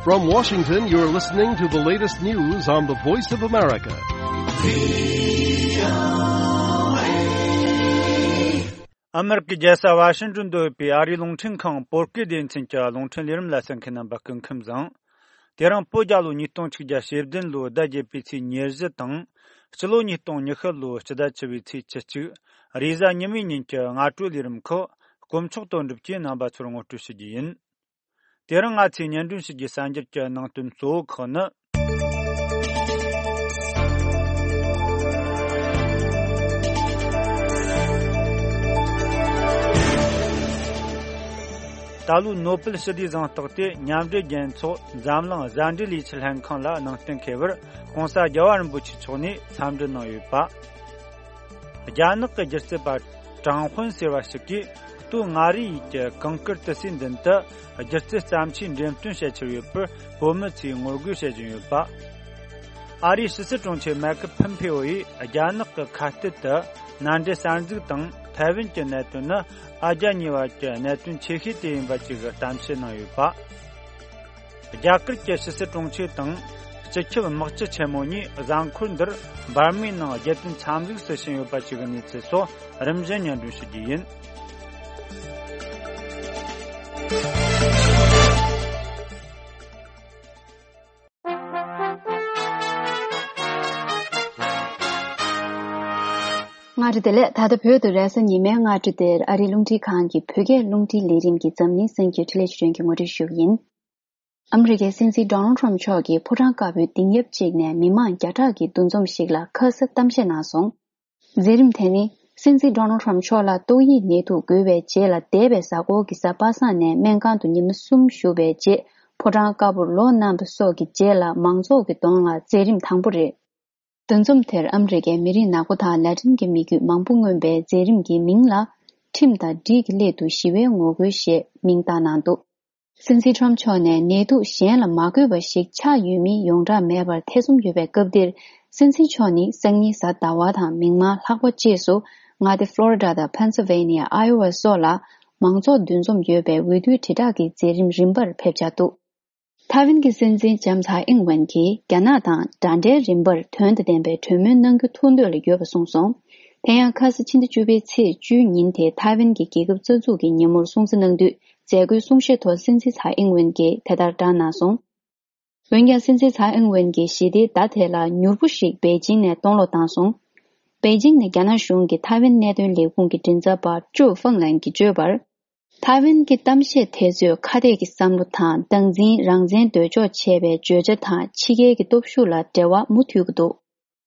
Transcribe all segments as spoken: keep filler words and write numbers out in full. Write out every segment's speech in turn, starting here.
From Washington, you're listening to the latest news on the Voice of America. ཨ་མེ་རི་ཀའི་རྒྱལ་ས་ཝ་ཤིང་ཏོན་དུ་ཡོད་པའི་ཨ་རིའི་རླུང་འཕྲིན་ཁང་བོད་སྐད་སྡེ་ཚན་གྱི་རླུང་འཕྲིན་ལས་རིམ་ལ་གསན་མཁན་རྣམ་པ་སྐུ་ཁམས་བཟང་། དེ་རིང་བོད་རྒྱལ་ལོ་ཉིས་སྟོང་ཆིག་བརྒྱ་ཞེ་བདུན་ལོའི་ཟླ་བརྒྱད་པའི་ཚེས་ཉེར་བཞི་དང་། སྤྱི་ལོ་ཉིས་སྟོང་ཉི་ཤུ་ལོའི་སྤྱི་ཟླ་བཅུ་པའི་ཚེས་བཅུ་གཅིག་རེས་གཟའ་ཉི་མའི་ཉིན་གྱི་སྔ་དྲོའི་ལས་རིམ་ཁག་དཀོན་མཆོག་དོན་གྲུབ་ཀྱིས་རྣམ་པ་ཚོར་ངོ་སྤྲོད་ཞུ་རྒྱུ་ཡིན། དེ་རིང་ང་ཚོས་སྙན་སྒྲོན་ཞུ་རྒྱུའི་གསར་འགྱུར་གྱི་ནང་དོན་གཙོ་བོ་ཁག་ནི། ད་ལོའི་ནོ་པེལ་ཞི་བདེའི་གཟེངས་རྟགས་དེ་མཉམ་འབྲེལ་རྒྱལ་ཚོགས་འཛམ་གླིང་བཟའ་འབྲེལ་ལས་འཆར་ལྷན་ཁང་ལ་ནང་བསྟན་འཁེལ་བར་༸གོང་ས་༸རྒྱལ་བ་རིན་པོ་ཆེ་མཆོག་ནས་འཚམས་འདྲི་གནང་ཡོད་པ། རྒྱ་ནག་གི་སྒྱུ་རྩལ་པ་ཀྲང་ཧུན་ཟེར་བ་ཞིག་གིས་ལྟོས་ང་རའི་ཡུལ་གྱི་གངས་དཀར་ཏི་སེའི་མདུན་དུ་སྒྱུ་རྩལ་བརྩམས་ཆོས་འགྲེམས་སྟོན་བྱ་འཆར་ཡོད་པར་བོད་མི་ཚོས་ངོ་རྒོལ་བྱེད་བཞིན་ཡོད་པ། ཨ་རིའི་ཕྱི་སྲིད་དྲུང་ཆེ་མེག་ཕམ་ཕེའོ་ཡིས་རྒྱ་ནག་གི་ཁ་གཏད་དུ་མནའ་འབྲེལ་གསར་འཛུགས་དང་ཐའེ་ཝན་གྱི་གནད་དོན་ནི་ཨ་རྒྱ་གཉིས་བར་གྱི་གནད་དོན་ཆེ་ཤོས་དེ་ཡིན་པ་བཅས་ཀྱི་གཏམ་བཤད་གནང་ཡོད་པ། རྒྱ་གར་གྱི་ཕྱི་སྲིད་དྲུང་ཆེ་དང་སྤྱི་ཁྱབ་དམག་སྤྱི་ཆེན་མོ་གཉིས་གཟའ་འཁོར་འདིར་འབར་མའི་ནང་རྒྱལ་དོན་འཚམས་གཟིགས་སུ་ཕྱིན་ཡོད་པ་བཅས་ཀྱི་གནས་ཚུལ་སོགས་རིམ་བཞིན་སྙན་སྒྲོན་ཞུ་རྒྱུ་ཡིན། སྔ་དྲོ་བདེ་ལེགས། ད་ལྟ་བོད་དུ་རེས་གཟའ་ཉི་མའི་སྔ་དྲོ་དེར་ཨ་རིའི་རླུང་འཕྲིན་ཁང་གི་བོད་སྐད་རླུང་འཕྲིན་ལས་རིམ་གྱི་འཛམ་གླིང་གསར་འགྱུར་འཕྲིན་ལས་ཆོས་སྒྲོན་གྱིས་ངོ་སྤྲོད་ཞུ་གི་ཡིན། ཨ་མི་རི་ཀའི་སྲིད་འཛིན་ཌོ་ནལ་ཊམ་མཆོག་གིས་ཕོ་བྲང་དཀར་པོའི་གདིང་ཡབ་ཅིག་ནས་མི་མང་བརྒྱ་ཕྲག་གི་འདུ་འཛོམས་ཤིག་ལ་ཁ་ས་གཏམ་བཤད་གནང་སོང་། མཛད་རིམ་དེ་ནི་སྲིད་འཛིན་ཌོ་ནལ་ཊམ་མཆོག་ལ་ཏོག་དབྱིབས་ནད་དུག་འགོས་པའི་རྗེས་ལ་འདས་པའི་གཟའ་འཁོར་གྱི་གཟའ་པ་སངས་ནས་སྨན་ཁང་དུ་ཉི་མ་གསུམ་བཞུགས་པའི་རྗེས་ཕོ་བྲང་དཀར་པོར་ལོག་གནང་བ་སོགས་ཀྱི་རྗེས་ལ་མང་ཚོགས་ཀྱི་གདོང་ལ་མཛད་རིམ་དང་པོ་རེད། འདུ་འཛོམས་དེར་ཨ་མི་རི་ཀའི་མི་རིགས་ནག་པོ་དང་ལ་ཏིན་གྱི་མི་རྒྱུད་མང་པོ་མངོན་པའི་མཛད་རིམ་གྱི་མིང་ལ་ཁྲིམས་དང་སྒྲིག་གི་སླད་དུ་ཞི་བའི་ངོ་རྒོལ་ཞེས་མིང་བཏགས་གནང་འདུག། སྲིད་འཛིན་ཊམ་མཆོག་ནས་ནད་དུག་གཞན་ལ་མ་འགོས་པ་ཞིག་ཆགས་ཡོད་མིན་ཡོངས་གྲགས་མེད་པར་ཐེ་ཚོམ་ཡོད་པའི་སྐབས་འདིར། སྲིད་འཛིན་མཆོག་ནི་སང་ཉིན་གཟའ་ཟླ་བ་དང་མིག་དམར་ལྷག་པ་བཅས་སུ་མངའ་སྡེ་ཕློ་རི་ཌ་དང་ཕེན་སིལ་ཝེ་ནི་ཡ། ཨའི་ཝ་སོགས་ལ་མང་ཚོགས་འདུ་འཛོམས་ཡོད་པའི་འོས་བསྡུའི་དྲིལ་བསྒྲགས་ཀྱི་མཛད་རིམ་རིམ་པར་ཕེབས་འཆར་འདུག། ཐའེ་ཝན་གྱི་སྲིད་འཛིན་ལྕམ་ཚའེ་ཨིང་ཝེན་གྱིས་རྒྱ་ནག་དང་འདྲ་འདྲའི་རིམ་པར་དོན་དང་ལྡན་པའི་གྲོས་མོལ་གནང་རྒྱུ་ཐུགས་འདོད་ལ་ཡོད་པ་གསུངས་སོང་། དེ་ཡང་ཁ་ས་ཕྱི་ཟླ་བཅུ་པའི་ཚེས་བཅུའི་ཉིན་དེ་ཐའེ་ཝན་གྱི་རྒྱལ་ཁབ་རྩ་འཛུགས་ཀྱི་ཉིན་མོར་སྲུང་བརྩི་གནང་དུས་མཛད་སྒོའི་གསུང་བཤད་ཐོག་སྲིད་འཛིན་ཚའེ་ཨིང་ཝེན་གྱིས་དེ་ལྟར་བསྒྲགས་གནང་སོང་། འོན་ཀྱང་སྲིད་འཛིན་ཚའེ་ཨིང་ཝེན་གྱིས་ཞི་བདེའི་ཟླ་དེ་ལ་མྱུར་པོ་ཞིག་པེ་ཅིང་ནས་གཏོང་ལོག་བཏང་སོང་། པེ་ཅིང་ནས་རྒྱ་ནག་གཞུང་གི་ཐའེ་ཝན་གནད་དོན་ལས་ཁུངས་ཀྱི་མགྲིན་ཚབ་པ་ཀྲུའུ་ཧྥང་ལན་གྱིས་བརྗོད་པར། ཐའེ་ཝན་གྱི་གཏམ་བཤད་དེ་ཚོས་ཁ་གཏད་ཀྱི་བསམ་བློ་དང་སྟངས་འཛིན་རང་བཙན་འདོད་ཕྱོགས་བྱས་པའི་བརྗོད་བྱ་དང་ཕྱི་རྒྱལ་གྱི་སྟོབས་ཤུགས་ལ་འབྲེལ་བ་མུ་མཐུད་ཀྱི་འདུག།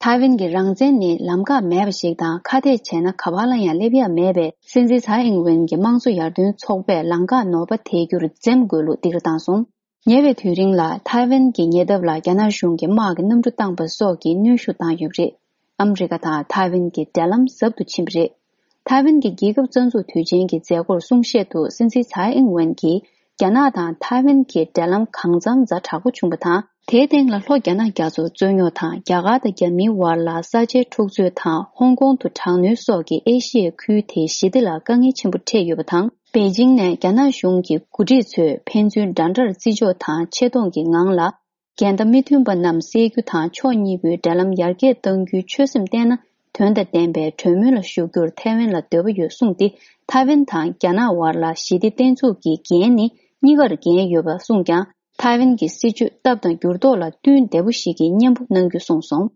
ཐའེ་ཝན་གྱི་རང་བཙན་ནི་ལམ་ཁ་མེད་པ་ཞིག་དང་ཁ་གཏད་བྱས་ན་ག་པར་ལ་ཡང་སླེབས་ཡ་མེད་པས། སྲིད་འཛིན་ཚའེ་ཨིང་ཝེན་གྱིས་དམངས་གཙོ་ཡར་ཐོན་ཚོགས་པས་ལམ་ཁ་ནོར་བ་དེད་རྒྱུར་འཛེམ་དགོས་ལུགས་སྡིགས་ར་བཏང་སོང་། ཉེ་བའི་དུས་རིང་ལ་ཐའེ་ཝན་གྱི་ཉེ་འདབས་ལ་རྒྱ་ནག་གཞུང་གིས་དམག་གི་གནམ་གྲུ་བཏང་པ་སོགས་ཀྱི་གནོན་ཤུགས་བཏང་ཡོད་པ་རེད། ཨ་མི་རི་ཀ་དང་ཐའེ་ཝན་གྱི་འབྲེལ་ལམ་ཟབ་ཏུ་ཕྱིན་པ་རེད། ཐའེ་ཝན་གྱི་རྒྱལ་ཁབ་རྩ་འཛུགས་དུས་ཆེན་གྱི་མཛད་སྒོར་གསུང་བཤད་དུ་སྲིད་འཛིན་ཚའེ་ཨིང་ཝེན་གྱིས་རྒྱ་ནག་དང་ཐའེ་ཝན་གྱི་འབྲེལ་ལམ་གང་འཚམ་ཛ་དྲག་པོ་བྱུང་བ་དང་། དེའི་སྟེང་ལ་ལྷོ་རྒྱ་ནག་རྒྱ་མཚོར་རྩོད་རྙོག་དང་། རྒྱ་གར་དང་རྒྱ་མིའི་དབར་ལ་ས་ཆའི་འཁྲུག་རྩོད་དང་། ཧོང་ཀོང་དུ་དྲག་གནོན་སོགས་ཀྱིས་ཨེ་ཤི་ཡའི་ཁུལ་དེའི་ཞི་བདེ་ལ་དཀའ་ངལ་ཆེན་པོ་འཕྲད་ཡོད་པ་དང་། པེ་ཅིང་ནས་རྒྱ་ནག་གཞུང་གི་འགོ་ཁྲིད་ཚོས་ཕན་ཚུན་འདྲ་འདྲར་བརྩི་འཇོག་དང་ཆེ་མཐོང་གི་ངང་ལ། འགལ་ཟླ་མི་མཐུན་པ་རྣམས་སེལ་རྒྱུ་དང་ཕྱོགས་གཉིས་པོའི་འབྲེལ་ལམ་ཡར་རྒྱས་གཏང་རྒྱུའི་ཆོད་སེམས་བསྟན་ན། དོན་དང་ལྡན་པའི་གྲོས་མོལ་ལ་ཞུགས་རྒྱུར་ཐའེ་ཝན་ལ་འདོད་པ་ཡོད་གསུངས་ཏེ། ཐའེ་ཝན་དང་རྒྱ་ནག་དབར་ལ་ཞི་བདེ་བརྟན་ཚུགས་ཀྱི་འགན་ནི་གཉིས་ཀར་འགན་ཡོད་པ་གསུངས་ཀྱང་། ཐའེ་ཝན་གྱི་སྲིད་བྱུས་སྟབས་དང་འགྱུར་ལྡོག་ལ་བསྟུན་བདེ་པོ་ཞིག་གི་གཉེན་པོ་གནང་རྒྱུ་གསུངས་སོང་།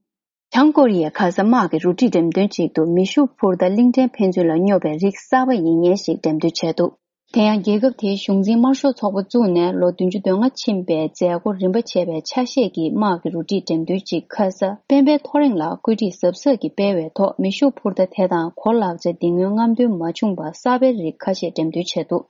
བྱང་ཀོ་རི་ཡས་ཁ་ས་དམག་གི་རུ་སྒྲིག་འགྲེམས་སྟོན་ཅིག་ཏུ་མེ་ཤུགས་འཕུར་མདའ་གླིང་ཕྲན་ཕན་ཚུན་ལ་སྙོབ་པའི་རིགས་གསར་པ་ཡིན་མཁན་ཞིག་འགྲེམས་སྟོན་བྱས་འདུག། དེ་ཡང་རྒྱལ་ཁབ་དེའི་གཞུང་འཛིན་དམར་ཤོག་ཚོགས་པ་བཙུགས་ནས་ལོ་བདུན་ཅུ་དོན་ལྔ་ཕྱིན་པའི་མཛད་སྒོ་རིམ་པ་བྱས་པའི་ཆ་ཤས་ཀྱི་དམག་གི་རུ་སྒྲིག་འགྲེམས་སྟོན་ཅིག་ཁ་ས་སྤེན་པའི་ཐོ་རེངས་ལ་བཀོད་སྒྲིག་གཟབ་གཟབ་ཀྱིས་སྤེལ་བའི་ཐོག་མེ་ཤུགས་འཕུར་མདའ་དེ་དང་གོ་ལག་ཆ་འདི་སྔོན་རྔམ་སྟོན་མ་བྱུང་བར་གསར་པའི་རིགས་ཁ་ཤས་འགྲེམས་སྟོན་བྱས་འདུག།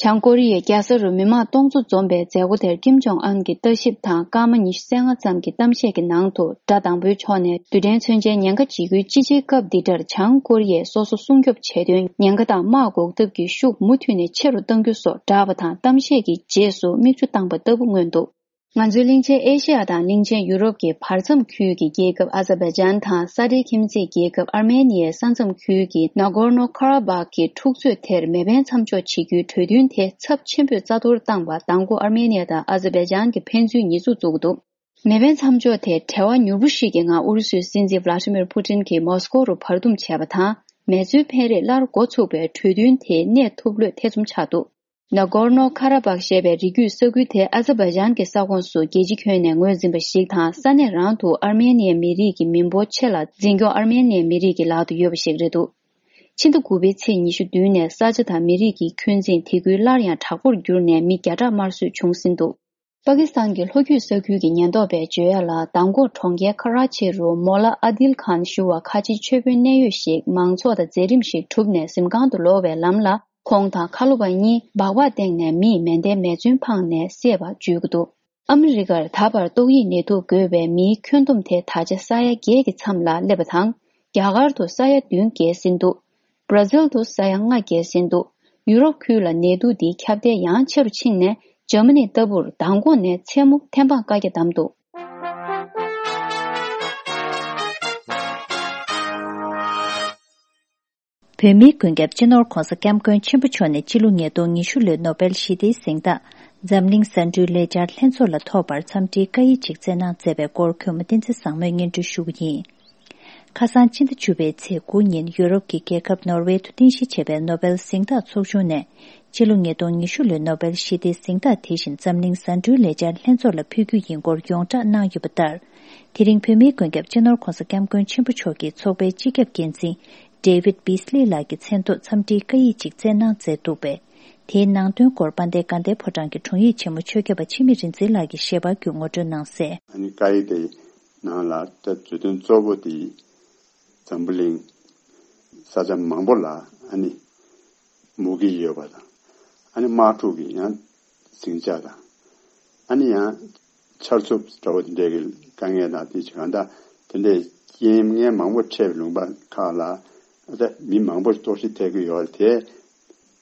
བྱང་ཀོ་རི་ཡའི་རྒྱལ་ས་རུ་མི་མང་སྟོང་ཚོ་འཛོམས་པའི་མཛད་སྒོ་དེར་ཀིམ་ཇོང་ཨན་གྱིས་ལྟ་ཞིབ་དང་སྐར་མ་ཉི་ཤུ་རྩ་ལྔ་ཙམ་གྱི་གཏམ་བཤད་ཀྱི་ནང་དུ། དགྲ་དང་པོའི་ཕྱོགས་ནས་རྡུལ་ཕྲན་མཚོན་ཆའི་ཉེན་ཁ་འཇིགས་སྐུལ་ཅི་ཆེའི་སྐབས་འདི་འདྲར་བྱང་ཀོ་རི་ཡས་སོ་སོ་སྲུང་སྐྱོབ་བྱེད་དོན་ཉེན་ཁ་དང་དམག་འགོག་ཐབས་ཀྱི་ཤུགས་མུ་མཐུད་ནས་ཆེ་རུ་གཏང་རྒྱུ་སོགས་བསྒྲགས་པ་དང་། གཏམ་བཤད་ཀྱི་རྗེས་སུ་མིག་ཆུ་བཏང་པ་ལྟ་བུ་མངོན་འདུག། ང་ཚོའི་གླིང་ཆེན་ཨེ་ཤེ་ཡ་དང་གླིང་ཆེན་ཡུ་རོབ་ཀྱི་བར་མཚམས་ཁུལ་གྱི་རྒྱལ་ཁབ་ཨ་ཛར་བྷའི་ཇན་དང་ས་འབྲེལ་ཁྱིམ་མཚེས་རྒྱལ་ཁབ་ཨར་མེ་ནི་ཡའི་ས་མཚམས་ཁུལ་གྱི་ན་གོར་ནོ་ཁ་ར་བག་གི་འཁྲུག་རྩོད་དེར་མེ་འཕེན་མཚམས་འཇོག་བྱེད་རྒྱུའི་གྲོས་མཐུན་དེ་ཚབས་ཆེན་པོས་རྩ་གཏོར་བཏང་བར་མདང་དགོང་ཨར་མེ་ནི་ཡ་དང་ཨ་ཛར་བྷའི་ཇན་གྱི་ཕན་ཚུན་ཉེས་འཛུགས་བཙུགས་འདུག་མེ་འཕེན་མཚམས་འཇོག་དེ་བྲེལ་བ་མྱུར་པོ་ཞིག་གི་ངང་ཨུ་རུ་སུའི་སྲིད་འཛིན་ཝ་ལ་ཏི་མིར་ཕུ་ཏིན་གྱིས་མོ་སི་ཀོ་རུ་བར་འདུམ་བྱས་པ་དང་། མེ་མཚོན་འཕེན་རེས་སླར་འགོ་ཚུགས་པའི་གྲོས་མཐུན་དེ་གནས་ཐུབ་ལོས་ཐེ་ཚོམ་ཆགས་འདུག་ན་གོར་ནོ་ཁ་ར་བག་ཞེས་པའི་རི་རྒྱུད་ས་ཁུལ་དེ་ཨ་ཛར་བྷའི་ཇན་གྱི་ས་ཁོངས་སུ་རྒྱལ་སྤྱི་ཁྱོན་ནས་ངོས་འཛིན་པ་ཞིག་དང་། ས་གནས་རང་དུ་ཨར་མེ་ནི་ཡའི་མི་རིགས་ཀྱི་མི་འབོར་ཆེ་ལ་འཛིན་སྐྱོང་ཨར་མེ་ནི་ཡའི་མི་རིགས་ཀྱི་ལག་ཏུ་ཡོད་པ་ཞིག་རེད་འདུག་ཕྱི་ཟླ་དགུ་པའི་ཚེས་ཉི་ཤུ་བདུན་ནས་ས་ཆ་དང་མི་རིགས་ཀྱི་འཁོན་འཛིན་དེ་ཁུལ་སླར་ཡང་དྲག་པོར་གྱུར་ནས་མི་བརྒྱ་ཕྲག་དམར་གསོད་བྱུང་ཟིན་འདུག་པ་ཀི་སི་ཐན་གྱི་ལྷོ་རྒྱུད་ས་ཁུལ་གྱི་ཉེན་རྟོག་པས་བརྗོད་ཡ་ལ། མདང་དགོང་གྲོང་ཁྱེར་ཁ་ར་ཆི་རུ་མོ་ལ་ཨ་དིལ་ཁཱན་ཞུ་བ་ཁ་ཆེའི་ཆོས་དཔོན་གནད་ཡོད་ཞིག་མང་ཚོགས་དང་མཛད་རིམ་ཞིག་གྲུབ་ནས་གཟིམ་ཁང་དུ་ལོག་པའི་ལམ་ལ། ཁོང་དང་ཁ་ལོ་བ་གཉིས་སྦག་སྦག་སྟེང་ནས་མིས་མེ་མདའི་མེ་མཚོན་འཕངས་ནས་བསད་པ་བརྗོད་ཀྱི་འདུག་ཨ་མི་རི་ཀར་ད་བར་ཏོག་དབྱིབས་ནད་དུག་འགོས་པའི་མིའི་ཁྱོན་བསྡོམས་དེ་ད་ཆ་ས་ཡ་བརྒྱད་ཀྱི་མཚམས་ལ་སླེབས་པ་དང་། རྒྱ་གར་དུ་ས་ཡ་བདུན་བརྒལ་ཟིན་འདུག་བར་ཛིལ་དུ་ས་ཡ་ལྔ་བརྒལ་ཟིན་འདུག་ཡུ་རོབ་ཁུལ་ལ་ནད་དུག་འདིའི་ཁྱབ་གདལ་ཡང་ཆེ་རུ་ཕྱིན་ནས། འཇར་མ་ནི་ལྟ་བུར་མདང་དགོང་ནས་མཚན་མོ་ཐེམ་སྤང་བཀའ་རྒྱ་བསྡམས་འདུག་བོད་མིའི་མགོན་སྐྱབས་སྤྱི་ནོར་༧གོང་ས་༧སྐྱབས་མགོན་ཆེན་པོ་མཆོག་ནས་སྤྱི་ལོ་ཉིས་སྟོང་ཉི་ཤུ་ལོའི་ནོ་བེལ་ཞི་བདེའི་གཟེངས་རྟགས་འཛམ་གླིང་གཟའ་འབྲུའི་ལས་འཆར་ལྷན་ཚོགས་ལ་ཐོབ་པར་འཚམས་འདྲིའི་བཀའ་ཡིག་ཅིག་བསྩལ་གནང་མཛད་པའི་སྐོར་གུས་མོ་བསྟན་འཛིན་བཟང་མོས་སྙན་སྒྲོན་ཞུ་གི་ཡིན། ཁ་སང་སྤྱི་ཟླ་བཅུ་པའི་ཚེས་དགུ་ཉིན་ཡུ་རོབ་ཀྱི་རྒྱལ་ཁབ་ནོར་ཝེ་དུ་རྟེན་གཞི་བྱས་པའི་ནོ་བེལ་གཟེངས་རྟགས་ཚོགས་ཆུང་ནས། སྤྱི་ལོ་ཉིས་སྟོང་ཉི་ཤུ་ལོའི་ནོ་བེལ་ཞི་བདེའི་གཟེངས་རྟགས་དེ་བཞིན་འཛམ་གླིང་གཟའ་འབྲུའི་ལས་འཆར་ལྷན་ཚོགས་ལ་ཕུལ་རྒྱུ་ཡིན་སྐོར་ཡོངས་བསྒྲགས་གནང་ཡོད་པ་ལྟར། དེ་རིང་བོད་མིའི་མགོན་སྐྱབས་སྤྱི་ནོར་༧གོང་ས་༧སྐྱབས་མགོན་ཆེན་པོ་མཆོག་གིས་ཚོགས་པའི་སྤྱི་ཁྱབ་འགན་འཛིན་David Beasley་ལགས་ཀྱི་མཚན་ཐོག་འཚམས་འདྲིའི་བཀའ་ཡིག་ཅིག་བསྩལ་གནང་མཛད་འདུག་པས། དེའི་ནང་དོན་སྐོར་དཔལ་ལྡན་དགའ་ལྡན་ཕོ་བྲང་གི་དྲུང་ཡིག་ཆེན་མོ་ཆོས་སྐྱབས་པ་འཆི་མེད་རིག་འཛིན་ལགས་ཀྱིས་ཞལ་པར་བརྒྱུད་ངོ་སྤྲོད་གནང་གསལ། ཨ་ནི་བཀའ་ཡིག་དེ་ནང་ལ་ད་བརྗོད་དོན་གཙོ་བོ་དེ་འཛམ་བུ་གླིང་ས་ཆ་མང་པོ་ལ་ཨ་ནི་མུ་གེ་ཡོད་པ་དང་། ཨ་ནི་དམག་འཁྲུག་གི་ཡང་ཟིང་ཆ་དང་། ཨ་ནི་ཡང་ཆར་ཆུ་འདྲ་བོ་དེ་འདྲའི་གི་དཀའ་ངལ་དང་དེ་གང་ལྟར་དེ་འདྲའི་རྐྱེན་ངན་མང་པོ་འཕྲད་པའི་ལུང་པ་ཁག་ལ་ཨ་ད་མི་མང་པོ་གཏོར་བཤིག་ཐེབས་ཀྱི་ཡོད་རེད་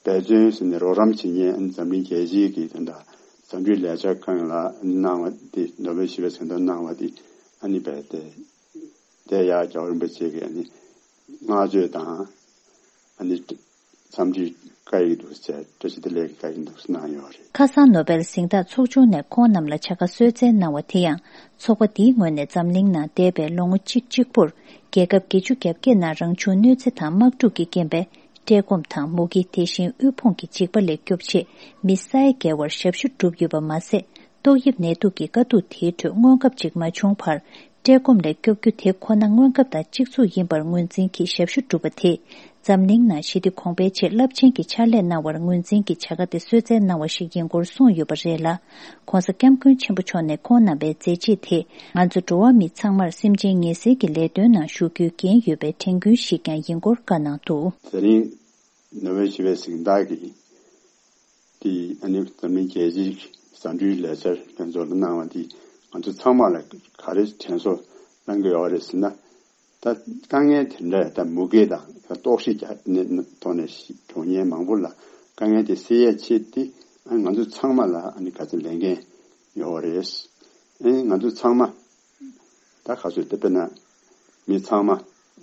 དེ། འབད་བརྩོན་ཟེར་ནས་རོགས་རམ་བྱེད་མཁན་འཛམ་གླིང་རྒྱལ་སྤྱིའི་གི་དེ་འདྲ་འཛམ་གླིང་ལས་འཆར་ཁང་ལ་གནང་བ་དེ་ནོ་བེལ་ཞི་བའི་གཟེངས་རྟགས་གནང་བ་དེ་ཨ་ནི་རྦད་དེ་དེ་ཡང་རྒྱལ་བ་རིན་པོ་ཆེ་གི་ཨ་ནི་བསྔགས་བརྗོད་དང་ཨ་ནི་འཚམས་འདྲིའི་བཀའ་ཡིག་འདུག་ཟེར། བཀྲ་ཤིས་བདེ་ལེགས་ཀྱི་བཀའ་ཡིག་འདུག་གནང་ཡོད་རེད། ཁ་སང་ནོ་བེལ་གཟེངས་རྟགས་ཚོགས་ཆུང་ནས་ཁོང་རྣམས་ལ་བྱ་དགའ་གསོལ་སྩལ་གནང་བ་དེ་ཡང་ཚོགས་པ་འདིའི་ངོས་ནས་འཛམ་གླིང་ནང་འདས་པའི་ལོ་ངོ་གཅིག་གཅིག་པུར་རྒྱལ་ཁབ་བརྒྱད་ཅུ་གྱ་བརྒྱད་ནང་རང་བྱུང་གནོད་འཚེ་དང་དམག་འཁྲུག་གི་རྐྱེན་པས། བཀྲེས་སྐོམ་དང་མུ་གེ། དེ་བཞིན་དབུལ་ཕོངས་ཀྱི་འཇིགས་པ་ལས་སྐྱོབ་ཆེད་མི་ས་ཡ་བརྒལ་བར་ཞབས་ཞུ་བསྒྲུབས་ཡོད་པ་མ་ཟད། ཏོག་དབྱིབས་ནད་དུག་གི་དཀའ་སྡུག་དེའི་ཁྲོད་དངོས་འགབ་ཅིག་མ་བྱུང་བར། བཀྲེས་སྐོམ་ལས་སྐྱོབ་རྒྱུ་དེ་ཁོ་ན་དངོས་འགབ་དང་གཅིག་མཚུངས་ཡིན་པར་ངོས་འཛིན་གྱིས་ཞབས་ཞུ་བསྒྲུབས་པ་དེས། འཛམ་གླིང་ནང་ཞི་བདེ་གོང་འཕེལ་ཆེད་རླབས་ཆེན་གྱི་ཕྱག་ལས་གནང་བར་ངོས་འཛིན་གྱིས་བྱ་དགའ་དེ་གསོལ་སྩལ་གནང་བ་ཞིག་ཡིན་སྐོར་གསུངས་ཡོད་པ་རེད་ལ། ྋགོང་ས་ྋསྐྱབས་མགོན་ཆེན་པོ་མཆོག་ནས་ཁོང་རྣམ་པའི་མཛད་རྗེས་དེས་ང་ཚོ་འགྲོ་བ་མི་ཚང་མར་སེམས་ཅན་ངལ་སེལ་གྱི་ལས་དོན་ནང་ཞུགས་རྒྱུའི་འགན་ཡོད་པའི་དྲན་སྐུལ་ཞིག་ཀྱང་ཡིན་སྐོར་བཀའ་གནང་འདུག་དེ་རིང་ནོ་བེལ་ཞི་བའི་གཟེངས་རྟགས་ཀྱི་དེ་ཨ་ནི་འཛམ་གླིང་རྒྱལ་སྤྱིའི་གཟའ་འབྲུའི་ལས་འཆར་ལྷན་ཚོགས་ལ་གནང་བ་འདི་ང་ཚོ་ཚང་མ་ལ་ག་རེ་དྲན་གསོ་གནང་གི་ཡོད་རེད་ཟེར་ན། ད་དཀའ་ངལ་དེ་འདྲ་ད་མུ་གེ་དང་ད་ལྟོགས་ཤི་རྒྱག་ནས་ཐོག་ནས་འགྲོ་མཁན་མང་པོ་ལ་དཀའ་ངལ་དེ་སེལ་ཡས་ཆེད་དེ་ཨ་ང་ཚོ་ཚང་མ་ལ་ཨ་ནི་ག་ཚོད་ལས་འགན་ཡོད་རེད། ཨ་ནི་ང་ཚོ་ཚང་མ་ད་ག་ཚོད་དེ་དཔེར་ན་མི་ཚང་མ་ཨ་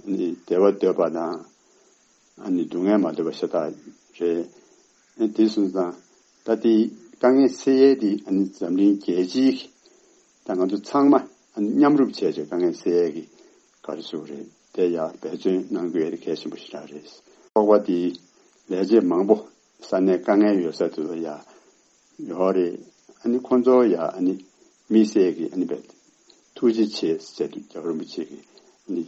ནི་བདེ་བ་འདོད་པ་དང་ཨ་ནི་སྡུག་བསྔལ་མ་འདོད་པ་ཤ་སྟག་རེད། ཨ་ནི་དེ་སོང་ཙང་ད་དེ་དཀའ་ངལ་སེལ་ཡས་དེ་ཨ་ནི་འཛམ་གླིང་རྒྱལ་སྤྱིའི་ད་ང་ཚོ་ཚང་མ་མཉམ་རུབ་བྱས་བྱས་དཀའ་ངལ་སེལ་ཡས་ཀྱི་ག་རེ་ཟེར་དགོས་རེད། དེ་ཡང་འབད་བརྩོན་གནང་དགོས་ཡས་དེ་གལ་ཆེན་པོ་ཞེ་དྲག་རེད། ཚོགས་པ་དེའི་ལས་བྱེད་མང་པོ་ས་གནས་དཀའ་ངལ་ཡོད་ས་དེ་ཚོ་ཡ་ཡོད་རེད། ཨ་ནི་ཁོང་ཚོ་ཡ་ཨ་ནི་དམིགས་བསལ་གྱི་ཨ་ནི་བས་ཐུགས་རྗེ་ཆེ་ཟེར་དུས་རྒྱལ་བ་རིན་པོ་ཆེ་གི་ཨ་ནི་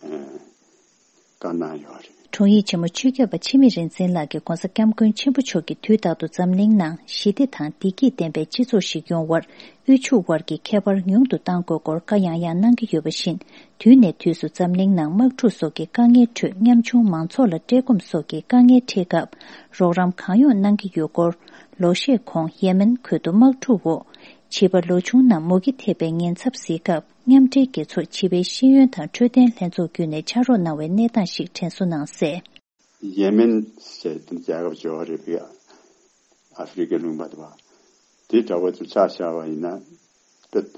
བཀའ་གནང་ཡོད་རེད། དྲུང་ཡིག་ཆེན་མོ་ཆོས་སྐྱབས་པ་འཆི་མེད་རིག་འཛིན་ལགས་ཀྱིས་༧གོང་ས་༧སྐྱབས་མགོན་ཆེན་པོ་མཆོག་གིས་དུས་རྟག་ཏུ་འཛམ་གླིང་ནང་ཞི་བདེ་དང་བདེ་སྐྱིད་ལྡན་པའི་སྤྱི་ཚོགས་ཤིག་ཡོང་བར་དབུལ་ཕྱུག་དབར་གྱི་ཁྱད་པར་ཉུང་དུ་གཏང་དགོས་སྐོར་བཀའ་ཡང་ཡང་གནང་གི་ཡོད་པ་བཞིན། དུས་ནས་དུས་སུ་འཛམ་གླིང་ནང་དམག་འཁྲུག་སོགས་ཀྱི་དཀའ་ངལ་ཁྲོད་ཉམ་ཆུང་མང་ཚོགས་ལ་བཀྲེས་སྐོམ་སོགས་ཀྱི་དཀའ་ངལ་འཕྲད་སྐབས་རོགས་རམ་གང་ཡོང་གནང་གི་ཡོད་སྐོར། ལོ་ཤས་གོང་ཡེ་མེན་ཁུལ་དུ་དམག་འཁྲུག་འོག་བྱིས་པ་ལོ་ཆུང་རྣམས་མུ་གེ་ཐེབས་པའི་ཉེན་ཚབས་གཟིགས་སྐབས་མཉམ་འབྲེལ་རྒྱལ་ཚོགས་བྱིས་པའི་ཤེས་ཡོན་དང་འཕྲོད་བསྟེན་ལྷན་ཚོགས་བརྒྱུད་ནས་ཕྱག་རོགས་གནང་བའི་གནས་སྟངས་ཤིག་དྲན་གསོ་གནང་གསལ། ཡེ་མེན་ཞེས་དེ་རྒྱལ་ཁབ་ཅིག་ཡོད་རེད་པས། ཨ་ཧྥེ་རི་ཁའི་ལུང་པ་དེ་བ། དེ་འདྲ་བོ་དེ་ཆ་བཞག་པ་ཡིན་ན། དཔེ་ད་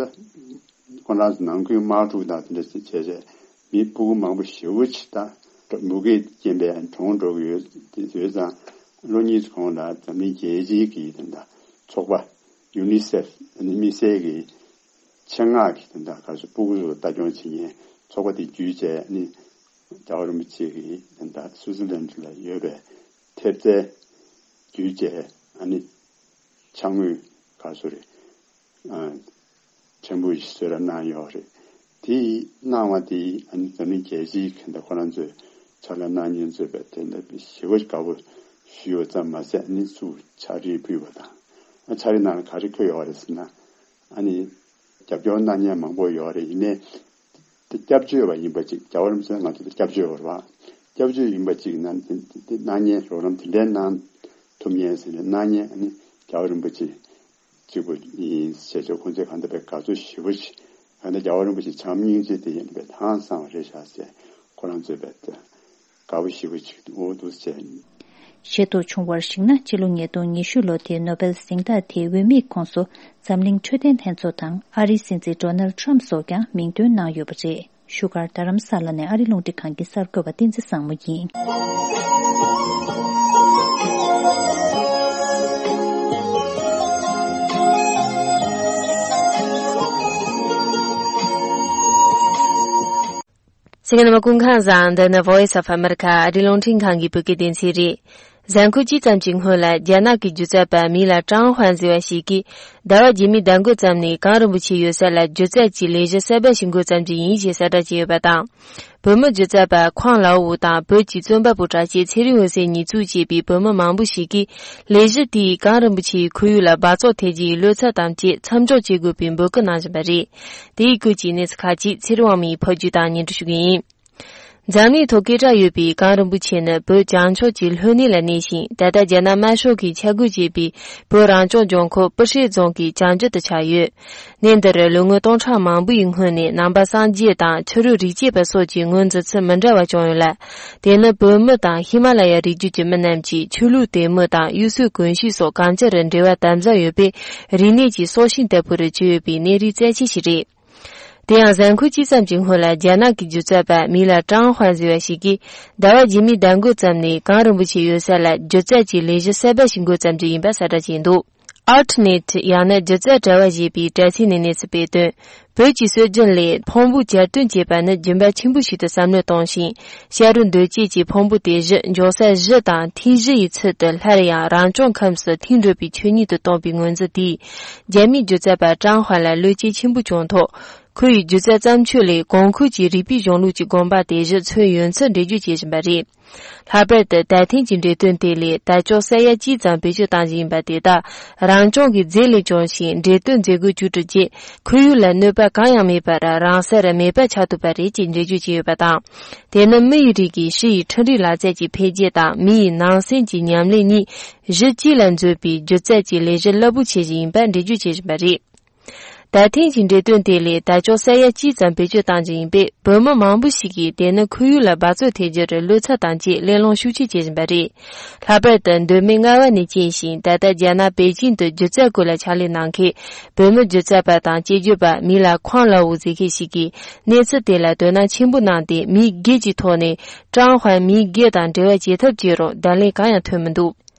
ཁོ་རང་ཚོ་ནང་ཁུལ་དམག་འཁྲུག་དང་དེ་འདྲ་ཞིག་བྱས་རྗེས་མི་སྤུ་གུ་མང་པོ་ཞེ་པོ་ཅིག་ད་མུ་གེས་རྐྱེན་པས་གྲོངས་འགྲོ་གི་ཡོད། དེ་ཡོད་ཙང་ལོ་གཉིས་གོང་ལ་འཛམ་གླིང་རྒྱལ་སྤྱིའི་གི་དེ་འདྲ་ཚོགས་པ་ཡུ་ནི་སེཕ་ནི་དམིགས་བསལ་གྱི་ཆེད་མངགས་ཀྱི་དེ་འདྲ་ག་ཚོད་སྤུ་གུ་ཚོ་ལ་ལྟ་སྐྱོང་བྱེད་མཁན་ཚོགས་པ་དེ་བརྒྱུད་བྱས་ནི་རྒྱལ་བ་རིན་པོ་ཆེ་གི་དེ་འདྲ་སུའུ་ཙི་ལན་ལ་ཡོད་པའི་ཐེབས་རྩའི་བརྒྱུད་བྱས་ཨ་ནི་ཕྱག་དངུལ་ག་ཚོད་རེད། ཕྲན་བུ་ཞིག་གསོལ་ར་གནང་ཡོད་རེད། དེ་གནང་བ་དེ་ཨ་ནི་འཛམ་གླིང་རྒྱལ་སྤྱིའི་གི་འདྲ་ཁོ་རང་ཚོས་ཕྱག་ལས་གནང་མཁན་ཚོས་པའི་དེ་འདྲ་ཞེ་པོ་དགའ་པོ་ཞུས་པ་ཙམ་མ་ཟད་ཨ་ནི་ཚུར་ཕྱག་བྲིས་ཕུལ་བ་དང་། ཨ་ཕྱག་བྲིས་ནང་ལ་ག་རེ་འཁོད་ཡོད་རེད་ཟེར་ན། ཨ་ནི་རྒྱབ་སྐྱོར་གནང་མཁན་མང་པོ་ཡོད་རེད། ཡིན་ནའི་དེ་སྐྱབས་བཅོལ་བ་ཡིན་པ་ཅིག་རྒྱལ་བ་རིན་པོ་ཆེ་ང་ཚོ་དེ་སྐྱབས་བཅོལ་བ་རེད་བ། སྐྱབས་བཅོལ་ཡིན་པ་ཅིག་ན་དེ་དེ་གནང་མཁན་རོགས་རམ་དེ་འདྲའི་གནང་ཐུབ་མཁན་ཟེར་ནས་གནང་མཁན་ཨ་ནི་རྒྱལ་བ་རིན་པོ་ཆེ་གཅིག་པུ་ཡིན་ཞེས་ཆོག་ཁོང་ཚོས་གང་ལྟར་པའི་དགའ་ཚོར་ཞེ་པོ་ཞིག་གང་ལྟར་རྒྱལ་བ་རིན་པོ་ཆེ་བྱམས་སྙིང་རྗེ་དེ་ཡིན་པའི་ཧང་སང་བ་རེད་ཤག་ཟེར་ཁོ་རང་ཚོས་པའི་དགའ་པོ་ཞེ་པོ་ཅིག་འོ་འདུག་ཟེར། ཤེས་རྟོགས་བྱུང་བར་གཞིགས་ན་སྤྱི་ལོ་ཉིས་སྟོང་ཉི་ཤུ་ལོ་དེའི་ནོ་བེལ་གཟེངས་རྟགས་དེའི་འོས་མིའི་ཁོངས་སུ་འཛམ་གླིང་འཕྲོད་བསྟེན་ལྷན་ཚོགས་དང་ཨ་རིའི་སྲིད་འཛིན་ཌོ་ནལ་ཁྲམ་སོགས་ཀྱང་མིང་འདོན་གནང་ཡོད་པ་རེད། བཞུགས་སྒར་རྡ་རམ་ས་ལ་ནས་ཨ་རི་རླུང་འཕྲིན་ཁང་གི་གསར་འགོད་པ་བསྟན་འཛིན་བཟང་མོ་ཡིན། གསན་མཁན་རྣམ་པ་སྐུ་ཁམས་བཟང་། འདི་ནི་Voice of America ཨ་རི་རླུང་འཕྲིན་ཁང་གི་བོད་སྐད་སྡེ་ཚན་རེད། གཟའ་འཁོར་གཅིག་ཙམ་གྱི་སྔོན་ལ་རྒྱ་ནག་གི་སྒྱུ་རྩལ་པ་མིང་ལ་ཀྲང་ཧུན་ཟེར་བ་ཞིག་གིས་ཟླ་བ་རྗེས་མའི་ཟླ་འགོ་ཙམ་ནས་གངས་རིན་པོ་ཆེ་ཡོད་ས་ལ་སྒྱུ་རྩལ་གྱི་ལས་གཞི་གསར་པ་ཞིག་འགོ་བརྩམས་རྒྱུ་ཡིན་ཞེས་གསལ་བསྒྲགས་བྱས་ཡོད་པ་དང་། བོད་མི་སྒྱུ་རྩལ་པ་ཁོང་ལའོ་ཝུ་དང་བོད་ཀྱི་རྩོམ་པ་པོ་གྲགས་ཅན་ཚེ་རིང་འོད་ཟེར་གཉིས་གཙོས་བྱས་པའི་བོད་མི་མང་པོ་ཞིག་གིས་ལས་གཞི་དེས་གངས་རིན་པོ་ཆེའི་ཁོར་ཡུག་ལ་འབག་བཙོག་ཐེབས་རྒྱུའི་བློ་འཚབ་དང་བཅས་མཚམས་འཇོག་བྱེད་དགོས་པའི་འབོད་སྐུལ་གནང་བཞིན་པ་རེད། དེའི་སྐོར་གྱི་གནས་ཚུལ་ཁག་ཅིག་ཚེ་རིང་དབང་མོས་ཕབ་སྒྱུར་དང་སྙན་སྒྲོན་ཞུ་གི་ཡིན། འཛམ་གླིང་ཐོག་སྐད་གྲགས་ཡོད་པའི་གངས་རིན་པོ་ཆེ་ནི་བོད་བྱང་ཕྱོགས་ཀྱི་ལྷོ་སྣེ་ལ་གནས་ཤིང་། ད་ལྟ་རྒྱ་ནག་དམར་ཤོག་གིས་ཆ་བགོས་བྱས་པའི་བོད་རང་སྐྱོང་ལྗོངས་མཁོ་སྤུ་ཧྲེང་རྫོང་གི་བྱང་རྒྱུད་དུ་ཆགས་ཡོད། གནས་འདི་རུ་ལོ་ངོ་སྟོང་ཕྲག་མང་པོའི་སྔོན་ནས་ནང་པ་སངས་རྒྱས་དང་ཕྱི་རོལ་རིག་བྱེད་པ་སོགས་ཀྱི་ངོས་འཛིན་ཚུལ་མི་འདྲ་བ་བྱུང་ཡོད་ལ། དེ་ནི་བོད་མི་དང་ཧི་མ་ལ་ཡ་རི་རྒྱུད་ཀྱི་མི་རྣམས་ཀྱིས་ཆོས་ལུགས་དད་མོས་དང་གཡུལ་སྲོལ་གོམས་གཤིས་སོགས་གང་ཅི་རུ་འབྲེལ་བ་དམ་ཟབ་ཡོད་པས་རིག་གནས་ཀྱི་སྲོག་ཤིང་ལྟ་བུར་གྱུར་ཡོད་པའི་གནས་རིགས་རྩ་ཆེ་ཞིག་རེད། དེ་ཡང་གཟའ་འཁོར་གཅིག་ཙམ་གྱི་སྔོན་ལ་རྒྱ་ནག་གི་སྒྱུ་རྩལ་པ་མིང་ལ་ཀྲང་ཧུན་ཟེར་བ་ཞིག་གིས་ཟླ་བ་རྗེས་མའི་ཟླ་འགོ་ཙམ་ནས་གངས་རིན་པོ་ཆེ་ཡོད་ས་ལ་སྒྱུ་རྩལ་གྱི་ལས་གཞི་གསར་པ་ཞིག་འགོ་བརྩམ་རྒྱུ་ཡིན་པ་གསལ་བསྒྲགས་བྱས་འདུག་ཨར་ཊི་ནེ་ཊི་ཡང་ན་སྒྱུ་རྩལ་དྲ་བ་ཞེས་པའི་དྲ་ཚིགས་ནས་གནས་ཚུལ་སྤེལ་དོན། བོད་ཀྱི་སྲོལ་རྒྱུན་ལས་འཕོན་པོ་གྱེར་འདོན་བྱེད་པ་ནི་སྦྱིན་པ་ཆེན་པོ་ཞིག་ཏུ་བསམ་བློ་བཏང་ཞིང་། བྱ་རུང་རྡོ་སྐྱེས་ཀྱི་འཕོན་པོ་དེ་བཞི་འཇོག་ས་བཞི་དང་ཐིག་བཞི་ཡི་ཚུལ་དུ་སླར་ཡང་རང་སྐྱོང་ཁམས་སུ་ཐིམ་འགྲོ་བའི་ཆོས་ཉིད་དུ་བཏང་པའི་ངོས་འཛིན་དེས་རྒྱ་མིའི་སྒྱུ་རྩལ་པ་ཀྲང་ཧུན་ལ་བློ་སྐྱེད་ཆེན་པོ་བྱུང་ཐོག་ཁོ་ཡི་སྒྱུ་རྩལ་བརྩམས་ཆོས་ལས་གོང་འཁོད་ཀྱི་རིག་པའི་གཞུང་ལུགས་ཀྱི་དགོངས་པ་དེ་བཞི་མཚོན་ཡོད་ཚུལ་འགྲེལ་བརྗོད་བྱེད་བཞིན་པ་རེད། ལྷག་པར་དུ་ད་ཐེངས་ཀྱི་འགྲེམས་སྟོན་དེ་ལས་དར་ལྕོག་ས་ཡ་གཅིག་ཙམ་བེད་སྤྱོད་བཏང་བཞིན་པ་དེ་དག་རང་སྐྱོང་གི་རྫས་ལས་བྱུང་ཞིང་འགྲེམས་སྟོན་མཛད་སྒོ་བཅུ་དྲུག་རྗེས་ཁོར་ཡུག་ལ་གནོད་པ་གང་ཡང་མེད་པར་རང་སར་མེད་པ་ཆགས་ཐུབ་པ་རེད་ཅེས་འགྲེལ་བརྗོད་བྱས་ཡོད་པ་དང་། དེ་ནི་མི་ཡི་རིགས་ཀྱི་ཕྱི་ཡི་འཕྲུལ་རིག་ལག་རྩལ་གྱི་འཕེལ་རྒྱས་དང་མི་ཡི་ནང་སེམས་ཀྱི་ཉམས་ལེན་གཉིས་གཞི་གཅིག་ལ་འཛུལ་བའི་སྒྱུ་རྩལ་གྱི་ལས་གཞི་རླབས་པོ་ཆེ་ཞིག་ཡིན་པ་འགྲེལ་བརྗོད་བྱེད་བཞིན་པ་རེད། ད་ཐེངས་ཀྱི་འགྲེམས་སྟོན་དེ་ལས་དར་ལྕོག་ས་ཡ་གཅིག་ཙམ་བེད་སྤྱོད་བཏང་རྒྱུ་ཡིན་པས་བོད་མི་མང་པོ་ཞིག་གིས་དེ་ནི་ཁོར་ཡུག་ལ་འབག་བཙོག་ཐེབས་རྒྱུར་བློ་འཚབ་དང་བཅས་གླེང་སློང་ཤུགས་ཆེ་བྱེད་བཞིན་པ་རེད། ལྷག་པར་དུ་མདོ་སྨད་རྔ་བ་ནས་སྐྱེས་ཤིང་ད་ལྟ་རྒྱ་ནག་པེ་ཅིང་དུ་སྒྱུ་རྩལ་སྐོར་ལ་ཕྱག་ལས་གནང་མཁན་བོད་མི་སྒྱུ་རྩལ་པ་དང་སྐྱེས་སྒྱུར་པ་མིང་ལ་ཁོང་ལའོ་ཟེར་མཁན་ཞིག་གིས་གནས་ཚུལ་དེ་ལ་དོ་སྣང་ཆེན་པོ་གནང་སྟེ་མིང་བརྒྱད་ཀྱི་ཐོག་ནས་ཀྲང་ཧུན་མིང་བརྒྱད་དང་འབྲེལ་བ་བྱེད་ཐབས་བྱས་རུང་བརྡ་ལན་གང་ཡང་ཐོན་མི་འདུག་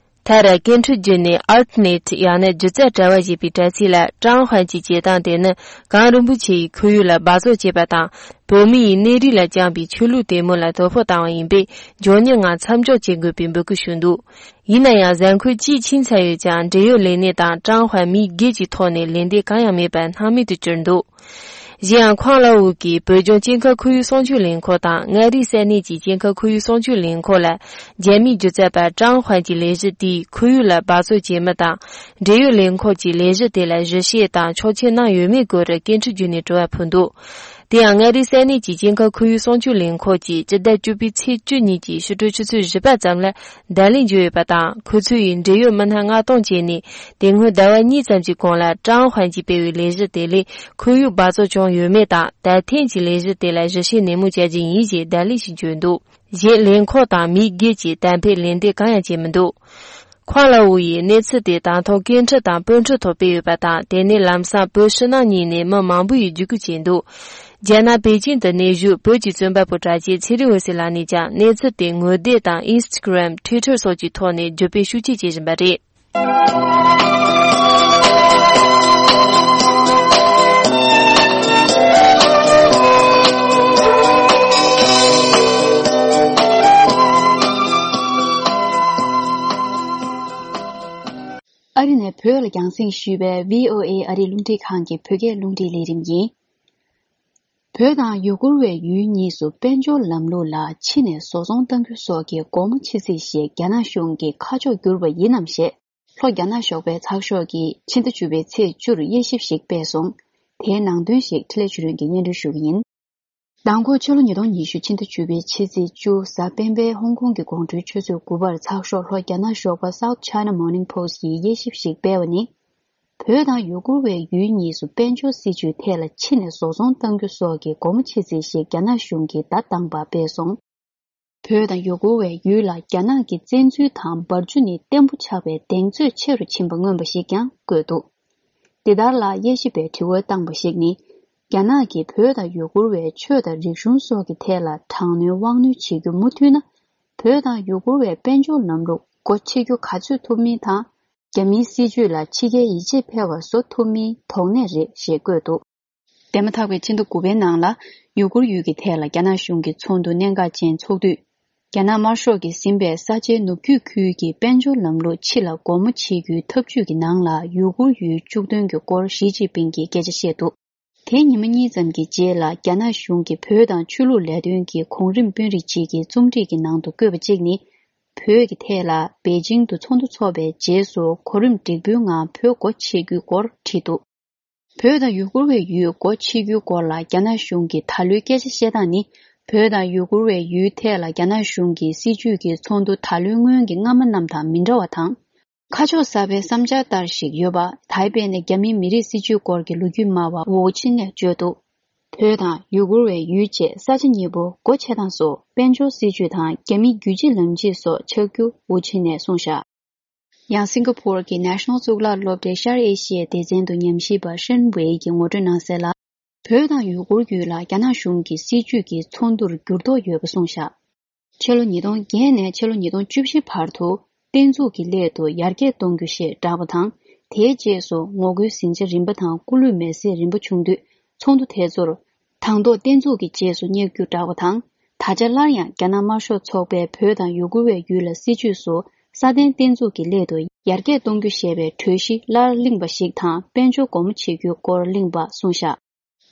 མཐར་སྐད་འཕྲིན་བརྒྱུད་ནས་ཨར་ཊི་ནེ་ཊི་ཡང་ན་སྒྱུ་རྩལ་དྲ་བ་ཞེས་པའི་དྲ་ཚིགས་ལ་ཀྲང་ཧུན་གྱི་བྱེད་སྟངས་དེ་ནི་གངས་རིན་པོ་ཆེ་ཡི་ཁོར་ཡུག་ལ་འབག་བཙོག་བྱེད་པ་དང་བོད་མི་ཡི་གནས་རིགས་ལ་བཅངས་པའི་ཆོས་ལུགས་དད་མོས་ལ་དོ་ཕོག་བཏང་བ་ཡིན་པས་མགྱོགས་མྱུར་ངང་མཚམས་འཇོག་བྱེད་དགོས་པའི་འབོད་སྐུལ་ཞུས་འདུག་ཡིན་ན་ཡང་གཟའ་འཁོར་གཅིག་ཕྱིན་ཚར་ཡོད་ཀྱང་འབྲེལ་ཡོད་ལས་སྣེ་དང་ཀྲང་ཧུན་མིང་བརྒྱད་ཀྱི་ཐོག་ནས་ལན་འདེབས་གང་ཡང་མེད་པར་སྣང་མེད་དུ་གྱུར་འདུག་གཞན་ཡང་ཁོང་ལའོ་ཝུ་གིས་བོད་ལྗོངས་སྐྱེ་ཁམས་ཁོར་ཡུག་སྲུང་སྐྱོབ་ལས་ཁུངས་དང་མངའ་རིས་ས་གནས་ཀྱི་སྐྱེ་ཁམས་ཁོར་ཡུག་སྲུང་སྐྱོབ་ལས་ཁུངས་ལ་རྒྱ་མིའི་སྒྱུ་རྩལ་པ་ཀྲང་ཧུན་གྱི་ལས་གཞི་དེས་ཁོར་ཡུག་ལ་འབག་བཙོག་བྱེད་མི་དང་འབྲེལ་ཡོད་ལས་ཁུངས་ཀྱིས་ལས་གཞི་དེ་ལ་ཞིབ་བཤེར་དང་ཆོག་མཆན་གནང་ཡོད་མེད་སྐོར་སྐད་འཕྲིན་བརྒྱུད་ནས་དྲི་བ་ཕུལ་འདུག་དེ་ཡང་མངའ་རིས་ས་གནས་ཀྱི་སྐྱེ་ཁམས་ཁོར་ཡུག་སྲུང་སྐྱོབ་ལས་ཁུངས་ཀྱིས་སྤྱི་ཟླ་བཅུ་པའི་ཚེས་བཅུ་ཉིན་གྱི་ཕྱི་དྲོ་ཆུ་ཚོད་བཞི་པ་ཙམ་ལ་བརྡ་ལན་བརྗོད་ཡོད་པ་དང་། ཁོ་ཚོ་ཡིས་འབྲེལ་ཡོད་མི་སྣ་མངགས་གཏོང་བྱས་ནས་དེ་སྔོན་ཟླ་བ་གཉིས་ཙམ་གྱི་གོང་ལ་ཀྲང་ཧུན་གྱིས་སྤེལ་བའི་ལས་གཞི་དེ་ལས་ཁོར་ཡུག་འབག་བཙོག་བྱུང་ཡོད་མེད་དང་ད་ཐེངས་ཀྱི་ལས་གཞི་དེ་ལ་ཞིབ་བཤེར་ནན་མོ་བྱ་རྒྱུ་ཡིན་ཞེས་བརྡ་ལན་ཞིག་བརྗོད་འདུག་གཞན་ལས་ཁུངས་དང་མིང་བརྒྱད་ཀྱིས་གཏན་འབེབས་ལན་འདེབས་གང་ཡང་བྱས་མི་འདུག་ཁུའ་ལའོ་ཡིས་གནས་ཚུལ་དེ་དང་ཐོག་སྐད་འཕྲིན་དང་པོན་ཁྲི་ཐོག་སྤེལ་ཡོད་པ་དང་། དེ་ནས་ལམ་སང་བོད་ཕྱི་ནང་གཉིས་ནས་མི་མང་པོ་ཡིས་བརྒྱུད་སྐུར་བྱས་འདུག་རྒྱ་ནག་པེ་ཅིང་དུ་གནས་བཞུགས་བོད་ཀྱི་རྩོམ་པ་པོ་གྲགས་ཅན་ཚེ་རིང་འོད་ཟེར་ལགས་ནས་ཀྱང་གནས་ཚུལ་དེ་ངོ་དེབ་དང་ཨིན་སི་ཊ་གྷི་རམ། ཊུའི་ཊར་སོགས་ཀྱི་ཐོག་ནས་བརྒྱུད་སྤེལ་ཤུགས་ཆེ་བྱེད་བཞིན་པ་རེད། ཨ་རི་ནས་བོད་ལ་རྒྱང་སྲིང་ཞུས་པའི་བྷི་ཨོ་ཨེ་ཨ་རིའི་རླུང་འཕྲིན་ཁང་གི་བོད་སྐད་རླུང་འཕྲིན་ལས་རིམ་ཡིན། བོད་དང་ཡུ་གུར་བའི་ཡུལ་གཉིས་སུ་དཔལ་འབྱོར་ལམ་ལུགས་ལ་ཕྱི་ནས་བཟོ་ཚོང་གཏང་རྒྱུ་སོགས་ཀྱི་སྒོ་མོ་ཕྱེ་རྩིས་ཞིག་རྒྱ་ནག་གཞུང་གིས་ཁ་ཕྱོགས་བསྒྱུར་བ་ཡིན་ནམ་ཞེས། ལྷོ་རྒྱ་ནག་ཞོགས་པའི་ཚགས་ཤོག་གིས་ཕྱི་ཟླ་བཅུ་པའི་ཚེས་བཅུར་དབྱེ་ཞིབ་ཞིག་སྤེལ་སོང་། དེའི་ནང་དོན་ཞིག་འཕྲིན་ལས་ཆོས་སྒྲོན་གྱིས་སྙན་སྒྲོན་ཞུ་གི་ཡིན། མདང་དགོང་ཕྱི་ལོ་ཉིས་སྟོང་ཉི་ཤུ་ཕྱི་ཟླ་བཅུ་པའི་ཕྱི་ཚེས་བཅུ་གཟའ་སྤེན་པའི་ཧོང་ཀོང་གི་དགོང་དྲོའི་ཆུ་ཚོད་དགུ་པར་ཚགས་ཤོག་ལྷོ་རྒྱ་ནག་ཞོགས་པ་South China Morning Post་ཡིས་དབྱེ་ཞིབ་ཞིག་སྤེལ་བ་ནི། བོད་དང་ཡུ་གུར་བའི་ཡུལ་གཉིས་སུ་དཔལ་འབྱོར་སྲིད་ཇུས་ཐད་ལ་ཕྱི་ནས་བཟོ་ཚོང་གཏང་རྒྱུ་སོགས་ཀྱི་སྒོ་མོ་ཕྱེ་རྩིས་ཤིག་རྒྱ་ནག་གཞུང་གིས་ཟླ་དང་པ་སྤེལ་སོང་། བོད་དང་ཡུ་གུར་བའི་ཡུལ་ལ་རྒྱ་ནག་གི་བཙན་འཛུལ་དང་འབར་འཛུགས་ནི་བརྟན་པོ་ཆགས་པའི་གདེང་ཚོད་ཆེ་རུ་ཕྱིན་པ་མངོན་པ་ཞིག་ཀྱང་བཀོད་འདུག་འདི་ལྟར་ལ་དབྱེ་ཞིབ་པས་དྲི་བ་བཏང་པ་ཞིག་ནི། རྒྱ་ནག་གིས་བོད་དང་ཡུ་གུར་བའི་ཆོས་དང་རིག་གཞུང་སོགས་ཀྱི་ཐད་ལ་དྲག་གནོན་དབང་གནོད་བྱེད་རྒྱུ་མུ་མཐུད་ན། བོད་དང་ཡུ་གུར་བའི་དཔལ་འབྱོར་ལམ་ལུགས་སྒོ་ཕྱེ་རྒྱུ་ག་ཚོད་ཐུབ་མིན་དང་། རྒྱ་མིའི་སྲིད་ཇུས་ལ་ཕྱི་རྒྱལ་ཡིད་ཆེས་འཕེར་བ་བཟོ་ཐུབ་མིན་དོགས་གནད་རེད་ཞེས་བཀོད་འདུག་འདས་མ་ཐག་པའི་ཕྱི་ཟླ་དགུ་པའི་ནང་ལ་ཡུ་གུར་ཡུལ་གྱི་ཐད་ལ་རྒྱ་ནག་གཞུང་གིས་ཚོགས་འདུ་གནད་འགག་ཅན་འཚོགས་དུས། རྒྱ་ནག་དམར་ཤོག་གིས་ཟིན་པའི་ས་ཆའི་ནུབ་རྒྱུད་ཁུལ་གྱི་དཔལ་འབྱོར་ལམ་ལུགས་ཕྱི་ལ་སྒོ་མོ་ཕྱེ་རྒྱུའི་ཐབས་ཇུས་ཀྱི་ནང་ལ་ཡུ་གུར་ཡུལ་བཅུག་དོན་གྱི་སྐོར་ཞི་ཅིན་ཕིང་གིས་སྐད་ཆ་བཤད་འདུག་དེ་ཉི་མ་གཉིས་ཙམ་གྱི་རྗེས་ལ་རྒྱ་ནག་གཞུང་གིས་བོད་དང་ཆོས་ལུགས་ལས་དོན་གྱི་གོང་རིམ་དཔོན་རིགས་ཅིག་གི་རྩོམ་སྒྲིག་གི་ནང་དུ་བཀོད་པ་གཅིག་ནི། བོད་ཀྱི་ཐད་ལ་པེ་ཅིང་དུ་ཚོགས་འདུ་འཚོགས་པའི་རྗེས་སུ་གོ་རིམ་འགྲིག་པོའི་ངང་བོད་སྒོ་ཕྱེ་རྒྱུའི་སྐོར་བྲིས་འདུག་བོད་དང་ཡུ་གུར་བའི་ཡུལ་སྒོ་ཕྱེ་རྒྱུའི་སྐོར་ལ་རྒྱ་ནག་གཞུང་གིས་ད་ལོའི་སྐད་ཆ་བཤད་སྟངས་ནི། བོད་དང་ཡུ་གུར་བའི་ཡུལ་ཐད་ལ་རྒྱ་ནག་གཞུང་གི་སྲིད་ཇུས་ཀྱི་ཚོགས་འདུ་ད་ལོའི་སྔོན་གྱི་སྔ་མ་རྣམས་དང་མི་འདྲ་བ་དང་། ཁ་ཕྱོགས་གསར་པའི་བསམ་འཆར་ལྟར་ཞིག་ཡོད་པ། ད་ཕེབས་ནས་རྒྱ་མིའི་མི་རིགས་སྲིད་ཇུས་སྐོར་གྱི་ལོ་རྒྱུས་སྨྲ་བ་ཝུའུ་ཆིན་ནས་བརྗོད་འདུག་བོད་དང་ཡུ་གུར་བའི་ཡུལ་བཅས་ས་ཆ་གཉིས་པོ་སྒོ་ཕྱེ་སྟངས་སོགས་དཔལ་འབྱོར་སྲིད་ཇུས་དང་རྒྱ་མིའི་རྒྱུད་གཅིག་ལམ་གཅིག་སོགས་ཆགས་རྒྱུ་ཝུའུ་ཆིན་ནས་གསུངས་བཞག་ཡང་སིང་ག་ཕོར་གྱི་National་གཙུག་ལག་སློབ་གྲྭའི་ཤར་ཨེ་ཤི་ཡའི་སྡེ་ཚན་དུ་ཉམས་ཞིབ་པ་ཧྲིན་ཝེ་ཡིས་ངོ་སྤྲོད་གནང་གསལ་ལ། བོད་དང་ཡུ་གུར་ཡུལ་ལ་རྒྱ་ནག་གཞུང་གི་སྲིད་ཇུས་ཀྱི་ཚོགས་འདུར་འགྱུར་ལྡོག་ཡོད་པ་གསུངས་བཞག་ཕྱི་ལོ་ཉིས་སྟོང་བརྒྱད་ནས་ཕྱི་ལོ་ཉིས་སྟོང་བཅུ་བཞི་བར་དུ་བསྟན་འཛུགས་ཀྱི་སླད་དུ་ཡར་རྒྱས་གཏོང་རྒྱུ་ཞེས་བསྒྲགས་པ་དང་། དེའི་རྗེས་སུ་ངོ་རྒོལ་ཟིང་ཆ་རིམ་པ་དང་སྐུ་ལུས་མེར་སྲེག་རིམ་པ་བྱུང་དུས། ཚོགས་འདུ་དེ་ཚོར་དང་ཐོག་བསྟན་འཛུགས་ཀྱི་རྗེས་སུ་བསྙེག་རྒྱུ་བསྒྲགས་པ་དང་། ད་ཆ་སླར་ཡང་རྒྱ་ནག་དམར་ཤོག་ཚོགས་པས་བོད་དང་ཡུ་གུར་བའི་ཡུལ་ལ་སྲིད་ཇུས་སུ་སྲ་བརྟན་བསྟན་འཛུགས་ཀྱི་སླད་དུ་ཡར་རྒྱས་གཏོང་རྒྱུ་ཞེས་པའི་གྲོས་གཞི་སླར་གླེང་བ་ཞིག་དང་། དཔལ་འབྱོར་སྒོ་མོ་ཕྱེ་རྒྱུའི་སྐོར་གླེང་བ་གསུངས་བཞག་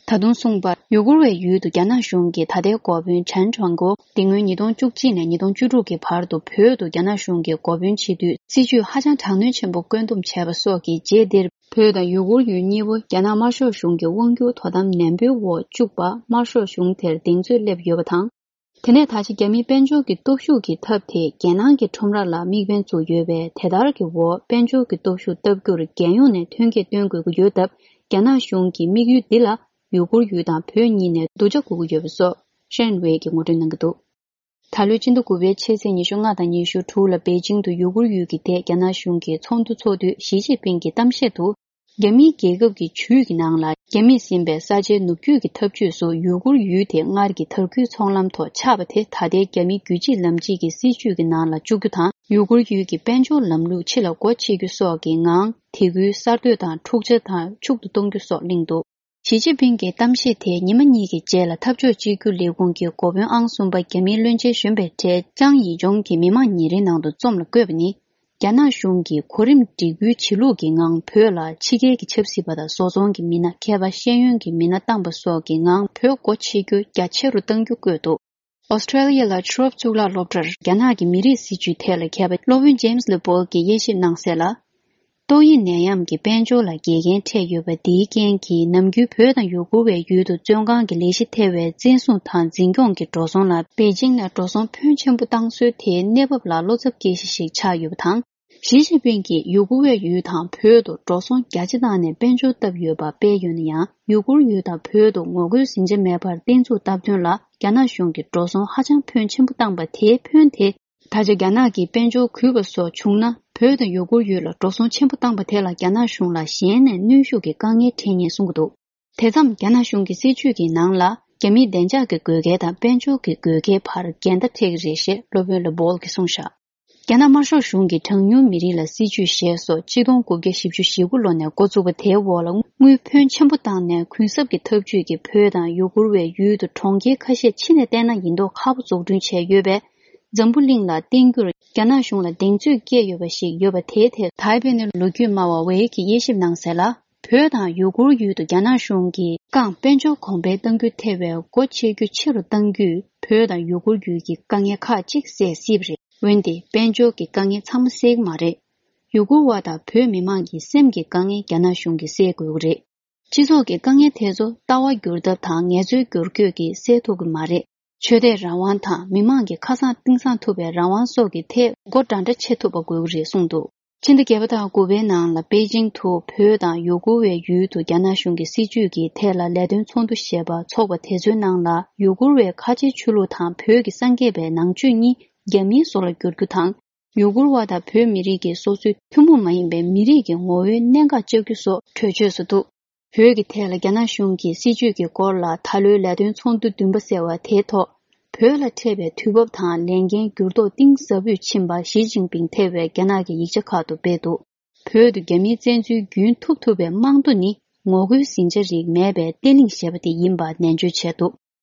ད་དུང་གསུངས་པར། ཡུ་གུར་བའི་ཡུལ་དུ་རྒྱ་ནག་གཞུང་གིས་ད་ལྟའི་འགོ་དཔོན་ཆན་ཁྲང་ཀོ་འདི་སྔོན་ཉིས་སྟོང་བཅུ་གཅིག་ནས་ཉིས་སྟོང་བཅུ་དྲུག་གི་བར་དུ་བོད་དུ་རྒྱ་ནག་གཞུང་གི་འགོ་དཔོན་བྱེད་དུས། སྲིད་ཇུས་ཧ་ཅང་དྲག་གནོན་ཆེན་པོ་བཀོད་འདོམས་བྱས་པ་སོགས་ཀྱི་རྗེས་འདིར། བོད་དང་ཡུ་གུར་ཡུལ་གཉིས་པོ་རྒྱ་ནག་དམར་ཤོག་གཞུང་གི་དབང་སྒྱུར་དོ་དམ་ནན་པོའི་འོག་བཅུག་པ། དམར་ཤོག་གཞུང་དེར་གདེང་ཚོད་སླེབས་ཡོད་པ་དང་། དེ་ནས་ད་ཆ་རྒྱ་མིའི་དཔལ་འབྱོར་གྱི་སྟོབས་ཤུགས་ཀྱི་ཐབས་དེས་རྒྱལ་ནང་གི་ཁྲོམ་ར་ལ་དམིགས་འབེན་བཙུགས་ཡོད་པས། དེ་ལྟར་གྱི་འོག་དཔལ་འབྱོར་གྱི་སྟོབས་ཤུགས་སྟབས་སྒྱུར་རྒྱལ་ཡོངས་ནས་ཐོན་སྐྱེད་སྟོན་དགོས་ཀྱི་ཡོད་སྟབས། རྒྱ་ནག་གཞུང་གི་དམིགས་ཡུལ་འདི་ལ་ཡུ་གུར་ཡུལ་དང་བོད་གཉིས་ནས་སྡུག་ཅག་དགོས་ཀྱི་ཡོད་པ་སོགས་ཧྲན་ཝེ་གིས་ངོ་སྤྲོད་གནང་གི་འདུག་ད་ལོའི་སྤྱི་ཟླ་དགུ་པའི་ཕྱི་ཚེས་ཉི་ཤུ་ལྔ་དང་ཉི་ཤུ་དྲུག་ལ་པེ་ཅིང་དུ་ཡུ་གུར་ཡུལ་གྱི་ཐད་རྒྱ་ནག་གཞུང་གིས་ཚོགས་འདུ་འཚོགས་དུས། ཞི་ཅིན་ཕིང་གིས་གཏམ་བཤད་དུ། རྒྱ་མིའི་རྒྱལ་ཁབ་ཀྱི་ཇུས་ཀྱི་ནང་ལ། རྒྱ་མིས་ཟིན་པའི་ས་ཆའི་ནུབ་རྒྱུད་ཀྱི་འཐབ་ཇུས་སུ་ཡུ་གུར་ཡུལ་དེ་སྔར་གྱི་དར་རྒུད་ཚོང་ལམ་ཐོག་ཆགས་པ་དེ། ད་ལྟའི་རྒྱ་མིའི་རྒྱུད་གཅིག་ལམ་གཅིག་གི་སྲིད་ཇུས་ཀྱི་ནང་ལ་བཅུག་རྒྱུ་དང་། ཡུ་གུར་ཡུལ་གྱི་དཔལ་འབྱོར་ལམ་ལུགས་ཕྱི་ལ་སྒོ་ཕྱེ་རྒྱུ་སོགས་ཀྱི་ངང་། དེ་ཁུལ་གསར་གཏོད་དང་འཁྲུག་ཆ་དང་ཕྱུག་ཏུ་གཏོང་རྒྱུ་སོགས་གླེང་འདུག་ཞི་ཅིན་ཕིང་གི་གཏམ་བཤད་དེ་ཉི་མ་གཉིས་ཀྱི་རྗེས་ལ་འཐབ་ཕྱོགས་གཅིག་གྱུར་ལས་ཁུངས་ཀྱི་འགོ་དཔོན་ཨང་གསུམ་པ་རྒྱ་མིའི་བློན་ཆེན་གཞོན་པའི་གྲས་ཅང་ཡི་ཇོང་གིས་མི་དམངས་ཉིན་རེའི་ནང་དུ་རྩོམ་ལ་བཀོད་པ་ནི། རྒྱ་ནག་གཞུང་གིས་གོ་རིམ་སྒྲིག་པུའི་བྱེད་ལུགས་ཀྱི་ངང་བོད་ལ་ཕྱི་རྒྱལ་གྱི་ཆབ་སྲིད་པ་དང་བཟོ་ཚོང་གི་མི་སྣ། མཁས་པ་ཤེས་ཡོན་གྱི་མི་སྣ་བཏང་པ་སོགས་ཀྱི་ངང་བོད་སྒོ་ཕྱེ་རྒྱུ་རྒྱ་ཆེ་རུ་གཏང་རྒྱུ་བཀོད་འདུག་ཨོ་སི་ཀྲེ་ལི་ཡ་ལ་ཊི་རོབ་གཙུག་ལག་སློབ་གྲྭར་རྒྱ་ནག་གི་མི་རིགས་སྲིད་ཇུས་ཐད་ལ་མཁས་པ་སློབ་དཔོན་ཇེམ་སི་ལི་པོལ་གྱིས་དབྱེ་ཞིབ་གནང་གསལ་ལ། ཏོག་དབྱིབས་ནད་ཡམས་ཀྱིས་དཔལ་འབྱོར་ལ་འགལ་རྐྱེན་འཕྲད་ཡོད་པ་འདིའི་རྐྱེན་གྱིས། ནམ་རྒྱུན་བོད་དང་ཡུ་གུར་བའི་ཡུལ་དུ་བཙོན་ཁང་གི་ལས་གཞི་ཐེ་བའི་བཙན་བཟུང་དང་འཛིན་སྐྱོང་གི་འགྲོ་སོང་ལ་པེ་ཅིང་ནས་འགྲོ་སོང་ཕོན་ཆེན་པོ་བཏང་སྲོལ་དེའི་གནས་བབ་ལ་བློ་འཚབ་སྐྱེ་གཞི་ཞིག་ཆགས་ཡོད་པ་དང་། ཞི་ཅིན་ཕིང་གིས་ཡུ་གུར་བའི་ཡུལ་དང་བོད་དུ་འགྲོ་སོང་རྒྱ་ཆེ་བཏང་ནས་དཔལ་འབྱོར་བཏབ་ཡོད་པ་སྤེལ་ཡོད་ན་ཡང་། ཡུ་གུར་ཡུལ་དང་བོད་དུ་ངོ་རྒོལ་ཟིང་ཆ་མེད་པར་བརྟན་ཚུགས་བཏབ་དོན་ལ་རྒྱ་ནག་གཞུང་གིས་འགྲོ་སོང་ཧ་ཅང་ཕོན་ཆེན་པོ་བཏང་པ་དེའི་ཕོན་དེ། ད་ཆ་རྒྱ་ནག་གིས་དཔལ་འབྱོར་གུད་པ་སོགས་བྱུང་ན། བོད་དང་ཡུ་གུར་ཡུལ་ལ་འགྲོ་སོང་ཆེན་པོ་བཏང་པ་དེ་ལ་རྒྱ་ནག་གཞུང་ལ་གཞན་ནས་གནོན་ཤུགས་ཀྱི་དཀའ་ངལ་འཕྲད་ངེས་གསུང་གི་འདུག་དེ་མཚམས་རྒྱ་ནག་གཞུང་གི་སྲིད་ཇུས་ཀྱི་ནང་ལ་རྒྱ་མིའི་བདེ་འཇགས་ཀྱི་དགོས་གལ་དང་དཔལ་འབྱོར་གྱི་དགོས་གལ་བར་འགལ་ཟླ་འཕྲད་ཀྱི་རེད་ཞེས་སློབ་དཔོན་ལ་སྦོལ་གྱིས་གསུངས་བཞག་རྒྱ་ནག་དམར་ཤོག་གཞུང་གིས་གྲངས་ཉུང་མི་རིགས་ལ་སྲིད་ཇུས་ཞེས་སོགས་གཅིག་སྟོང་དགུ་བརྒྱ་བཞི་བཅུ་ཞེ་དགུ་ལོ་ནས་འགོ་བཙུགས་པ་དེའི་འོག་ལ་དངུལ་ཕོན་ཆེན་པོ་བཏང་ནས་གུན་གསབ་ཀྱི་ཐབས་ཇུས་ཀྱིས་བོད་དང་ཡུ་གུར་བའི་ཡུལ་དུ་གྲོང་ཁྱེར་ཁ་ཤས་ཕྱི་ནས་བལྟས་ན་ཡིན་མདོག་ཁ་པོ་འཛུགས་སྐྲུན་བྱས་ཡོད་པས། འཛམ་བུ་གླིང་ལ་བརྟེན་རྒྱུར་རྒྱ་ནག་གཞུང་ལ་གདེང་ཚོད་སྐྱེས་ཡོད་པ་ཞིག་ཡོད་པ་དེའི་ཐད་ཐའེ་པེ་ནས་ལོ་རྒྱུས་སྨྲ་བ་ཝེ་གིས་དབྱེ་ཞིབ་གནང་གསལ་ལ། བོད་དང་ཡུ་གུར་ཡུལ་དུ་རྒྱ་ནག་གཞུང་གིས་རྐང་དཔལ་འབྱོར་གོང་འཕེལ་གཏང་རྒྱུ་ཐེ་བའི་སྒོ་ཕྱེ་རྒྱུ་ཆེ་རུ་གཏང་རྒྱུས་བོད་དང་ཡུ་གུར་ཡུལ་གྱི་དཀའ་ངལ་ཁག་ཅིག་སེལ་སྲིད་པ་རེད། འོན་ཏེ་དཔལ་འབྱོར་གྱི་དཀའ་ངལ་ཚང་མ་སེལ་གྱི་མ་རེད། ཡུ་གུར་བ་དང་བོད་མི་མང་གི་སེམས་ཀྱི་དཀའ་ངལ་རྒྱ་ནག་གཞུང་གིས་སེལ་དགོས་ཀྱི་རེད། སྤྱི་ཚོགས་ཀྱི་དཀའ་ངལ་དེ་ཚོ་ལྟ་བ་བསྒྱུར་ཐབས་དང་ངལ་རྩོལ་བསྒྱུར་བཀོད་ཀྱིས་སེལ་ཐུབ་ཀྱི་མ་རེད། ཆོས་དད་རང་དབང་དང་མི་མང་གི་ཁ་སང་གཏིང་སང་ཐུབ་པའི་རང་དབང་སོགས་ཀྱི་ཐད་སྒོ་འདྲ་འདྲ་ཕྱེ་ཐུབ་པ་དགོས་ཀྱི་རེད་གསུངས་འདུག་ཕྱི་ཟླ་བརྒྱད་པ་དང་དགུ་པའི་ནང་ལ་པེ་ཅིང་དུ་བོད་དང་ཡུ་གུར་བའི་ཡུལ་དུ་རྒྱ་ནག་གཞུང་གི་སྲིད་ཇུས་ཀྱི་ཐད་ལ་ལས་དོན་ཚོགས་འདུ་ཞེས་པ་འཚོགས་པ་དེ་ཚོའི་ནང་ལ་ཡུ་གུར་བའི་ཁ་ཆེའི་ཆོས་ལུགས་དང་བོད་ཀྱི་སངས་རྒྱས་པའི་ནང་ཆོས་གཉིས་རྒྱ་མིའི་བཟོ་ལ་བསྒྱུར་རྒྱུ་དང་། ཡུ་གུར་བ་དང་བོད་མི་རིགས་ཀྱི་སོ་སོའི་ཐུན་མོང་མ་ཡིན་པའི་མི་རིགས་ཀྱི་ངོ་བོའི་གནད་འགག་བཅག་རྒྱུ་སོགས་གྲོས་ཆོད་སུ་འདུག་བོད་ཀྱི་ཐད་ལ་རྒྱ་ནག་གཞུང་གི་སྲིད་ཇུས་ཀྱི་སྐོར་ལ་ད་ལོའི་ལས་དོན་ཚོགས་འདུ་བདུན་པ་ཟེར་བ་དེའི་ཐོག་བོད་ལ་འཕྲད་པའི་དུས་བབ་དང་ལས་འགན་འགྱུར་ལྡོག་གཏིང་ཟབ་པོས་ཕྱིན་པ་ཞི་ཅིན་ཕིང་ཐེ་བའི་རྒྱ་ནག་གི་ཡིག་ཆ་ཁག་ཏུ་སྤེལ་འདུག་བོད་དུ་རྒྱ་མིའི་བཙན་འཛུལ་རྒྱུན་ཐུབ་ཐུབ་པའི་རྨང་རྡོ་ནི་ངོ་རྒོལ་ཟིང་ཆ་རིགས་མེད་པའི་བརྟན་ལྷིང་ཞེས་པ་དེ་ཡིན་པ་ནན་བརྗོད་བྱས་འདུག་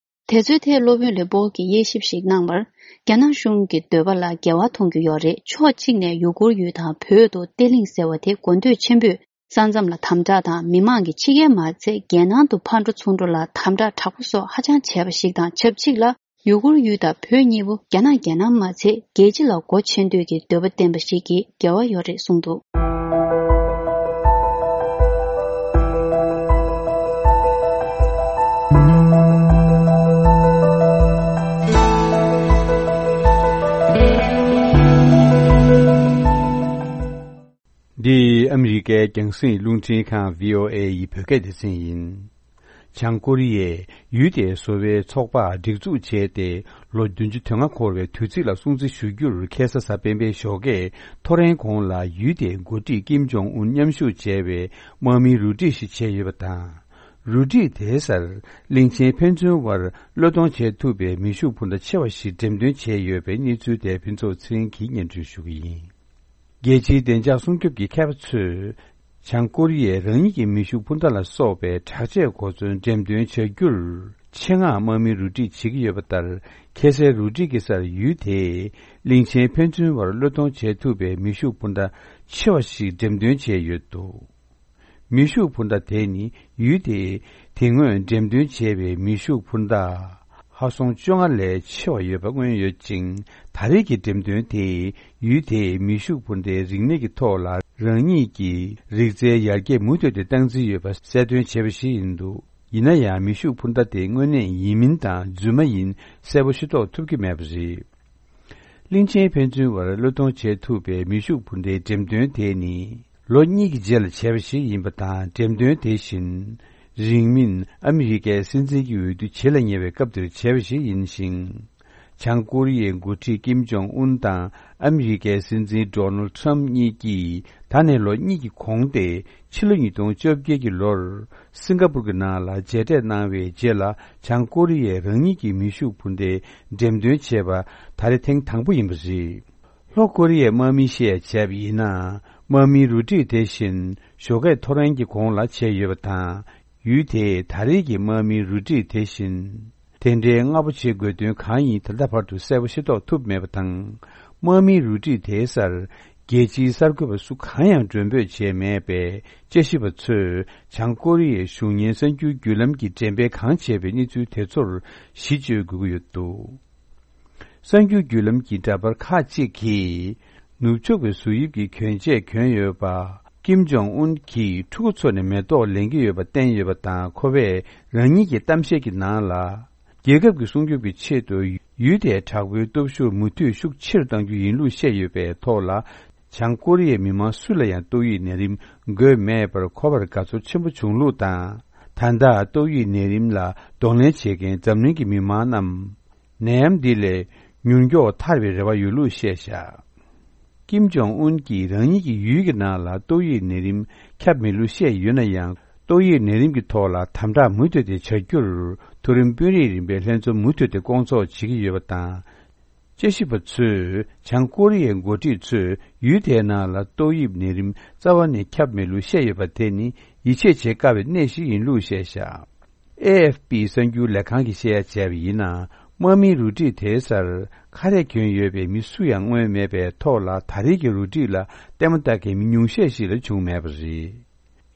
དེ་ཚོའི་ཐད་སློབ་དཔོན་ལེ་པོལ་གྱིས་དབྱེ་ཞིབ་ཞིག་གནང་བར། རྒྱ་ནག་གཞུང་གི་འདོད་པ་ལ་འགལ་བ་མཐོང་རྒྱུ་ཡོད་རེད། ཕྱོགས་གཅིག་ནས་ཡུ་གུར་ཡུལ་དང་བོད་དུ་བརྟན་ལྷིང་ཟེར་བ་དེ་དགོས་འདོད་ཆེན་པོས་ས་མཚམས་ལ་དམ་དྲག་དང་མི་མང་གི་ཕྱི་རྒྱལ་མ་ཚད་རྒྱལ་ནང་དུ་ཕར་འགྲོ་ཚུར་འགྲོ་ལ་དམ་དྲག་དྲག་པོ་སོགས་ཧ་ཅང་བྱས་པ་ཞིག་དང་ཆབས་ཅིག་ལ། ཡུ་གུར་ཡུལ་དང་བོད་གཉིས་པོ་རྒྱ་ནག་རྒྱལ་ནང་མ་ཚད་རྒྱལ་སྤྱི་ལ་སྒོ་ཕྱེ་འདོད་ཀྱི་འདོད་པ་བསྟན་པ་ཞིག་གི་འགལ་བ་ཡོད་རེད་གསུངས་འདུག་འདི་ཨ་མི་རི་ཀའི་རྒྱང་སྲིང་རླུང་འཕྲིན་ཁང་བྷི་ཨོ་ཨེ་ཡི་བོད་སྐད་སྡེ་ཚན་ཡིན། བྱང་ཀོ་རི་ཡས་ཡུལ་དེའི་བཟོ་བའི་ཚོགས་པ་སྒྲིག་འཛུགས་བྱས་ཏེ་ལོ་བདུན་ཅུ་དོན་ལྔ་འཁོར་བའི་དུས་ཚིགས་ལ་སྲུང་བརྩི་ཞུ་རྒྱུར་ཁ་སང་གཟའ་སྤེན་པའི་ཞོགས་ཀས་ཐོ་རེངས་གོང་ལ་ཡུལ་དེའི་འགོ་ཁྲིད་ཀིམ་ཇོང་ཨུན་མཉམ་ཞུགས་བྱས་པའི་དམག་མིའི་རུ་སྒྲིག་ཞིག་བྱས་ཡོད་པ་དང་། རུ་སྒྲིག་དེའི་སར་གླིང་ཆེན་ཕན་ཚུན་དབར་བློས་གཏོང་བྱེད་ཐུབ་པའི་མེ་ཤུགས་འཕུར་མདའ་ཆེ་བ་ཞིག་འགྲེམས་སྟོན་བྱས་ཡོད་པའི་གནས་ཚུལ་དེ་ཕུན་ཚོགས་ཚེ་རིང་གིས་སྙན་སྒྲོན་ཞུ་གི་ཡིན། རྒྱལ་སྤྱིའི་བདེ་འཇགས་སྲུང་སྐྱོབ་ཀྱི་མཁས་པ་ཚོས། བྱང་ཀོ་རི་ཡས་རང་ཉིད་ཀྱི་མེ་ཤུགས་འཕུར་མདའ་ལ་སོགས་པའི་དྲག་ཆས་གོ་མཚོན་འགྲེམས་སྟོན་བྱ་རྒྱུར། ཆེད་མངགས་དམག་མི་རུ་སྒྲིག་བྱེད་ཀྱི་ཡོད་པ་ལྟར། ཁ་སའི་རུ་སྒྲིག་གི་སར་ཡུལ་དེས་གླིང་ཆེན་ཕན་ཚུན་བར་བློས་གཏོང་བྱེད་ཐུབ་པའི་མེ་ཤུགས་འཕུར་མདའ་ཆེ་བ་ཞིག་འགྲེམས་སྟོན་བྱས་ཡོད་འདུག་མེ་ཤུགས་འཕུར་མདའ་དེ་ནི་ཡུལ་དེས་དེ་སྔོན་འགྲེམས་སྟོན་བྱས་པའི་མེ་ཤུགས་འཕུར་མདའ། ཧ་སོང་བཅོ་ལྔ་ལས་ཆེ་བ་ཡོད་པ་མངོན་ཡོད་ཅིང་། ད་རེས་ཀྱི་འགྲེམས་སྟོན་དེས་ཡུལ་དེའི་མེ་ཤུགས་འཕུར་མདའི་རིག་གནས་ཀྱི་ཐོག་ལ་རང་ཉིད་ཀྱི་རིག་རྩལ་ཡར་རྒྱས་མུ་མཐུད་དེ་བཏང་རྩིས་ཡོད་པ་གསལ་སྟོན་བྱས་པ་ཞིག་ཡིན་འདུག་ཡིན་ན་ཡང་མེ་ཤུགས་འཕུར་མདའ་དེ་དངོས་གནས་ཡིན་མིན་དང་རྫུན་མ་ཡིན་གསལ་པོ་ཤེས་རྟོགས་ཐུབ་ཀྱི་མེད་པ་རེད། གླིང་ཆེན་ཕན་ཚུན་བར་བློས་གཏོང་བྱེད་ཐུབ་པའི་མེ་ཤུགས་འཕུར་མདའི་འགྲེམས་སྟོན་དེ་ནི་ལོ་གཉིས་ཀྱི་རྗེས་ལ་བྱས་པ་ཞིག་ཡིན་པ་དང་། འགྲེམས་སྟོན་དེ་བཞིན་རིང་མིན་ཨ་མི་རི་ཀའི་སྲིད་འཛིན་གྱི་འོས་བསྡུ་བྱེད་ལ་ཉེ་བའི་སྐབས་དེར་བྱས་པ་ཞིག་ཡིན་ཞིང་། བྱང་ཀོ་རི་ཡའི་འགོ་ཁྲིད་ཀིམ་ཇོང་ཨུན་དང་ཨ་མི་རི་ཀའི་སྲིད་འཛིན་ཌོ་ནལ་ཁྲམ་གཉིས་ཀྱིས་ད་ནས་ལོ་གཉིས་ཀྱི་གོང་སྟེ་ཕྱི་ལོ་ཉིས་སྟོང་བཅོ་བརྒྱད་ཀྱི་ལོར་སིང་ག་པུར་གྱི་ནང་ལ་མཇལ་འཕྲད་གནང་བའི་རྗེས་ལ། བྱང་ཀོ་རི་ཡས་རང་ཉིད་ཀྱི་མེ་ཤུགས་འཕུར་མདའི་འགྲེམས་སྟོན་བྱས་པ་ད་རེས་ཐེངས་དང་པོ་ཡིན་པ་རེད། ལྷོ་ཀོ་རི་ཡའི་དམག་མིས་བཤད་བྱས་པ་ཡིན་ན། དམག་མིའི་རུ་སྒྲིག་དེ་བཞིན་ཞོགས་ཀས་ཐོ་རེངས་ཀྱི་གོང་ལ་བྱས་ཡོད་པ་དང་། ཡུལ་དེས་ད་རེས་ཀྱི་དམག་མིའི་རུ་སྒྲིག་དེ་བཞིན། དེ་འདྲའི་སྔ་པོ་བྱེད་དགོས་དོན་གང་ཡིན་ད་ལྟ་བར་དུ་གསལ་པོ་ཤེས་རྟོགས་ཐུབ་མེད་པ་དང་། དམག་མིའི་རུ་སྒྲིག་དེའི་སར་རྒྱལ་སྤྱིའི་གསར་འགོད་པ་སུ་གང་ཡང་མགྲོན་འབོད་བྱས་མེད་པས། དཔྱད་ཞིབ་པ་ཚོས་བྱང་ཀོ་རི་ཡའི་གཞུང་གཉེར་གསར་འགྱུར་བརྒྱུད་ལམ་གྱིས་འགྲེམས་སྤེལ་གང་བྱས་པའི་གནས་ཚུལ་དེ་ཚོར་གཞི་བཅོལ་དགོས་ཀྱི་ཡོད་འདུག་གསར་འགྱུར་བརྒྱུད་ལམ་གྱི་འདྲ་པར་ཁག་ཅིག་གིས། ནུབ་ཕྱོགས་པའི་གཟུགས་དབྱིབས་ཀྱི་གྱོན་ཆས་གྱོན་ཡོད་པ། ཀིམ་ཇོང་ཨུན་གྱིས་ཕྲུ་གུ་ཚོ་ནས་མེ་ཏོག་ལེན་གྱི་ཡོད་པ་བསྟན་ཡོད་པ་དང་། ཁོ་པས་རང་ཉིད་ཀྱི་གཏམ་བཤད་ཀྱི་ནང་ལ། རྒྱལ་ཁབ་ཀྱི་སྲུང་སྐྱོབ་ཀྱི་ཆེད་དུ་ཡུལ་དེའི་དྲག་པོའི་སྟོབས་ཤུགས་མུ་མཐུད་ཤུགས་ཆེ་རུ་གཏང་རྒྱུ་ཡིན་ལུགས་བཤད་ཡོད་པའི་ཐོག་ལ། བྱང་ཀོ་རི་ཡའི་མི་མང་སུ་ལ་ཡང་ཏོག་དབྱིབས་ནད་རིམས་འགོས་མེད་པར་ཁོ་པར་དགའ་ཚོར་ཆེན་པོ་བྱུང་ལུགས་དང་། ད་ལྟ་ཏོག་དབྱིབས་ནད་རིམས་ལ་གདོང་ལེན་བྱེད་མཁན་འཛམ་གླིང་གི་མི་མང་རྣམས། ནད་ཡམས་འདི་ལས་མྱུར་མགྱོགས་ཐར་བའི་རེ་བ་ཡོད་ལུགས་བཤད་བཞག་ཀིམ་ཇོང་ཨུན་གྱིས་རང་ཉིད་ཀྱི་ཡུལ་གྱི་ནང་ལ་ཏོག་དབྱིབས་ནད་རིམས་ཁྱབ་མེད་ལུགས་བཤད་ཡོད་ན་ཡང་། ཏོག་དབྱིབས་ནད་རིམས་ཀྱི་ཐོག་ལ་དམ་དྲག་མུ་མཐུད་དེ་བྱ་རྒྱུར་མཐོ་རིམ་དཔོན་རིགས་རིམ་པས་ལྷན་འཛོམས་མུ་མཐུད་དེ་སྐོང་ཚོགས་བྱེད་ཀྱི་ཡོད་པ་དང་། དཔྱད་ཞིབ་པ་ཚོས་བྱང་ཀོ་རི་ཡའི་འགོ་ཁྲིད་ཚོས་ཡུལ་དེའི་ནང་ལ་ཏོག་དབྱིབས་ནད་རིམས་རྩ་བ་ནས་ཁྱབ་མེད་ལུགས་བཤད་ཡོད་པ་དེ་ནི་ཡིད་ཆེས་བྱེད་དཀའ་བའི་གནས་ཤིག་ཡིན་ལུགས་བཤད་བཞག། ཨེ་ཨེཕ་པི་གསར་འགྱུར་ལས་ཁང་གིས་བཤད་ཡ་བྱས་པ་ཡིན་ན། དམག་མིའི་རུ་སྒྲིག་དེའི་སར་ཁ་རས་གྱོན་ཡོད་པའི་མི་སུ་ཡང་མངོན་མེད་པའི་ཐོག་ལ། ད་རེས་ཀྱི་རུ་སྒྲིག་ལ་ལྟད་མོ་ལྟ་མཁན་མི་ཉུང་ཤས་ཤིག་ལས་བྱུང་མེད་པ་རེད།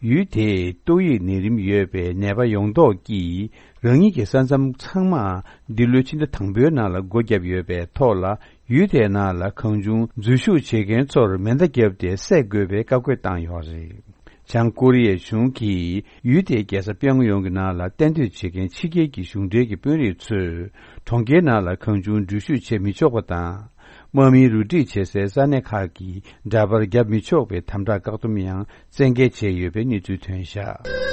ཡུལ་དེས་ཏོག་དབྱིབས་ནད་རིམས་ཡོད་པའི་ནད་པ་ཡོངས་རྫོགས་ཀྱིས་རང་ཉིད་ཀྱི་ས་མཚམས་ཚང་མ་འདི་ལོའི་ཕྱི་ཟླ་དང་པོའི་ནང་ལ་སྒོ་བརྒྱབ་ཡོད་པའི་ཐོག་ལ། ཡུལ་དེའི་ནང་ལ་གང་བྱུང་འཛུལ་ཞུགས་བྱེད་མཁན་ཚོར་མེ་མདའ་བརྒྱབ་སྟེ་བསད་དགོས་པའི་བཀའ་བཀོད་བཏང་ཡོད་རེད། བྱང་ཀོ་རི་ཡའི་གཞུང་གིས་ཡུལ་དེའི་རྒྱལ་ས་པེ་ཡོང་ཡོང་གི་ནང་ལ་གཏན་སྡོད་བྱེད་མཁན་ཕྱི་རྒྱལ་གྱི་གཞུང་འབྲེལ་གྱི་དཔོན་རིགས་ཚོས་གྲོང་ཁྱེར་ནང་ལ་གང་བྱུང་འཛུལ་ཞུགས་བྱེད་མི་ཆོག་པ་དང་། དམག་མིའི་རུ་སྒྲིག་བྱེད་སའི་ས་གནས་ཁག་གི་འདྲ་པར་བརྒྱབ་མི་ཆོག་པའི་དམ་དྲག་བཀག་སྡོམ་ཡང་བཙན་འགེལ་བྱས་ཡོད་པའི་གནས་ཚུལ་ཐོན་བཞག།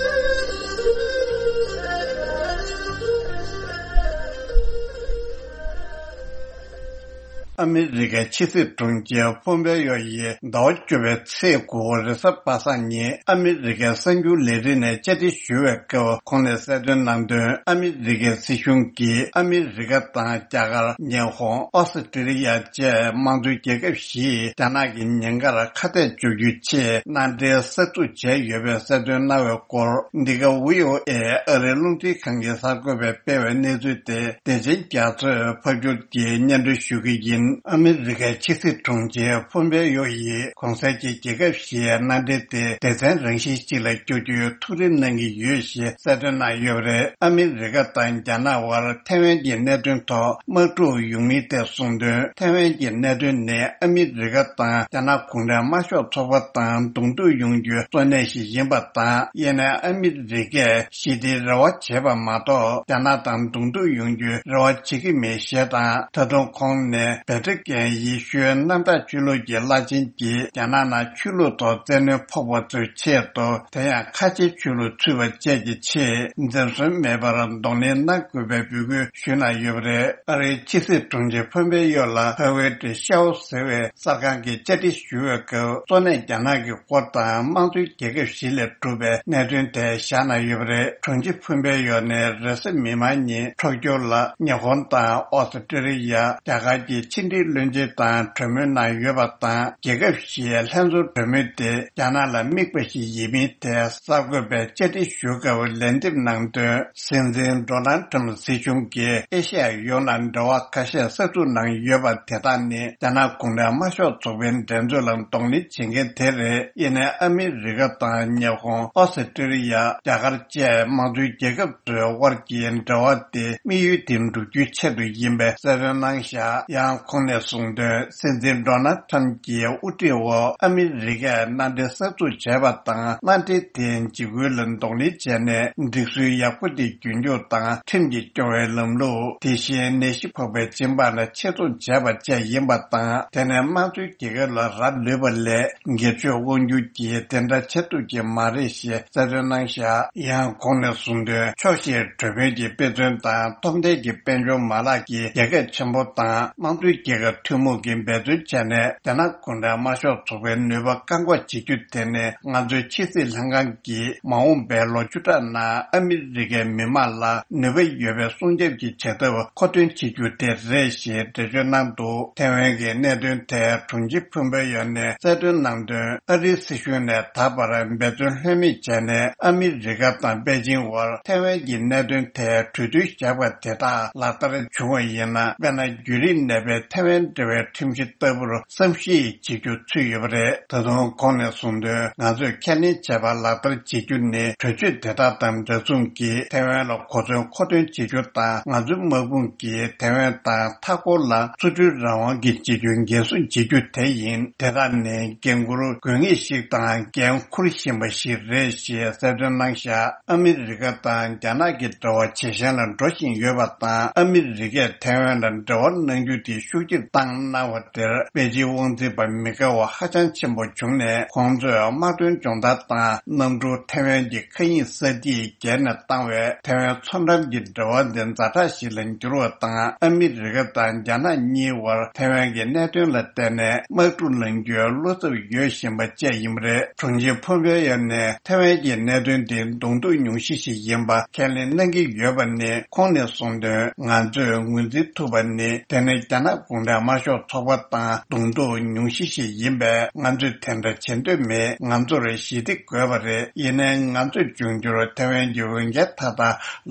ཨ་མི་རི་ཀའི་ཕྱི་སྲིད་དྲུང་ཆེ་ཕོམ་པེ་ཡོ་ཡིས་ཟླ་བ་བཅུ་པའི་ཚེས་དགུ་རེས་གཟའ་པ་སངས་ཉིན་ཨ་མི་རི་ཀའི་གསར་འགྱུར་ལས་རིགས་ནས་བཅར་འདྲི་ཞུ་བའི་སྐབས། ཁོང་ནས་གསལ་སྟོན་གནང་དོན། ཨ་མི་རི་ཀའི་སྲིད་གཞུང་གིས་ཨ་མི་རི་ཀ་དང་རྒྱ་གར། ཉི་ཧོང་། ཨོ་སི་ཀྲི་ལི་ཡ་བཅས་དམངས་གཙོའི་རྒྱལ་ཁབ་བཞིས་རྒྱ་ནག་གི་ཉེན་ཁར་ཁ་གཏད་གཅོག་རྒྱུའི་ཆེད་མནའ་འབྲེལ་གསར་འཛུགས་བྱས་ཡོད་པའི་གསལ་སྟོན་གནང་བའི་སྐོར། འདི་ག་བྷི་ཨོ་ཨེ་ཨ་རིའི་རླུང་འཕྲིན་ཁང་གི་གསར་འགོད་པས་སྤེལ་བའི་གནས་ཚུལ་དེ་བདེ་ཆེན་རྒྱ་མཚོས་ཕབ་སྒྱུར་གྱིས་སྙན་སྒྲོན་ཞུ་གི་ཡིན། ཨ་མི་རི་ཀའི་ཕྱི་སྲིད་དྲུང་ཆེ་ཕོམ་པེ་ཡོ་ཡིས་གོང་གསལ་གྱི་རྒྱལ་ཁབ་བཞིའི་མནའ་འབྲེལ་དེ་སྡེ་ཚན་རང་བཞིན་ཞིག་ལ་བསྒྱུར་རྒྱུའི་ཐུགས་རེ་གནང་གི་ཡོད་ཞེས་གསལ་སྟོན་གནང་ཡོད་པ་རེད། ཨ་མི་རི་ཀ་དང་རྒྱ་ནག་དབར་ཐའེ་ཝན་གྱི་གནད་དོན་ཐོག་དམག་འཁྲུག་ཡོང་མིན་ཐད་གསུངས་དོན། ཐའེ་ཝན་གྱི་གནད་དོན་ནི་ཨ་མི་རི་ཀ་དང་རྒྱ་ནག་གུང་ཁྲན་དམར་ཤོག་ཚོགས་པ་དང་གདོང་ཐུག་ཡོང་རྒྱུའི་གཙོ་གནད་ཞིག་ཡིན་པ་དང་། ཡིན་ནའི་ཨ་མི་རི་ཀས་ཞི་བདེའི་རེ་བ་བྱས་པ་མ་གཏོགས། རྒྱ་ནག་དང་གདོང་ཐུག་ཡོང་རྒྱུའི་རེ་བ་བྱེད་ཀྱི་མེད་ཞེས་དང་། ད་དུང་ཁོང་ནས་བེ་ཏྲི་ཀན་ཡེ་ཤུའི་གནམ་བདག་ཆོས་ལུགས་ཀྱི་བླ་ཆེན་གྱིས་རྒྱ་ནག་ནང་ཆོས་ལུགས་ཐོག་བཙན་གནོན་ཕོག་པ་ཚོའི་ཆེད་དུ། དེ་ཡང་ཁ་ཆེའི་ཆོས་ལུགས་ཚུད་པ་བཅས་ཀྱི་ཆེད་འཛེམ་ཟོན་མེད་པར་གདོང་ལེན་གནང་དགོས་པའི་འབོད་སྐུལ་ཞུས་གནང་ཡོད་པ་རེད། ཨ་རིའི་ཕྱི་སྲིད་དྲུང་ཆེ་ཕོམ་པེ་ཡོ་ལ་ཧ་ཝེ་ཏི་ཤའོ་ཟེར་བའི་གསར་ཁང་གིས་བཅར་འདྲི་ཞུ་བའི་སྐབས། གཙོ་གནད་རྒྱ་ནག་གི་སྐོར་དང་དམངས་གཙོའི་རྒྱལ་ཁབ་བཞི་ལས་གྲུབ་པའི་གནད་དོན་ཐད་བཞག་གནང་ཡོད་པ་རེད། དྲུང་ཆེ་ཕོམ་པེ་ཡོ་ནས་རེས་གཟའ་མིག་དམར་ཉིན་ཊོ་ཀྱོ་ལ་ཉི་ཧོང་དང་ཨོ་སི་ཀྲི་ལི་ཡ། རྒྱ་གར་གྱི་ཕྱི་འབྲེལ་བློན་ཆེན་དང་གྲོས་མོལ་གནང་ཡོད་པ་དང་། རྒྱལ་ཁབ་བཞིའི་ལྷན་ཚོགས་གྲོས་མོལ་དེ་རྒྱ་ནག་ལ་དམིགས་པ་ཞིག་ཡིན་མིན་ཐད་གསར་འགོད་པས་བཅར་འདྲི་ཞུ་སྐབས་ལན་འདེབས་གནང་དོན། སྲིད་འཛིན་ཌོ་ནལ་ཊམ་སྲིད་གཞུང་གིས་ཨེ་ཤ་ཡ་ཡོངས་ལ་འབྲེལ་བ་ཁ་ཤས་གསར་འཛུགས་གནང་ཡོད་པ་དེ་དག་ནི་རྒྱ་ནག་གུང་ཁྲན་དམར་ཤོག་ཚོགས་པའི་འགྲན་རྩོད་ལ་གདོང་ལེན་བྱེད་མཁན་དེ་རེད། ཡིན་ནའི་ཨ་མི་རི་ཀ་དང་ཉི་ཧོང་། ཨོ་སི་ཀྲི་ལི་ཡ། རྒྱ་གར་བཅས་དམངས་གཙོའི་རྒྱལ་ཁབ་ཚོའི་དབར་གྱི་འབྲེལ་བ་དེ་དམིགས་ཡུལ་དེ་འགྲུབ་རྒྱུའི་ཆེད་དུ་ཡིན་པའི་གསལ་སྟོན་གནང་བཞག། ཡང་ཁོང་ནས་གསུངས་དོན། སྲིད་འཛིན་ཌོ་ནལ་ཊམ་གྱི་དབུ་ཁྲིད་འོག་ཨ་མི་རི་ཀས་མནའ་འབྲེལ་གསར་འཛུགས་བྱས་པ་དང་། མནའ་འབྲེལ་དེ་འཇིགས་སྐུལ་ལ་གདོང་ལེན་བྱས་ནས་སྒྲིག་སྲོལ་ཡག་པོ་དེ་རྒྱུན་འཁྱོངས་དང་། ཁྲིམས་ཀྱིས་སྐྱོང་བའི་ལམ་ལུགས། དེ་བཞིན་ནད་གཞི་ཕོག་པའི་སྦྱིན་པ་ལ་ཆེད་གཏོང་བྱས་པ་བཅས་ཡིན་པ་དང་། དེ་ནས་དམངས་གཙོའི་རྒྱལ་ཁབ་ལ་རག་ལུས་པ་ལས་སྒེར་གཅོད་དབང་སྒྱུར་གྱིས་དེ་འདྲ་བྱེད་ཐུབ་ཀྱི་མ་རེད་ཞེས་གསལ་སྟོན་གནང་བཞག། ཡང་ཁོང་ནས་གསུངས་དོན། ཕྱོགས་བཞིར་གྲོས་མོལ་གྱི་དཔེ་མཚོན་དང་སྟོབས་ལྡན་གྱི་དཔལ་འབྱོར་མ་ལག་གིས་རྒྱལ་ཁབ་ཆེན་པོ་དང་དམངས་གཙོའི་རྒྱལ་ཁབ་ཐུན་མོང་གིས་འབད་བརྩོན་བྱས་ནས་རྒྱ་ནག་གུང་ཁྲན་དམར་ཤོག་ཚོགས་པའི་ནུས་པ་བཀག་འགོག་བྱེད་རྒྱུ་དེ་ནི་ང་ཚོའི་ཕྱི་སྲིད་ལྷན་ཁང་གིས་མ་འོངས་པའི་ལོ་བཅུ་ཕྲག་ནང་ཨ་མི་རི་ཀའི་མི་དམངས་ལ་ནུས་པ་ཡོད་པའི་སྲུང་སྐྱོབ་ཀྱི་བྱ་ཐབས་མཁོ་འདོན་བྱེད་རྒྱུ་དེ་རེད་ཞེས་འགྲེལ་བརྗོད་གནང་འདུག། ཐའེ་ཝན་གྱི་གནད་དོན་ཐད་དྲུང་ཆེ་ཕུན་པོ་ཡོ་ནས་གསལ་སྟོན་གནང་དོན། ཨ་རིའི་སྲིད་གཞུང་ནས་ད་བར་འབད་བརྩོན་ལྷོད་མེད་བྱས་ནས་ཨ་མི་རི་ཀ་དང་པེ་ཅིང་དབར་ཐའེ་ཝན་གྱི་གནད་དོན་ཐད་གྲོས་མཐུན་བཞག་པ་དེ་དག་ལག་བསྟར་བྱུང་བ་ཡིན་ན། དཔེར་ན་བརྒྱུད་རིམ་ནས་པའི་ཐའེ་ཝན་འབྲེལ་བའི་ཁྲིམས་གཞི་ལྟ་བུར་བསམ་གཞིག་བྱེད་རྒྱུ་ཚུད་ཡོད་པ་རེད། ད་དུང་ཁོང་ནས་གསུངས་དོན། ང་ཚོས་ཁས་ལེན་བྱས་པ་ལག་བསྟར་བྱེད་རྒྱུ་ནི་གྲོས་ཆོད་དེ་དག་དང་འདྲ་མཚུངས་ཀྱིས་ཐའེ་ཝན་ལ་གོ་མཚོན་མཁོ་འདོན་བྱེད་རྒྱུ་དང་། ང་ཚོའི་དམག་དཔུང་གིས་ཐའེ་ཝན་དང་མཐའ་འཁོར་ལ་ཚུར་འབྲུའི་རང་དབང་གི་བྱེད་རྒྱུ་འགན་སྲུང་བྱེད་རྒྱུ་དེ་ཡིན། དེ་དག་ནི་འགན་འཁུར་དགོས་ངེས་ཤིག་དང་། འགན་འཁུར་བཞིན་པ་ཞིག་རེད་ཞེས་གསལ་སྟོན་གནང་བཞག། ཨ་མི་རི་ཀ་དང་རྒྱ་ནག་གི་འབྲེལ་བ་ཇེ་ཞན་ལ་འགྲོ་བཞིན་ཡོད་པ་དང་། ཨ་མི་རི་ཀས་ཐའེ་ཝན་ལ་འབྲེལ་བ་གནང་རྒྱུ་དེ་ཤུགས་ ཕྱོགས་བསྒྱུར་བཏང་གནང་བ་དེར་པེ་ཅིན་དབང་འཛིན་པ་མི་དགའ་བ་ཧ་ཅང་ཆེན་པོ་བྱུང་ནས། ཁོང་ཚོས་དམག་དོན་སྦྱོང་བརྡར་དང་གནམ་གྲུ་ཐེ་ཝན་གྱི་མཁའ་དབྱིངས་ས་ཐིག་བརྒལ་ནས་བཏང་བས། ཐེ་ཝན་མཚོ་འགྲམ་གྱི་འབྲེལ་བ་འདི་ཛ་དྲག་ཞིག་ལ་འགྱུར་བ་དང་། ཨ་མི་རི་ཀ་དང་རྒྱ་ནག་གཉིས་བར་ཐེ་ཝན་གྱི་གནད་དོན་ལ་བརྟེན་ནས་དམག་འཁྲུག་ལངས་རྒྱུའི་བློ་འཚབ་ཡོད་བཞིན་པ་བཅས་ཡིན་པ་རེད། དྲུང་ཆེ་ཕོམ་པེ་ཡོ་ནས་ཐེ་ཝན་གྱི་གནད་དོན་འདི་གདོང་ཐུག་ཉུང་ཤས་ཤིག་ཡིན་པ་ཁས་ལེན་གནང་གི་ཡོད་པ་ནི། ཁོང་ནས་གསུངས་དོན། ང་ཚོས་ངོས་འཛིན་ཐུབ་པ་ནི། དེ་ནི་རྒྱ་ནག་གུང་ཁྲན་དམར་ཤོག་ཚོགས་པ་དང་གདོང་ཐུག་ཉུང་ཤས་ཤིག་ཡིན་པས། ང་ཚོས་དེ་འདྲ་བྱེད་འདོད་མེད། ང་ཚོར་ཞི་བདེ་དགོས་པ་རེད། ཡིན་ནའི་ང་ཚོས་འབྱུང་འགྱུར་ཐེ་ཝན་གྱི་འོས་འགན་མཐའ་དག་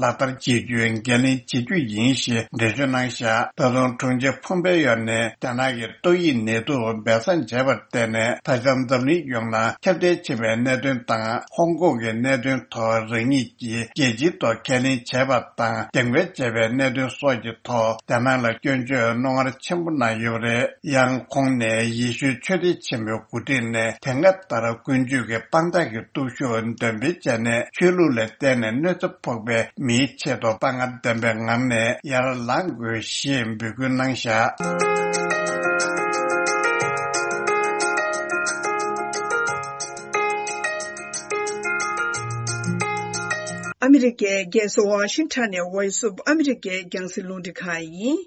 ལག་བསྟར་བྱེད་རྒྱུའི་འགན་ལེན་བྱེད་རྒྱུ་ཡིན་ཞེས་འགྲེལ་བརྗོད་གནང་བཞག་ད་དུང་དྲུང་ཆེ་ཕོམ་པེ་ཡོ་ནས་རྒྱ་ནག་གི་ཏོག་དབྱིབས་ནད་དུག་སྦས་གསང་བྱས་པར་བརྟེན་ནས། ད་ཆ་འཛམ་གླིང་ཡོངས་ལ་ཁྱབ་གདལ་ཕྱིན་པའི་གནད་དོན་དང་། ཧོང་ཀོང་གི་གནད་དོན་ཐོག་རང་ཉིད་ཀྱིས་རྒྱལ་སྤྱིའི་ཐོག་ཁས་ལེན་བྱས་པ་དང་། རྒྱབ་འགལ་བྱས་པའི་གནད་དོན་སོགས་ཀྱི་ཐོག་རྒྱ་ནག་ལ་སྐྱོན་བརྗོད་རྣོ་ངར་ཆེན་པོ་གནང་ཡོད་པ་རེད། ཡང་ཁོང་ནས་ཡེ་ཤུའི་ཆོས་སྡེ་ཆེན་མོའི་འགོ་ཁྲིད་ནས་དེ་སྔ་ལྟར་ཀུན་སྤྱོད་ཀྱི་དཔང་རྟགས་ཀྱི་སྟོབས་ཤུགས་འདོན་སྤེལ་བྱས་ནས། ཆོས་ལུགས་ལ་བརྟེན་ནས་གནོད་འཚེ་ཕོག་པའི་མིའི་ཆེད་དུ་དཔའ་ངར་ལྡན་པའི་ངང་ནས་ཡར་ལངས་དགོས་ཞེས་འབོད་སྐུལ་གནང་བཞག་ཨ་མི་རི་ཀའི་རྒྱལ་ས་ཝ་ཤིང་ཊོན་ནས་Voice of America རྒྱང་སྲིང་རླུང་འཕྲིན་ཁང་ཡིན།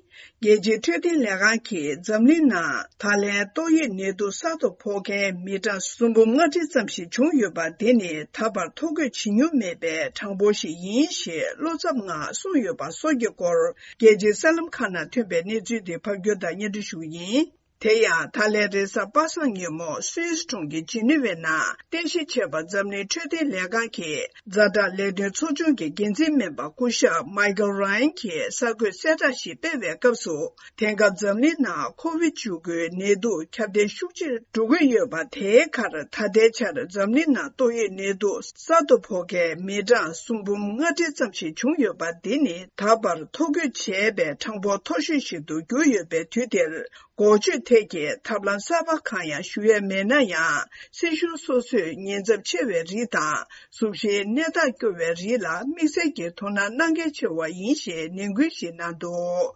རྒྱལ་སྤྱིའི་འཕྲོད་བསྟེན་ལས་ཁང་གིས་འཛམ་གླིང་ནང་ད་ལན་ཏོག་དབྱིབས་ནད་དུག་གསར་དུ་ཕོག་མཁན་མི་གྲངས་སུམ་འབུམ་ལྔ་ཁྲི་ཙམ་ཞིག་བྱུང་ཡོད་པ་དེ་ནི་ད་བར་ཐོ་འགོད་བྱེད་མྱོང་མེད་པའི་གྲངས་འབོར་ཞིག་ཡིན་ཞེས་བློ་འཚབ་ངང་གསུངས་ཡོད་པ་སོགས་ཀྱི་སྐོར། རྒྱལ་སྤྱིའི་གསར་ལམ་ཁག་ནང་ཐོན་པའི་གནས་ཚུལ་དེ་ཕབ་སྒྱུར་དང་སྙན་སྒྲོན་ཞུ་གི་ཡིན། དེ་ཡང་ད་ལན་རེས་གཟའ་པ་སངས་ཉིན་མོ་སུད་སི་གྲོང་ཁྱེར་ཇི་ནི་ཝའི་ནང་རྟེན་གཞི་བྱས་པ་འཛམ་གླིང་འཕྲོད་བསྟེན་ལས་ཁང་གི་ཛ་དྲག་ལས་དོན་ཚོགས་ཆུང་གི་འགན་འཛིན་སྨན་པ་སྐུ་ཞབས་མའི་ཀལ་ར་ཡན་གྱིས་གསར་འགོད་གསལ་བསྒྲགས་ཤིག་སྤེལ་བའི་སྐབས་སུ། དེང་སྐབས་འཛམ་གླིང་ནང་ཁོ་བིད་བཅུ་དགུའི་ནད་དུག་ཁྱབ་གདལ་ཤུགས་ཆེར་འགྲོ་གི་ཡོད་པ་དེའི་ཁར། ད་ལྟའི་ཆར་འཛམ་གླིང་ནང་ཏོག་དབྱིབས་ནད་དུག་གསར་དུ་ཕོག་མཁན་མི་གྲངས་སུམ་འབུམ་ལྔ་ཁྲི་ཙམ་ཞིག་བྱུང་ཡོད་པ་འདི་ནི་ད་བར་ཐོ་འགོད་བྱས་པའི་གྲངས་འབོར་མཐོ་ཤོས་ཤིག་ཏུ་གྱུར་ཡོད་པའི་དུས་འདིར། འགོག་བཅོས་ཐད་ཀྱི་ཐབས་ལམ་གསར་པ་གང་ཡང་ཞུ་ཡས་མེད་ན་ཡང་། སྲིད་གཞུང་སོ་སོས་ཉེན་ཚབས་ཆེ་བའི་རིགས་དང་གཟུགས་གཞིའི་གནས་སྟངས་སྐྱོ་བའི་རིགས་ལ་དམིགས་བསལ་གྱི་དོ་སྣང་གནང་གལ་ཆེ་བ་ཡིན་ཞེས་ནན་སྐུལ་ཞིག་གནང་འདུག་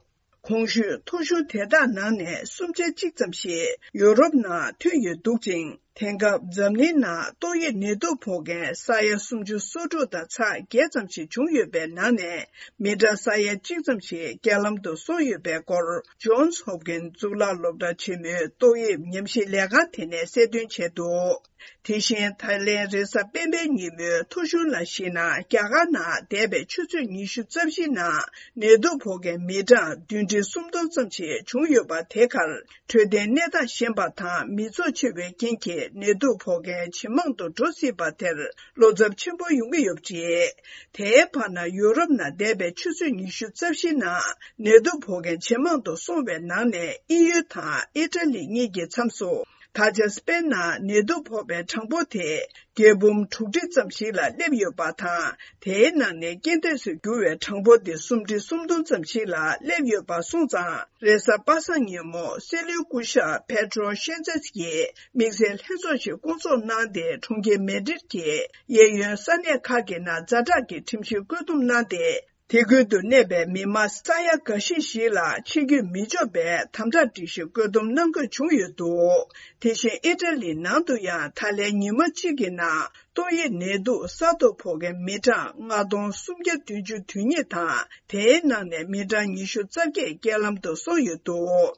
གོང་ཞུས་ཐོ་གཞུང་དེ་དག་ནང་ནས་གསུམ་ཆ་གཅིག་ཙམ་ཞིག་ཡོ་རོབ་ནང་ཐོན་ཡོད་འདུག་ཅིང་། དེང་སྐབས་འཛམ་གླིང་ནང་ཏོག་དབྱིབས་ནད་དུག་ཕོག་མཁན་ས་ཡ་སུམ་ཅུ་སོ་དྲུག་དང་ཚེག་བརྒྱད་ཙམ་ཞིག་བྱུང་ཡོད་པའི་ནང་ནས། མི་གྲངས་ས་ཡ་གཅིག་ཙམ་ཞིག་རྐྱེན་ལམ་དུ་སོང་ཡོད་པའི་སྐོར། ཇོན་སི་ཧོབ་ཀིན་གཙུག་ལག་སློབ་གྲྭ་ཆེན་མོའི་ཏོག་དབྱིབས་ཉམས་ཞིབ་ལས་ཁང་དེ་ནས་གསལ་སྟོན་བྱས་འདུག་དེ་བཞིན་ད་ལན་རེས་གཟའ་སྤེན་པའི་ཉིན་མོའི་ཐོ་གཞུང་ལ་གཞིགས་ན། རྒྱ་གར་ནང་འདས་པའི་ཆུ་ཚོད་ཉི་ཤུ་རྩ་བཞིའི་ནང་ནད་དུག་ཕོག་མཁན་མི་གྲངས་བདུན་ཁྲི་སུམ་སྟོང་ཙམ་ཞིག་བྱུང་ཡོད་པ་དེ་ཁར། འཕྲོད་བསྟེན་གནས་སྟངས་ཞན་པ་དང་མི་ཚོགས་ཆེ་བའི་རྐྱེན་གྱིས་ནད་དུག་ཕོག་མཁན་ཇེ་མང་དུ་འགྲོ་སྲིད་པ་དེར་བློ་འཚབ་ཆེན་པོ་ཡོང་གི་ཡོད་པ་རེད། དེའི་བར་ན་ཡོ་རོབ་ནང་འདས་པའི་ཆུ་ཚོད་ཉི་ཤུ་རྩ་བཞིའི་ནང་ནད་དུག་ཕོག་མཁན་ཇེ་མང་དུ་སོང་བའི་ནང་ནས་དབྱིན་ཡུལ་དང་ཨི་ཊ་ལི་གཉིས་ཀྱི་མཚམས་སུ། ད་ཆ་སྤེན་ནང་ནད་དུག་ཕོག་པའི་གྲངས་འབོར་དེ་བརྒྱད་འབུམ་དྲུག་ཁྲི་ཙམ་ཞིག་ལ་སླེབས་ཡོད་པ་དང་། དེའི་ནང་ནས་རྐྱེན་འདས་སུ་གྱུར་བའི་གྲངས་འབོར་དེ་སུམ་ཁྲི་སུམ་སྟོང་ཙམ་ཞིག་ལ་སླེབས་ཡོད་པ་སོང་ཙང་། རེས་གཟའ་པ་སངས་ཉིན་མོ་སྲིད་བློན་སྐུ་ཞབས་པེ་ཏྲོ་ཤན་ཙེས་ཀྱིས་དམིགས་བསལ་ལྷན་ཚོགས་ཤིག་བསྐོང་ཚོགས་གནང་སྟེ། གྲོང་ཁྱེར་མེ་ཌྲིད་ཀྱི་གཡས་གཡོན་ས་གནས་ཁག་གི་ནང་ཛ་དྲག་གི་ཁྲིམས་གཞི་བཀོད་འདོམས་གནང་སྟེ། དེ་ཁུལ་དུ་གནས་པའི་མི་མང་ས་ཡ་འགའ་ཤས་ཤིག་ལ་ཕྱིར་སྐྱོད་མི་ཆོག་པའི་དམ་དྲག་སྒྲིག་གཞི་བཀོད་འདོམས་གནང་དགོས་བྱུང་ཡོད་འདུག་དེ་བཞིན་ཨི་ཊ་ལི་ནང་དུ་ཡང་ད་ལན་ཉི་མ་གཅིག་གི་ནང་ཏོག་དབྱིབས་ནད་དུག་གསར་དུ་ཕོག་མཁན་མི་གྲངས་ལྔ་སྟོང་སུམ་བརྒྱ་བདུན་ཅུ་དོན་གཉིས་དང་། དེའི་ནང་ནས་མི་གྲངས་ཉི་ཤུ་རྩ་བརྒྱད་རྐྱེན་ལམ་དུ་སོང་ཡོད་འདུག་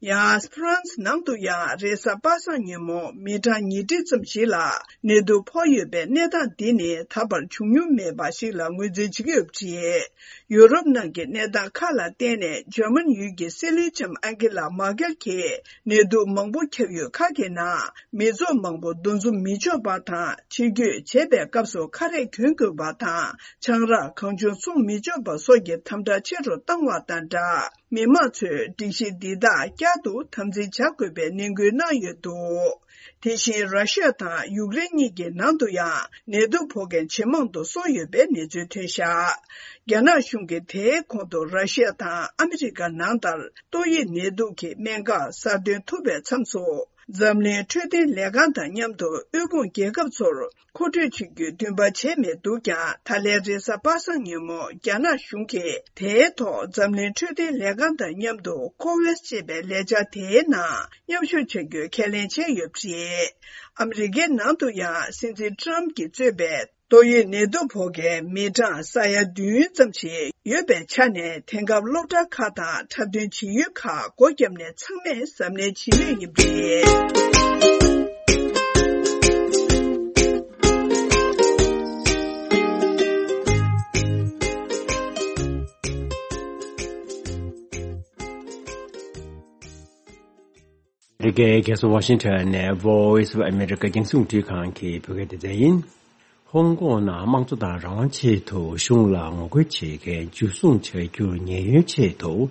ཡང་ཧྥ་རན་སི་ནང་དུ་ཡང་རེས་གཟའ་པ་སངས་ཉིན་མོ་མི་གྲངས་ཉིས་ཁྲི་ཙམ་ཞིག་ལ་ནད་དུག་ཕོག་ཡོད་པའི་གནས་སྟངས་འདི་ནི་ད་བར་བྱུང་མྱོང་མེད་པ་ཞིག་ལ་ངོས་འཛིན་བྱེད་ཀྱི་ཡོད་པ་རེད། ཡོ་རོབ་ནང་གི་གནས་སྟངས་ཁག་ལ་བརྟེན་ནས། འཇར་མན་ཡུལ་གྱི་སྲིད་བློན་ལྕམ་ཨན་ཀེ་ལ་མར་ཀེལ་གྱིས་ནད་དུག་མང་པོ་ཁྱབ་ཡུལ་ཁག་གི་ནང་མི་ཚོགས་མང་པོ་འདུ་འཛོམས་མི་ཆོག་པ་དང་། ཕྱིར་སྐྱོད་བྱེད་པའི་སྐབས་སུ་ཁ་རས་གྱོན་དགོས་པ་དང་། ཆང་རག་གང་བྱུང་འཚོང་མི་ཆོག་པ་སོགས་ཀྱི་དམ་དྲག་ཆེ་རུ་བཏང་བ་དང་སྦྲགས། མི་མང་ཚོས་སྒྲིག་གཞི་འདི་དག་བསྐྱར་དུ་དམ་འཛིན་བྱ་དགོས་པའི་ནན་སྐུལ་གནང་ཡོད་འདུག་དེ་བཞིན་ར་ཤི་ཡ་དང་ཡུཀ་རེན་གཉིས་ཀྱི་ནང་དུ་ཡང་ནད་དུག་ཕོག་མཁན་ཇེ་མང་དུ་སོང་ཡོད་པའི་གནས་ཚུལ་ཐོན་བཞག་རྒྱ་ནག་གཞུང་གིས་དེའི་གོང་དུ་ར་ཤི་ཡ་དང་ཨ་མི་རི་ཀ་ནང་ལྟར་ཏོག་དབྱིབས་ནད་དུག་གི་སྨན་ཁབ་གསར་ཐོན་ཐུབ་པའི་མཚམས་སུ། འཛམ་གླིང་འཕྲོད་བསྟེན་ལས་ཁང་དང་མཉམ་དུ་དབུལ་ཕོངས་རྒྱལ་ཁབ་ཚོར་མཁོ་སྤྲོད་བྱེད་རྒྱུའི་འདུན་པ་བྱས་མེད་འདུག་ཀྱང་། ད་ལན་རེས་གཟའ་པ་སངས་ཉིན་མོ་རྒྱ་ནག་གཞུང་གིས་དེའི་ཐོག་འཛམ་གླིང་འཕྲོད་བསྟེན་ལས་ཁང་དང་མཉམ་དུ་ཀོ་ཝེག་སི་ཅེས་པའི་ལས་འཆར་དེའི་ནང་མཉམ་ཞུགས་བྱ་རྒྱུའི་ཁས་ལེན་བྱས་ཡོད་པ་རེད། ཨ་མི་རི་ཀའི་ནང་དུ་ཡང་སྲིད་འཛིན་ཊམ་གྱིས་གཙོས་པའི་ཏོག་དབྱིབས་ནད་དུག་ཕོག་མཁན་མི་གྲངས་ས་ཡ་བདུན་ཙམ་ཞིག་ཡོད་པའི་ཆ་ནས། དེང་སྐབས་སློབ་གྲྭ་ཁག་དང་འཁྲབ་སྟོན་བྱེད་ཡུལ་ཁག་སྒོ་བརྒྱབ་ནས་ཚང་མས་གཟབ་ནན་བྱེད་མུས་ཡིན་པ་རེད། ཨ་མི་རི་ཀའི་རྒྱལ་ས་ཝ་ཤིང་ཊོན་ནས་Voice of America རྒྱང་སྲིང་རླུང་འཕྲིན་ཁང་གི་བོད་སྐད་སྡེ་ཚན་ཡིན། ཧོང་ཀོང་ནང་དམངས་གཙོ་དང་རང་དབང་ཆེད་དུ་གཞུང་ལ་ངོ་རྒོལ་བྱེད་མཁན་འཇུ་བཟུང་བྱ་རྒྱུར་ཉེན་གཡོལ་ཆེད་དུ།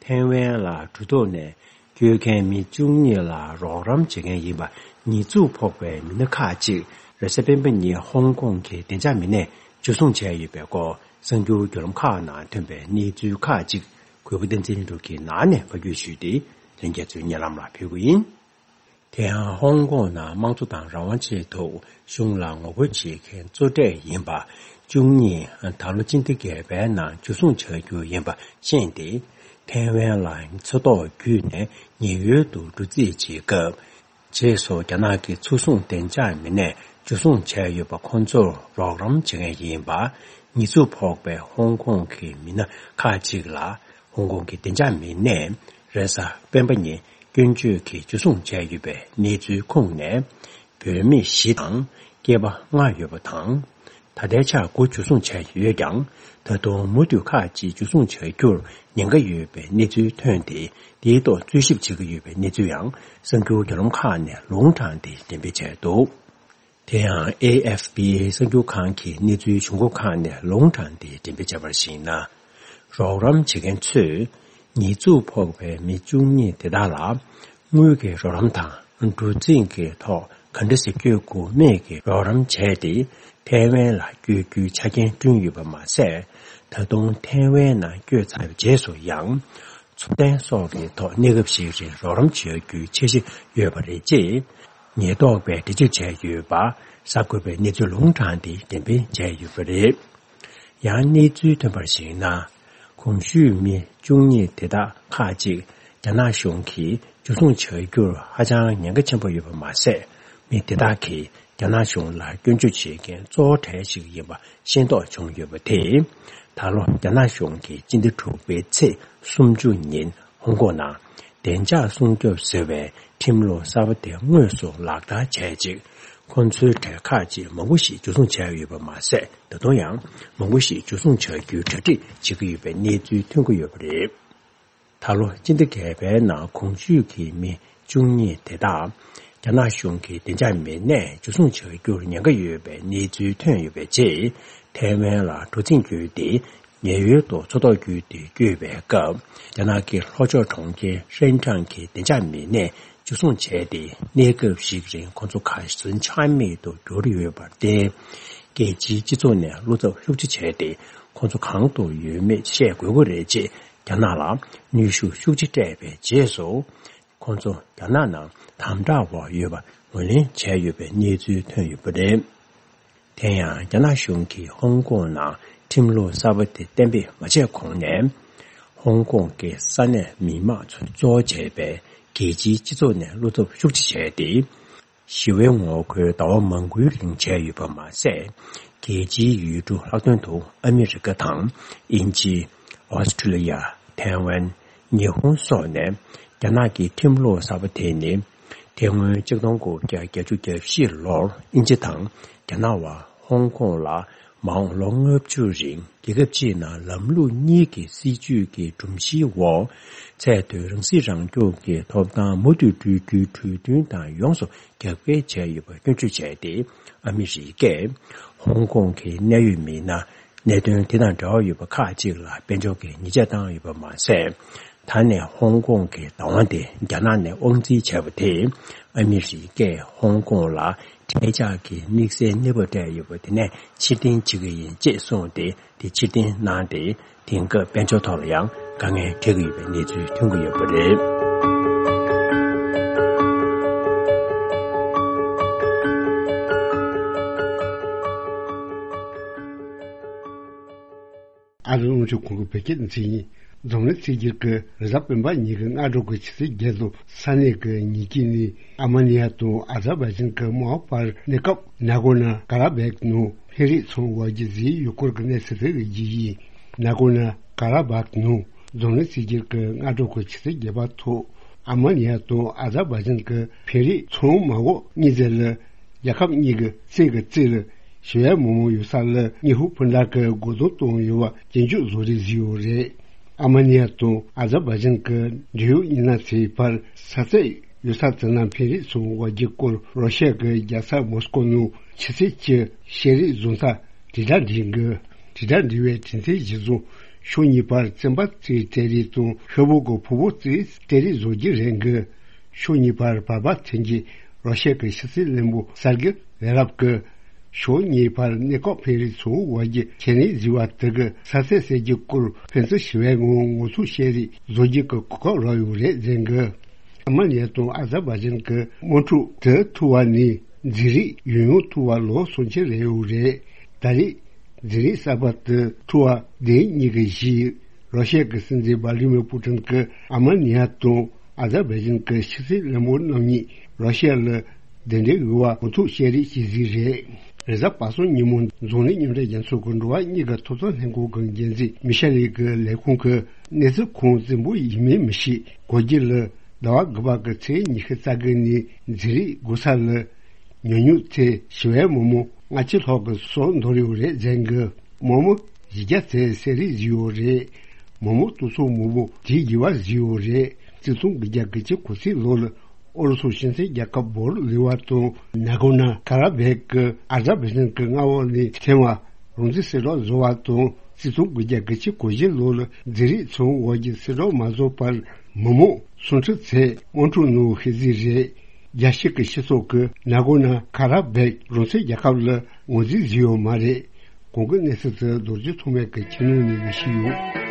ཐའེ་ཝན་ལ་གྲུ་ཐོག་ནས་བསྐྱོད་མཁན་མི་བཅུ་གཉིས་ལ་རོགས་རམ་བྱེད་མཁན་ཡིན་པ་ཉེས་འཛུགས་ཕོག་པའི་མི་སྣ་ཁག་ཅིག་རེས་གཟའ་སྤེན་པ་ཉིན་ཧོང་ཀོང་གི་བདེ་འཇགས་མི་སྣས་འཇུ་བཟུང་བྱས་ཡོད་པའི་སྐོར། གསར་འགྱུར་བརྒྱུད་ལམ་ཁག་ནང་ཐོན་པའི་གནས་ཚུལ་ཁག་ཅིག་གུས་པ་བསྟན་འཛིན་ལྷུན་གྲུབ་ཀྱིས་ནང་ནས་ཕབ་སྒྱུར་ཞུས་ཏེ། ལྷན་རྒྱས་ཚོའི་སྙན་ལམ་ལ་ཕུལ་གྱི་ཡིན། དེ་ཡང་ཧོང་ཀོང་ནང་དམངས་གཙོ་དང་རང་དབང་ཆེད་དུ་གཞུང་ལ་ངོ་རྒོལ་བྱེད་མཁན་གཙོ་གྲས་ཡིན་པ་བཅུ་གཉིས་ད་ལོ་སྤྱི་ཟླ་བརྒྱད་པའི་ནང་འཇུ་བཟུང་བྱ་རྒྱུ་ཡིན་པ་ཤེས་ཏེ། ཐའེ་ཝན་ལ་མཚོ་ཐོག་བརྒྱུད་ནས་ཉེན་གཡོལ་དུ་འགྲོ་རྩིས་བྱེད་སྐབས། རྗེས་སུ་རྒྱ་ནག་གི་མཚོ་སྲུང་བདེ་འཇགས་མི་སྣས་འཇུ་བཟུང་བྱས་ཡོད་པ་ཁོང་ཚོར་རོགས་རམ་བྱེད་མཁན་ཡིན་པ་ཉེས་འཛུགས་ཕོག་པའི་ཧོང་ཀོང་གི་མི་སྣ་ཁག་ཅིག་ལ་ཧོང་ཀོང་གི་བདེ་འཇགས་མི་སྣས་རེས་གཟའ་སྤེན་པ་ཉིན་སྐྱོན་བརྗོད་ཀྱིས་འཇུ་བཟུང་བྱས་ཡོད་པའི་གནས་ཚུལ་ཁུངས་ནས། བུད་མེད་བཞི་དང་སྐྱེས་པ་ལྔ་ཡོད་པ་དང་། ད་ལྟའི་ཆར་དགུ་འཇུ་བཟུང་བྱས་ཡོད་ཀྱང་། ད་དུང་མུ་མཐུད་ཁག་ཅིག་འཇུ་བཟུང་བྱ་རྒྱུར་ཉེན་ཁ་ཡོད་པའི་གནས་ཚུལ་ཐོན་ཏེ། དེའི་ཐོག་རྩོད་ཞིབ་བྱེད་ཀྱི་ཡོད་པའི་གནས་ཚུལ་ཡང་གསར་འགྱུར་བརྒྱུད་ལམ་ཁག་ནས་ལུང་དྲངས་ཏེ་འགྲེམས་སྤེལ་བྱས་འདུག་དེ་ཡང་ཨེ་ཨེཕ་པི་གསར་འགྱུར་ཁང་གི་གནས་ཚུལ་བྱུང་ཁུངས་ཁག་ནས་ལུང་དྲངས་ཏེ་འགྲེམས་སྤེལ་བྱས་པར་གཞིགས་ན། རོགས་རམ་བྱེད་མཁན་ཚོས་ཉེས་འཛུགས་ཕོག་པའི་མི་བཅུ་གཉིས་དེ་དག་ལ་དངུལ་གྱི་རོགས་རམ་དང་། གྲུ་གཟིངས་ཀྱི་ཐོག་ག་འདྲ་ཞིག་བསྐྱོད་དགོས་མེད་ཀྱི་རོགས་རམ་བྱས་ཏེ། ཐའེ་ཝན་ལ་བསྐྱོད་རྒྱུའི་ཆ་རྐྱེན་བསྐྲུན་ཡོད་པ་མ་ཟད། ད་དུང་ཐའེ་ཝན་ནང་བསྐྱོད་ཚར་བའི་རྗེས་སུ་ཡང་། འཚོ་རྟེན་སོགས་ཀྱི་ཐོག་གནས་སྐབས་ཤིག་རིང་རོགས་རམ་བྱེད་རྒྱུའི་འཆར་གཞི་ཡོད་པ་རེད། ཅེས་ཉེན་རྟོག་པས་འགྲེལ་བརྗོད་བྱས་ཡོད་པ་གསར་འགོད་པས་གནས་ཚུལ་ལུང་དྲངས་ཏེ་འགྲེམས་སྤེལ་བྱས་ཡོད་པ་རེད། ཡང་གནས་ཚུལ་ཐོན་པར་གཞིགས་ན། གོང་ཞུས་མི་བཅུ་གཉིས་དེ་དག་ཁག་ཅིག་རྒྱ་ནག་གཞུང་གིས་འཇུ་བཟུང་བྱ་རྒྱུར་ཧ་ཅང་ཉེན་ཁ་ཆེན་པོ་ཡོད་པ་མ་ཟད། མི་དེ་དག་གིས་རྒྱ་ནག་གཞུང་ལ་སྐྱོན་བརྗོད་བྱེད་མཁན་གཙོ་བོ་གྲས་ཤིག་ཡིན་པ་ཤེས་རྟོགས་བྱུང་ཡོད་པ་དེས། ད་ལོ་རྒྱ་ནག་གཞུང་གིས་སྤྱི་ཟླ་དྲུག་པའི་ཚེས་སུམ་ཅུ་ཉིན་ཧོང་ཀོང་ནང་བདེ་འཇགས་སྲུང་སྐྱོབ་ཟེར་བའི་ཁྲིམས་ལུགས་གསར་པ་དེ་དངོས་སུ་ལག་བསྟར་བྱས་རྗེས། ཁོ་ཚོའི་གྲས་ཁག་ཅིག་མང་པོ་ཞིག་འཇུ་བཟུང་བྱས་ཡོད་པ་མ་ཟད། ད་དུང་ཡང་མང་པོ་ཞིག་འཇུ་བཟུང་བྱ་རྒྱུའི་གྲ་སྒྲིག་བྱེད་ཀྱི་ཡོད་པའི་གནས་ཚུལ་ཐོན་གྱི་ཡོད་པ་རེད། ད་ལོ་སྤྱི་ཟླ་བརྒྱད་པའི་ནང་གོང་ཞུས་ཀྱི་མི་བཅུ་གཉིས་དེ་དག་རྒྱ་ནག་གཞུང་གི་བདེ་འཇགས་མི་སྣས་འཇུ་བཟུང་བྱ་རྒྱུར་ཉེན་ཁ་ཡོད་པའི་གནས་ཚུལ་ཐོན་ཡོད་པའི་རྗེས། ཐའེ་ཝན་ལ་གྲུ་གཟིངས་བསྐྱོད་དེ། ཉེན་གཡོལ་དུ་མཚོ་ཐོག་བརྒྱུད་དེ་བསྐྱོད་པའི་སྐབས། རྒྱ་ནག་གི་ལྷོ་ཕྱོགས་གྲོང་ཁྱེར་ཧྲེན་ཀྲང་གི་བདེ་འཇགས་མི་སྣས་འཇུ་བཟུང་བྱས་ཏེ། གནས་སྐབས་ཤིག་རིང་ཁོ་ཚོ་གར་སོན་ཆ་མེད་དུ་གྱུར་ཡོད་པར་བརྟེན། རྒྱལ་སྤྱིའི་སྤྱི་ཚོགས་ནས་བློ་འཚབ་ཤུགས་ཆེ་བྱས་ཏེ། ཁོ་ཚོ་གང་དུ་ཡོད་མེད་བཤད་དགོས་ཀྱི་རེད། ཅེས་རྒྱ་ནག་ལ་གནོན་ཤུགས་ཤུགས་ཆེ་སྤྲད་པའི་རྗེས་སུ། ཁོ་ཚོ་རྒྱ་ནག་ནང་དམ་དྲག་འོག་ཡོད་པ་ངོས་ལེན་བྱས་ཡོད་པའི་གནས་ཚུལ་ཐོན་ཡོད་པ་རེད། དེ་ཡང་རྒྱ་ནག་གཞུང་གིས་ཧོང་ཀོང་ནང་ཁྲིམས་ལུགས་གསར་པ་དེ་གཏན་འབེབས་མ་བྱས་གོང་ནས། ཧོང་ཀོང་གི་ས་གནས་མི་མང་ཚོ་གཙོ་བོ་བྱས་པའི་རྒྱལ་སྤྱིའི་སྤྱི་ཚོགས་ནས་བློ་འཚབ་ཤུགས་ཆེ་བྱས་ཏེ། ཞི་བའི་ངོ་རྒོལ་ཟླ་བ་མང་པོའི་རིང་བྱས་ཡོད་པ་མ་ཟད། རྒྱལ་སྤྱིའི་ཡུལ་གྲུ་ལྷག་དོན་དུ་ཨ་མི་རི་ཀ་དང་། དབྱིན་ཇི། ཨོ་སི་ཁྲུ་ལི་ཡ། ཐའེ་ཝན། ཉི་ཧོང་སོགས་ནས་རྒྱ་ནག་གི་ཁྲིམས་ལུགས་གསར་པ་དེ་ནི། དེ་སྔོན་ཆིག་སྟོང་དགུ་བརྒྱ་བརྒྱད་ཅུ་གྱ་བཞི་ལོར་དབྱིན་ཇི་དང་རྒྱ་ནག་བར་ཧོང་ཀོང་ལ་མ་འོངས་ལོ་ལྔ་བཅུ་རིང་རྒྱལ་ཁབ་གཅིག་ནང་ལམ་ལུགས་གཉིས་ཀྱི་སྲིད་བྱུས་ཀྱི་སྒྲོམ་གཞིའི་འོག་ཚད་མཐོའི་རང་སྲིད་རང་སྐྱོང་གི་ཐོབ་ཐང་མུ་མཐུད་སྤྲོད་རྒྱུའི་གྲོས་མཐུན་དང་ཡོངས་སུ་རྒྱབ་འགལ་བྱས་ཡོད་པ་སྐྱོན་བརྗོད་བྱས་ཏེ། ཨ་མི་རི་ཀས་ཧོང་ཀོང་གི་གནད་ཡོད་མི་སྣ། གནད་དོན་དེ་དང་འབྲེལ་བ་ཡོད་པ་ཁག་ཅིག་ལ་དཔལ་འབྱོར་གྱི་ཉེས་ཆད་བཏང་ཡོད་པ་མ་ཟད། ད་ནས་ཧོང་ཀོང་གི་བདག་དབང་དེ་རྒྱ་ནག་ནས་དབང་འཛིན་བྱས་པ་དེས། ཨ་མི་རི་ཀས་ཧོང་ཀོང་ལ་ཐལ་ཆགས་ཀྱི་དམིགས་བསལ་གནས་བབ་སྤྲད་ཡོད་པ་དེ་ནས་ཕྱིར་འཐེན་བྱེད་ཀྱི་ཡིན་ཅེས་གསུངས་ཏེ། དེ་ཕྱིར་འཐེན་གནང་སྟེ། དེང་སྐབས་དཔལ་འབྱོར་ཐོག་ལ་ཡང་དཀའ་ངལ་འཕྲད་ཀྱི་ཡོད་པའི་གནས་ཚུལ་ཐོན་གྱི་ཡོད་པ་རེད། ཨ་རིའི་རླུང་འཕྲིན་ཁང་གི་བོད་སྐད་སྡེ་ཚན་ཡིན། འཛམ་གླིང་གསར་འགྱུར་གྱི་རེས་གཟའ་སྤེན་པ་ཉིན་གྱི་སྔ་དྲོ་གི་ཆུ་ཚོད་བརྒྱད་དང་ས་གནས་ཀྱི་ཉིན་དཀྱིལ་ནས་ཨ་མ་ནི་ཡ་དང་ཨ་ཛར་བྷའི་ཇན་གྱི་དམག་དཔོན་བར་གནས་སྐབས་ནཱ་གོར་ནོ་ཀ་ར་བྷེག་ནང་འཕེན་རིས་ཚོང་བར་གྱི་ཟིན་ཡོད་སྐོར་གྱི་གནས་ཚུལ་དེ་གི་རྒྱུ་ཡིན། ནཱ་གོར་ནོ་ཀ་ར་བྷེག་ནང་འཛམ་གླིང་གསར་འགྱུར་གྱི་སྔ་དྲོ་གི་ཆུ་ཚོད་བརྒྱད་པ་ཐོག་ཨ་མ་ནི་ཡ་དང་ཨ་ཛར་བྷའི་ཇན་གྱི་འཕེན་རིས་ཚོང་མ་འགོག་གཉིས་ཚེ་ལ། རྒྱལ་ཁབ་གཉིས་ཀྱི་རྩེ་གི་རྩེ་ལ་ཞི་བའི་མི་མང་ཡོད་ས་ལ་དངོས་ཤུགས་འཕུར་མདའ་གི་རྒོལ་རྡུང་བཏང་ཡོད་པ་སྐྱོན་བརྗོད་བཟོ་རིགས་བཟོས་ཡོད་རེད། ཨ་མ་ནི་ཡ་དང་ཨ་ཛར་བྷའི་ཇན་གྱི་འབྲེལ་ཡོད་མི་སྣ་ཚོའི་བར་ས་ཚིགས་ཡོད་ས་དེ་ན་འཕེན་རིས་ཚོང་བར་གྱི་སྐོར་རོ་ཤི་ཡ་གི་རྒྱལ་ས་མོ་སྐོ་ནང་ཆུ་ཚོད་གཅིག་ཤེས་རིག་བཟོ་ས་དྲིལ་བསྒྲགས་འགྲིག་གི། དྲིལ་བསྒྲགས་འབྲེལ་བའི་དྲིན་ཚན་གཞིར་བཟུང་ཕྱོགས་གཉིས་བར་བཙོན་པ་གཅིག་སྤྲད་རིས་དང་ཤོག་བུ་གི་ཕུང་པོ་གཅིག་སྤྲད་རིས་བཟོ་རྒྱུ་རེད་འགི། ཕྱོགས་གཉིས་བར་བར་པ་ཐོན་གྱི་རོ་ཤི་ཡ་གི་ཕྱི་སྲིད་བློན་པོ་སར་གི་ལེ་རབ་ཀྱིས་ཕྱོགས་གཉིས་བར་གནས་སྐབས་འཕེན་རིས་ཚོང་བར་གྱི་ཁས་ལེན་བཟོས་པ་དེ་གི་ས་ཚིགས་གསར་བརྗེ་སྐོར་ཕན་ཚུན་ཞི་བའི་ངང་ངོ་ཐུག་བཤད་རིས་བཟོ་རྒྱུ་གི་གོ་སྐབས་རག་ཡོད་རེད་ཟེར་གི། ཨ་མ་ནི་ཡ་དང་ཨ་ཛར་བྷའི་ཇན་གྱི་དམག་འཁྲུག་དེ་ཐུག་པ་ནས་འཛིང་རིམ་ཡང་ཡང་ཐུག་པ་ལོ་སུམ་ཅུ་རེད་ཡོད་རེད། ད་རེས་འཛིང་རིམ་གསར་པ་དེ་ཐུག་པ་དེ་ཉིད་ཀྱི་གཞི་རོ་ཤི་ཡ་གི་སྲིད་འཛིན་ཝ་ལི་མིར་པུ་ཏིན་གྱིས་ཨ་མ་ནི་ཡ་དང་ཨ་ཛར་བྷའི་ཇན་གྱི་ཕྱི་སྲིད་བློན་པོ་རྣམ་གཉིས་རོ་ཤི་ཡ་ལ་གདན་འདྲེན་ཡོད་པ་ངོ་ཐུག་བཤད་རིས་ཤིག་ཟིག་རེད། རེས་གཟའ་པ་སངས་ཉིན་མོ་འཛམ་གླིང་མཉམ་འབྲེལ་རྒྱལ་ཚོགས་ཀྱི་འགྲོ་བ་མིའི་ཐོབ་ཐང་ལྷན་ཁང་གི་འགན་འཛིན་མི་ཤེལ་ལི་གི་ལས་ཁུངས་ཀྱིས་གནས་ཚུལ་ཁུངས་བཙན་པོ་ཡིན་མིན་མི་ཤེས། གོ་རྒྱུ་ལ་ཟླ་བ་དགུ་པ་གི་ཚེས་ཉི་ཤུ་རྩ་དགུ་ནས་འཛིང་རིམ་དགོས་ས་ལ་ཉུང་ཉུང་ཚེ་ཞི་བའི་མི་མང་ལྔ་བཅུ་ལྷག་གི་སྲོག་འདོར་ཡོད་རེད་ཟེར་གི། མི་མང་བཞི་བརྒྱ་ཚེ་བསད་རིས་བཟོས་ཡོད་རེད། མི་མང་སྟོང་ཚོ་མང་པོ་དེའི་རྒྱུ་བ་བཟོས་ཡོད་རེད། གཅིག་སྟོང་དགུ་བརྒྱ་གྱ་གོ་གཅིག་ལོ་ལ་ཨུ་རུ་སུ་སྤྱི་མཐུན་རྒྱལ་ཁབ་བོར་ལི་བ་དང་ནཱ་གོར་ནོ་ཀ་ར་བྷེག་གི་ཨ་ཛར་བྷའི་ཇན་གྱི་མངའ་འོག་ནས་ཐོན་པ་རང་བཙན་གསལ་བསྒྲགས་བཟོ་བ་དང་གཅིག་སྟོང་དགུ་བརྒྱ་གྱ་གོ་བཞི་ལོ་ལ་འཛིང་རིམ་ཚོང་བར་གྱི་གསལ་བསྒྲགས་མ་བཟོ་བར་མི་མང་སུམ་ཁྲི་ཚོ་དམག་འཁྲུག་ནང་ཤི་གཟིགས་རེད། རྒྱལ་སྤྱི་གི་སྤྱི་ཚོགས་ཀྱིས་ནཱ་གོར་ནོ་ཀ་ར་བྷེག་རང་བཙན་རྒྱལ་ཁབ་ལ་ངོས་འཛིན་བཟོས་ཡོད་མ་རེད། གོང་གི་གནས་ཚུལ་དེ་རྡོ་རྗེ་ཐོགས་མེད་ཀྱིས་ཁྱེར་ནང་ནས་ལས་ཤིག་ཡོད།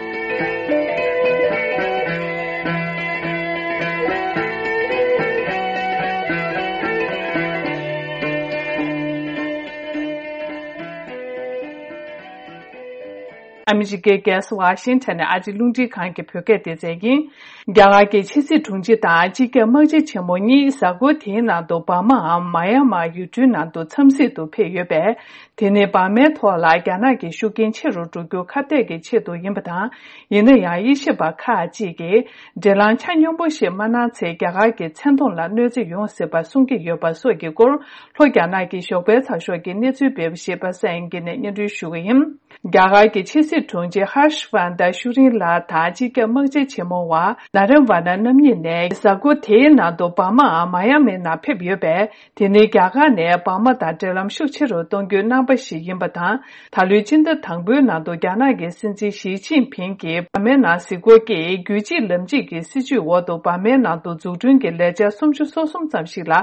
ཨ་མི་རི་ཀའི་རྒྱལ་ས་ཝ་ཤིང་ཊོན་ནས་ཨ་རིའི་རླུང་འཕྲིན་ཁང་གི་བོད་སྐད་སྡེ་ཚན་ཡིན། རྒྱ་གར་གྱི་ཕྱི་སྲིད་དྲུང་ཆེ་དང་སྤྱི་ཁྱབ་དམག་སྤྱི་ཆེན་མོ་གཉིས་གཟའ་འཁོར་དེའི་ནང་དུ་འབར་མའམ་མ་ཡ་མར་ཡུལ་གྲུའི་ནང་དུ་འཚམས་གཟིགས་དུ་ཕེབས་ཡོད་པས། དེ་ནི་འབར་མའི་ཐོག་ལ་རྒྱ་ནག་གི་ཤུགས་རྐྱེན་ཆེ་རུ་འགྲོ་རྒྱུ་ཁ་གཏད་ཀྱི་ཆེད་དུ་ཡིན་པ་དང་། ཡིན་ན་ཡང་དབྱེ་ཞིབ་པ་ཁག་ཅིག་གིས་འབྲེལ་ལམ་ཆ་སྙོམས་པོ་ཞིག་མ་གནང་ཚེ་རྒྱ་གར་གྱི་མཚན་མཐོང་ལ་གནོད་འཚེ་ཡོང་སྲིད་པ་གསུང་གི་ཡོད་པ་སོགས་ཀྱི་སྐོར་ལྷོ་རྒྱ་ནག་གི་ཞོགས་པའི་ཚགས་ཤོག་གི་གནས་ཚུལ་སྤེལ་བ་ཞིག་པ་སངས་དབྱངས་སྐྱིད་ནས་སྙན་སྒྲོན་ཞུ་གི་ཡིན། རྒྱ་གར་གྱི་ཕྱི་སྲིད་དྲུང་ཆེ་ཧར་ཤ་ཝར་དན་ཤུ་རིན་ལགས་དང་སྤྱི་ཁྱབ་དམག་སྤྱི་ཆེན་མོ་བ་ན་རན་ཝ་ན་རྣམ་གཉིས་ནས་གཟའ་འཁོར་དེའི་ནང་དུ་འབར་མའམ་མ་ཡ་མའི་ནང་ཕེབས་ཡོད་པས། དེ་ནི་རྒྱ་གར་ནས་འབར་མ་དང་འབྲེལ་ལམ་ཤུགས་ཆེ་རུ་གཏོང་རྒྱུའི་རྣམ་པ་ཞིག་ཡིན་པ་དང་། ད་ལོའི་སྤྱི་ཟླ་དང་པོའི་ནང་དུ་རྒྱ་ནག་གི་སྲིད་འཛིན་ཞི་ཅིན་ཕིང་གིས་འབར་མའི་ནང་གཟིགས་སྐོར་སྐྱེལ་རྒྱུད་གཅིག་ལམ་གཅིག་གི་སྲིད་བྱུས་འོག་ཏུ་འབར་མའི་ནང་དུ་འཛུགས་སྐྲུན་གྱི་ལས་འཆར་སུམ་ཅུ་སོ་གསུམ་ཙམ་ཞིག་ལ་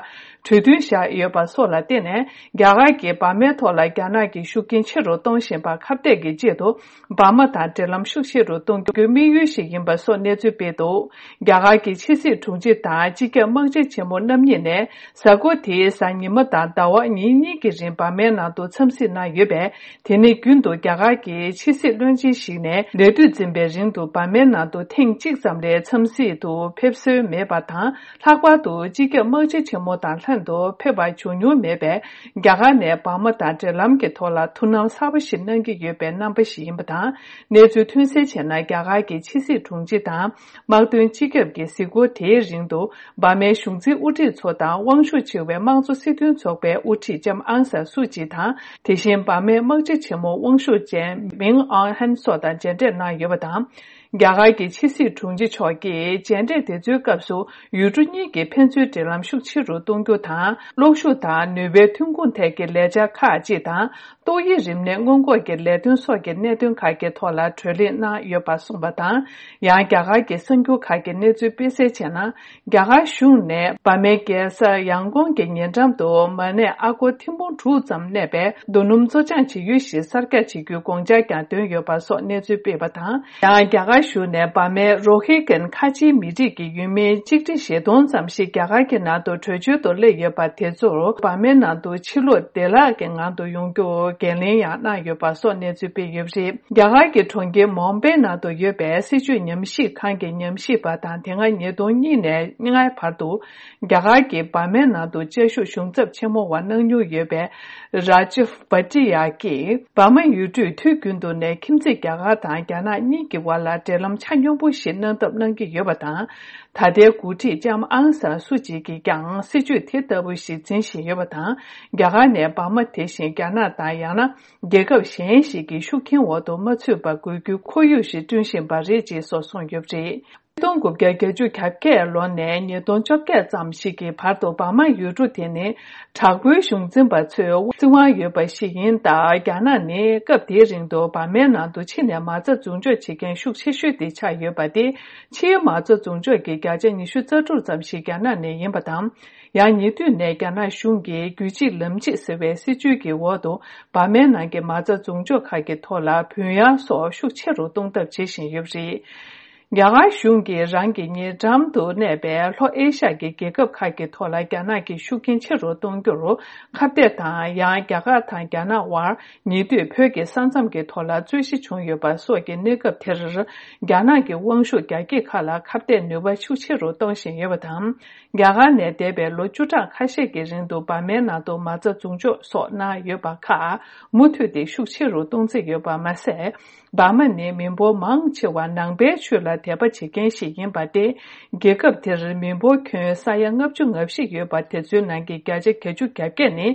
གྲོས་མཐུན་བཞག་ཡོད་པ་སོགས་ལ་བརྟེན་ནས། རྒྱ་གར་གྱིས་འབར་མའི་ཐོག་ལ་རྒྱ་ནག་གི་ཤུགས་རྐྱེན་ཆེ་རུ་གཏོང་བཞིན་པ་ཁ་གཏད་ཀྱི་ཆེད་དུ། འབར་མ་དང་འབྲེལ་ལམ་ཤུགས་ཆེ་རུ་གཏོང་རྒྱུའི་དམིགས་ཡུལ་ཞིག་ཡིན་པ་སོགས་གནས་ཚུལ་སྤེལ་འདུག་རྒྱ་གར་གྱི་ཕྱི་སྲིད་དྲུང་ཆེ་དང་སྤྱི་ཁྱབ་དམག་སྤྱི་ཆེན་མོ་རྣམ་གཉིས་ནས་གཟའ་འཁོར་དེའི་གཟའ་ཉི་མ་དང་ཟླ་བ་ཉིན་གཉིས་ཀྱི་རིང་འབར་མའི་ནང་དུ་འཚམས་གཟིགས་གནང་ཡོད་པས། དེ་ནི་རྒྱུན་དུ་རྒྱ་གར་གྱི་ཕྱི་སྲིད་བློན་ཆེན་ཞིག་ནས་ལས་དུས་འཛིན་པའི་རིང་དུ་འབར་མའི་ནང་དུ་ཐེངས་གཅིག་ཙམ་ལས་འཚམས་གཟིགས་དུ་ཕེབས་སྲོལ་མེད་པ་དང་། ལྷག་པར་དུ་སྤྱི་ཁྱབ་དམག་སྤྱི་ཆེན་མོ་དང་ལྷན་དུ་ཕེབས་པ་བྱུང་མྱོང་མེད་པས། རྒྱ་གར་ནས་འབར་མ་དང་འབྲེལ་ལམ་གྱི་ཐོག་ལ་ཐུགས་སྣང་གསར་པ་ཞིག་གནང་གི་ཡོད་པའི་རྣམ་པ་ཞིག་ཡིན་པ་དང་། གནས་ཚུལ་ཐོན་གསལ་བྱས་ན། རྒྱ་གར་གྱི་ཕྱི་སྲིད་དྲུང་ཆེ་དང་དམག་དོན་སྤྱི་ཁྱབ་ཀྱི་གཟིགས་སྐོར་དེའི་རིང་དུ། འབར་མའི་གཞུང་འཛིན་དབུ་ཁྲིད་ཚོ་དང་དབང་ཤུགས་ཆེ་བའི་དམངས་གཙོ་སྲིད་དོན་ཚོགས་པའི་དབུ་ཁྲིད་ལྕམ་ཨང་སན་སུ་ཅི་དང་། དེ་བཞིན་འབར་མའི་དམག་སྤྱི་ཆེན་མོ་དབང་ཤུགས་ཅན་མིང་ཨང་ཧན་སོགས་དང་མཇལ་འཕྲད་གནང་ཡོད་པ་དང་། རྒྱ་གར་གྱི་ཕྱི་སྲིད་དྲུང་ཆེ་མཆོག་གིས་མཇལ་འཕྲད་དེ་ཚོའི་སྐབས་སུ། ཡུལ་གྲུ་གཉིས་ཀྱི་ཕན་ཚུན་འབྲེལ་ལམ་ཤུགས་ཆེ་རུ་གཏོང་རྒྱུ་དང་། གློག་ཤུགས་དང་ནུས་པའི་ཐོན་ཁུངས་ཐད་ཀྱི་ལས་འཆར་ཁག་ཅིག་དང་། ཏོག་དབྱིབས་རིམས་ནད་སྔོན་འགོག་གི་ལས་དོན་སོགས་ཀྱི་གནད་དོན་ཁག་གི་ཐོག་ལ་གྲོས་གླེང་གནང་ཡོད་པ་གསུངས་པ་དང་། ཡང་རྒྱ་གར་གྱི་གསར་འགྱུར་ཁག་གི་གནས་ཚུལ་སྤེལ་གསལ་བྱས་ན། རྒྱ་གར་གཞུང་ནས་འབར་མའི་རྒྱལ་ས་ཡང་ཀོང་གི་ཉེ་འགྲམ་དུ་མ་ཎི་ཨ་སྒོར་ཐེར་འབུམ་དྲུག་ཙམ་གནས་པའི་རྡོ་སྣུམ་བཙོ་སྦྱང་བྱེད་ཡུལ་ཞིག་གསར་རྒྱག་བྱེད་རྒྱུའི་དགོངས་འཆར་ཀྱང་བཏོན་ཡོད་པ་སོགས་གནས་ཚུལ་སྤེལ་བ་དང་། ཡང་རྒྱ་གར་གཞུང་ནས་འབར་མའི་རོ་ཧི་གན་ཁ་ཆེའི་མི་རིགས་ཀྱི་ཡུལ་མིའི་གཅིག་ཁྲི་བཞི་སྟོང་ཙམ་ཞིག་རྒྱ་གར་གྱི་ནང་དུ་བྲོས་བྱོལ་དུ་སླེབས་ཡོད་པ་དེ་ཚོར་འབར་མའི་ནང་དུ་ཕྱིར་ལོག་བདེ་བླག་གི་ངང་དུ་ཡོང་རྒྱུར་ འགན་ལེན་ཡང་གནང་ཡོད་པ་སོགས་གནས་ཚུལ་སྤེལ་ཡོད་པ་རེད། རྒྱ་གར་གྱི་གྲོང་ཁྱེར་མོམ་པེ་ནང་དུ་ཡོད་པའི་སྲིད་བྱུས་ཉམས་ཞིབ་ཁང་གི་ཉམས་ཞིབ་པ་དང་དེ་སྔ་ཉིས་སྟོང་གཉིས་ནས་ལྔའི་བར་དུ་རྒྱ་གར་གྱི་འབར་མའི་ནང་དུ་བཅའ་བཞུགས་གཞུང་ཚབ་ཆེན་མོ་བ་གནང་མྱོང་ཡོད་པའི་རཱ་ཇིབ་བྷ་ཏི་ཡ་གིས་འབར་མ་ཡུལ་གྲུས་དུས་རྒྱུན་དུ་ནས་ཁྱིམ་མཚེས་རྒྱ་གར་དང་རྒྱ་ནག་གཉིས་ཀྱི་བར་ལ་འབྲེལ་ལམ་ཆ་སྙོམས་པོ་ཞིག་གནང་ཐབས་གནང་གི་ཡོད་པ་དང་། ད་ལྟའི་འགོ་ཁྲིད་ལྕམ་ཨང་སན་སུ་ཅི་གིས་ཀྱང་སྲིད་བྱུས་དེ་ལྟ་བུ་ཞིག་འཛིན་བཞིན་ཡོད་པ་དང་། རྒྱ་གར་ནས་འབར་མ་དེ་བཞིན་རྒྱ་ནག་དང་ཡང་ན་རྒྱལ་ཁབ་གཞན་ཞིག་གི་ཤུགས་རྐྱེན་འོག་ཏུ་མ་ཚུད་པ་དགོས་རྒྱུའི་ཁོར་ཡུག་ཞིག་བསྐྲུན་བཞིན་པ་རེད་ཅེས་སོགས་གསུངས་ཡོད་པ་རེད། ཆིག་སྟོང་དགུ་བརྒྱ་བརྒྱད་ཅུ་གྱ་བརྒྱད་ལོ་ནས་ཉིས་སྟོང་བཅོ་བརྒྱད་ཙམ་ཞིག་གི་བར་དུ་འབར་མ་ཡུལ་གྲུ་དེ་ནི་དྲག་པོའི་གཞུང་འཛིན་པ་ཚོའི་སྲིད་དབང་ཡོད་པ་ཞིག་ཡིན་སྟབས། རྒྱ་ནག་ནི་སྐབས་དེའི་རིང་དུ་འབར་མའི་ནང་དུ་ཕྱི་ནས་མ་རྩ་འཛུགས་འཇོག་བྱེད་མཁན་ཤུགས་ཆེ་ཤོས་དེ་ཆགས་ཡོད་པ་སྟེ། ཕྱིའི་མ་རྩ་འཛུགས་འཇོག་གི་བརྒྱ་ཆ་ཉི་ཤུ་རྩ་དྲུག་ཙམ་ཞིག་རྒྱ་ནག་ནས་ཡིན་པ་དང་། ཡང་ཉེ་དུས་ནས་རྒྱ་ནག་གཞུང་གིས་རྒྱུད་གཅིག་ལམ་གཅིག་ཟེར་བའི་སྲིད་བྱུས་ཀྱི་འོག་ཏུ་འབར་མའི་ནང་གི་མ་རྩ་འཛུགས་འཇོག་ཁག་གི་ཐོག་ལ་བུན་གཡར་སོགས་ཤུགས་ཆེ་རུ་གཏོང་ཐབས་བྱེད་བཞིན་ཡོད་པ་རེད། རྒྱ་གར་གཞུང་གིས་རང་གི་ཉེ་འགྲམ་དུ་གནས་པའི་ལྷོ་ཨེ་ཤ་ཡའི་རྒྱལ་ཁབ་ཁག་གི་ཐོག་ལ་རྒྱ་ནག་གི་ཤུགས་རྐྱེན་ཆེ་རུ་གཏོང་རྒྱུར་ཁ་གཏད་དང་། ཡང་རྒྱ་གར་དང་རྒྱ་ནག་དབར་ཉེ་དུས་བོད་ཀྱི་ས་མཚམས་ཀྱི་ཐོག་ལ་རྩོད་གཞི་བྱུང་ཡོད་པ་སོགས་ཀྱི་གནས་སྐབས་དེར། རྒྱ་ནག་གི་དབང་ཤུགས་རྒྱ་སྐྱེད་ཁག་ལ་ཁ་གཏད་ནུས་པ་ཤུགས་ཆེ་རུ་གཏོང་བཞིན་ཡོད་པ་དང་། རྒྱ་གར་ནས་འདས་པའི་ལོ་བཅུ་ཕྲག་ཁ་ཤས་ཀྱི་རིང་དུ་འབར་མའི་ནང་དུ་མ་རྩ་འཛུགས་འཇོག་སོགས་གནང་ཡོད་པ་ཁག་མུ་མཐུད་དེ་ཤུགས་ཆེ་རུ་གཏོང་རྩིས་ཡོད་པ་མ་ཟད། འབར་མ་ནི་མི་འབོར་མང་ཆེ་བ་ནང་པའི་ཆོས་ལ་དད་པ་བྱེད་མཁན་ཞིག་ཡིན་པ་སྟེ། རྒྱལ་ཁབ་དེར་མི་འབོར་ཁྱོན་ས་ཡ་ལྔ་བཅུ་ང་བཞི་ཡོད་པ་དེ་ཚོའི་ནང་གི་བརྒྱ་ཆ་བརྒྱད་ཅུ་གྱ་བརྒྱད་ནི་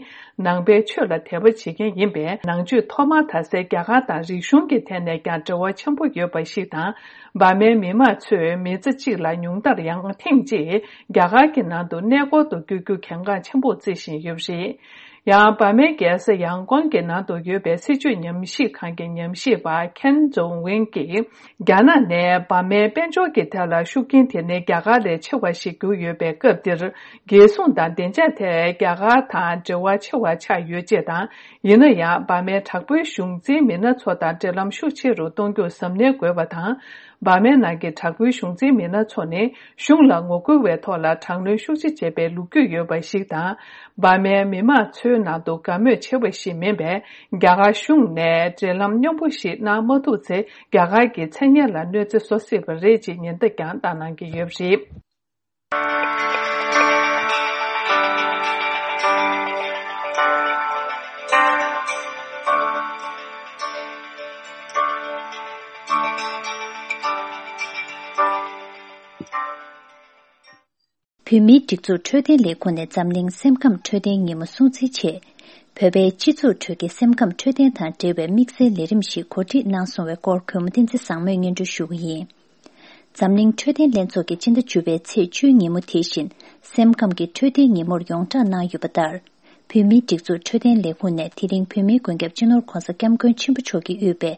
ནང་པའི་ཆོས་ལ་དད་པ་བྱེད་མཁན་ཡིན་པས། ནང་ཆོས་ཐོག་མར་དར་སའི་རྒྱ་གར་དང་རིག་གཞུང་གི་ཐད་ནས་ཀྱང་འབྲེལ་བ་ཆེན་པོ་ཡོད་པ་ཞིག་དང་། འབར་མའི་མི་མང་ཚོས་མི་ཚེ་གཅིག་ལ་ཉུང་མཐར་ཡང་ཐེངས་གཅིག་རྒྱ་གར་གྱི་ནང་དུ་གནས་སྐོར་དུ་བསྐྱོད་རྒྱུ་གལ་འགངས་ཆེན་པོ་བརྩི་བཞིན་ཡོད་པ་རེད། ཡང་འབར་མའི་རྒྱལ་ས་ཡང་ཀོང་གི་ནང་དུ་ཡོད་པའི་སྲིད་བྱུས་ཉམས་ཞིབ་ཁང་གི་ཉམས་ཞིབ་པ་ཁེན་ཛོང་ཝེན་གྱིས། རྒྱ་ནག་ནས་འབར་མའི་དཔལ་འབྱོར་གྱི་ཐད་ལ་ཤུགས་རྐྱེན་དེ་ནི་རྒྱ་གར་ལས་ཆེ་བ་ཞིག་གྱུར་ཡོད་པའི་སྐབས་འདིར། རྒྱལ་སྲུང་དང་བདེ་འཇགས་ཐད་རྒྱ་གར་དང་འབྲེལ་བ་ཆེ་བ་ཆགས་ཡོད་ཅེས་དང་། ཡིན་ན་ཡང་འབར་མའི་དྲག་པོའི་གཞུང་འཛིན་མི་སྣ་ཚོ་དང་འབྲེལ་ལམ་ཤུགས་ཆེ་རུ་གཏོང་རྒྱུར་གཟབ་ནན་དགོས་པ་དང་། འབར་མའི་ནང་གི་དྲག་པོའི་གཞུང་འཛིན་མི་སྣ་ཚོ་ནི་གཞུང་ལ་ངོ་རྒོལ་བའི་ཐོག་ལ་དྲག་གནོན་ཤུགས་ཆེ་བྱས་པའི་ལོ་རྒྱུས་ཡོད་པ་ཞིག་དང་། འབར་མའི་མི་མང་ཚོའི་ནང་དུ་དགའ་མོས་ཆེ་བ་ཞིག་མིན་པས། རྒྱ་གར་གཞུང་ནས་འབྲེལ་ལམ་སྙོམས་པོ་ཞིག་གནང་མ་ཐུབ་ཚེ། རྒྱ་གར་གྱི་མཚན་སྙན་ལ་གནོད་འཚེ་བཟོ་སྲིད་པ་རེད་ཅེས་ཉེན་བརྡ་ཀྱང་བཏང་གནང་གི་ཡོད་པ་རེད། བོད་མིའི་སྒྲིག་འཛུགས་འཕྲོད་བསྟེན་ལས་ཁུངས་ནས་འཛམ་གླིང་སེམས་ཁམས་འཕྲོད་བསྟེན་ཉིན་མོ་སྲུང་བརྩིའི་ཆེད། བོད་པའི་སྤྱི་ཚོགས་ཁྲོད་ཀྱི་སེམས་ཁམས་འཕྲོད་བསྟེན་དང་འབྲེལ་བའི་དམིགས་བསལ་ལས་རིམ་ཞིག་གོ་སྒྲིག་གནང་སོང་བའི་སྐོར་གུས་མོ་བསྟན་འཛིན་བཟང་མོས་སྙན་སྒྲོན་ཞུ་གི་ཡིན། འཛམ་གླིང་འཕྲོད་བསྟེན་ལྷན་ཚོགས་ཀྱི་སྤྱི་ཟླ་བཅུ་པའི་ཚེས་བཅུའི་ཉིན་མོ་དེ་བཞིན། སེམས་ཁམས་ཀྱི་འཕྲོད་བསྟེན་ཉིན་མོར་ཡོངས་བསྒྲགས་གནང་ཡོད་པ་ལྟར། བོད་མིའི་སྒྲིག་འཛུགས་འཕྲོད་བསྟེན་ལས་ཁུངས་ནས་དེ་རིང་བོད་མིའི་མགོན་སྐྱབས་སྤྱི་ནོར་༧གོང་ས་༧སྐྱབས་མགོན་ཆེན་པོ་མཆོག་གིས་དབུས་པའི་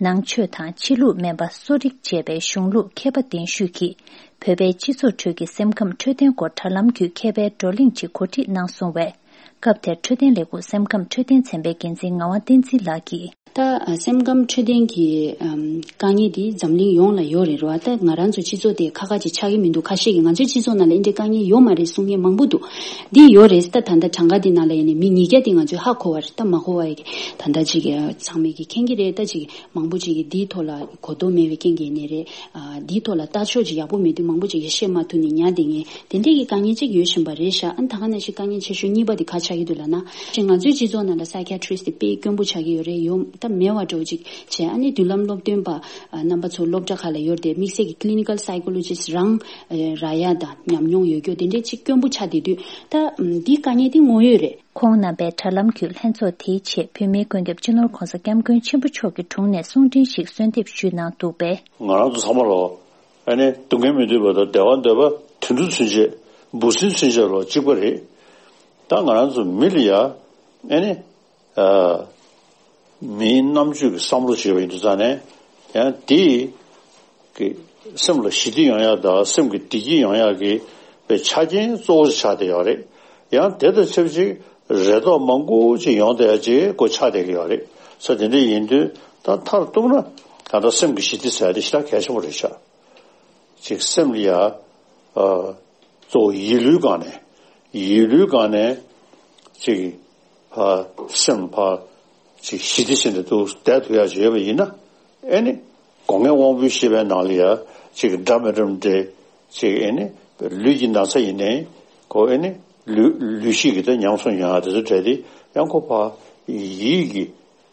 ནང་ཆོས་དང་ཕྱི་ལུགས་སྨན་པ་གསོ་རིག་བཅས་པའི་གཞུང་ལུགས་མཁས་པ་གདན་ཞུས་ཀྱིས། བོད་པའི་སྤྱི་ཚོགས་ཁྲོད་ཀྱི་སེམས་ཁམས་འཕྲོད་བསྟེན་སྐོར་དྲ་ལམ་བརྒྱུད་མཁས་པའི་བགྲོ་གླེང་ཅིག་གོ་སྒྲིག་གནང་སོང་བས། སྐབས་དེར་འཕྲོད་བསྟེན་ལས་ཁུངས་སེམས་ཁམས་འཕྲོད་བསྟེན་ཚན་པའི་འགན་འཛིན་ངག་དབང་བསྟན་འཛིན་ལགས་ཀྱིས། ད་སེམས་ཁམས་འཕྲོད་བསྟེན་གྱི་ཨམ་དཀའ་ངལ་འདི་འཛམ་གླིང་ཡོངས་ལ་ཡོད་རེད་རོ། ད་ང་རང་ཚོ་སྤྱི་ཚོགས་དེ་ཁག་ཁག་ཅིག་ཆགས་ཀྱི་མི་འདུག་ཁ་ཤས་ཀྱིས་ང་ཚོའི་སྤྱི་ཚོགས་ནང་ལ་འདི་འདྲའི་དཀའ་ངལ་ཡོད་མ་རེད་གསུང་མཁན་མང་པོ་འདུག་འདི་ཡོད་རེད། ད་ད་ལྟ་གྲངས་ཀ་འདི་ནང་ལ་ཡིན་ནའི་མི་ཉིས་བརྒྱ་དེ་ང་ཚོས་ཧ་གོ་བ་རེད། ད་མ་གོ་བ་ཡི་གེ་ད་ལྟ་ཅིག་ཚང་མས་ཀྱི་མཁྱེན་གྱི་རེད། ད་ཅིག་མང་པོ་ཅིག་གིས་འདིའི་ཐོག་ལ་གོ་རྟོགས་མེད་པའི་རྐྱེན་གྱིས་ཡིན་ནའི་རེད། ཨ་འདིའི་ཐོག་ལ་ལྟ་ཕྱོགས་ཅིག་ཡག་པོ་མེད་དུས་མང་པོ་ཅིག་གིས་བཤད་མ་ཐུབ་ནས་ཉར་བསྡད་མཁན་དེ་འདྲའི་གི་དཀའ་ངལ་ཅིག་ཡོད་བཞིན་པ་རེད་ཤག་ཨ་ནི་ད་ག་ནང་བཞིན་དཀའ་ངལ་ཆེ་ཤོས་གཉིས་པ་དེ་ག་ཆགས་ཀྱི་འདུག་ལབ་ན། ཅིག་ང་ཚོའི་སྤྱི་ཚོགས་ནང་ལ་སའི་ཁི་ཡ་ཊི་རི་སི་ཊི་དེ་དཔེ་དཀོན་པོ་ཆགས་ཀྱི་ཡོད་རེད། ཡོད་ད་མེད་པ་འདྲ་བོ་ཅིག་བྱས། ཨ་ནི་མདུན་ལམ་སློབ་སྟོན་པ་ཨ་རྣམ་པ་ཚོ་སློབ་གྲྭ་ཁག་ལ་ཡོད་དེ་དམིགས་བསལ་གྱི་clinical psychologist་རང་ཨ་རག་ཡ་དང་ཉམས་མྱོང་ཡོད་རྒྱུ་དེ་འདྲའི་ཅིག་དཀོན་པོ་ཆགས་བསྡད་དུས་ད་ཨམ་འདིའི་དཀའ་ངལ་དེ་དངོས་ཡོད་རེད། ཁོང་རྣམ་པས་དྲ་ལམ་བརྒྱུད་ལྷན་ཚོགས་དེའི་ཆེད་བོད་མིའི་མགོན་སྐྱབས་སྤྱི་ནོར་༧གོང་ས་༧སྐྱབས་མགོན་ཆེན་པོ་མཆོག་གི་དྲུང་ནས་གསུང་འཕྲིན་ཞིག་གསོལ་འདེབས་ཞུས་གནང་འདུག་པས། ང་རང་ཚོ་ཚང་མ་ལོ་ཨ་ནི་སྡུག་བསྔལ་མི་འདོད་པ་དང་བདེ་བ་འདོད་པ་དུད་འགྲོ་ཚུན་ཆད་འབུ་སྲིན་ཚུན་ཆད་ལོ་གཅིག་པ་རེད། ད་ང་རང་ཚོ་མི་ལ་ཡ་ཨ་ནི་ཨ། མིའི་རྣམ་དཔྱོད་ཀྱི་བསམ་བློ་བྱས་པ་ཡིན་དུས་ཙང་ནས་ཡང་དེ་གི་སེམས་ལ་ཞི་བདེ་ཡོང་ཡག་དང་སེམས་ཀྱི་བདེ་སྐྱིད་ཡོང་ཡག་གི་པའི་ཆ་རྐྱེན་གཙོ་བོ་ཆགས་བསྡད་ཡོད་རེད། ཡང་དེ་དང་ཆབས་ཅིག་རེ་དོགས་མང་པོ་ཅིག་ཡོང་བསྡད་ཡག་ཅིག་ཁོ་ཆགས་བསྡད་ཀྱི་ཡོད་རེད། ས་དེ་འདྲ་ཡིན་དུས་ད་མཐར་གཏུགས་ན་ད་ལྟ་སེམས་ཀྱི་ཞི་བདེ་ཟེར་ཡག་དེ་ཞེ་དྲག་གལ་ཆེན་པོ་རེད་ཤག་ཅིག་སེམས་ལ་ཡ། ཨ། གཙོ་བོ་ཡིད་བློའི་སྒང་ནས། ཡིད་བློའི་སྒང་ནས་ཅིག་ཕ་སེམས་ཕ་ ཅིག་ཞི་བདེ་བྱས་ནས་འདུག་བསྡད་ཐུབ་ཡག་ཅིག་ཡོད་པ་ཡིན་ན། ཨེ་ནི། སྒོ་ངའི་དབང་པོའི་ཤེས་པའི་ནང་ལ་ཡ། ཅིག་འདྲ་མི་འདྲ་འདྲེ། ཅིག་ཨེ་ནི། ལུས་ཀྱི་ན་ཚ་ཡིན་ནའི། ཁོ་ཨེ་ནི། ལུས་ལུས་ཤེས་ཀྱི་ད་ཉམས་སུ་མྱོང་ཡག་དེ་ཚོ་འདྲ་དེ། ཡང་ཁོ་ཕ། ཡིད་ཀྱི།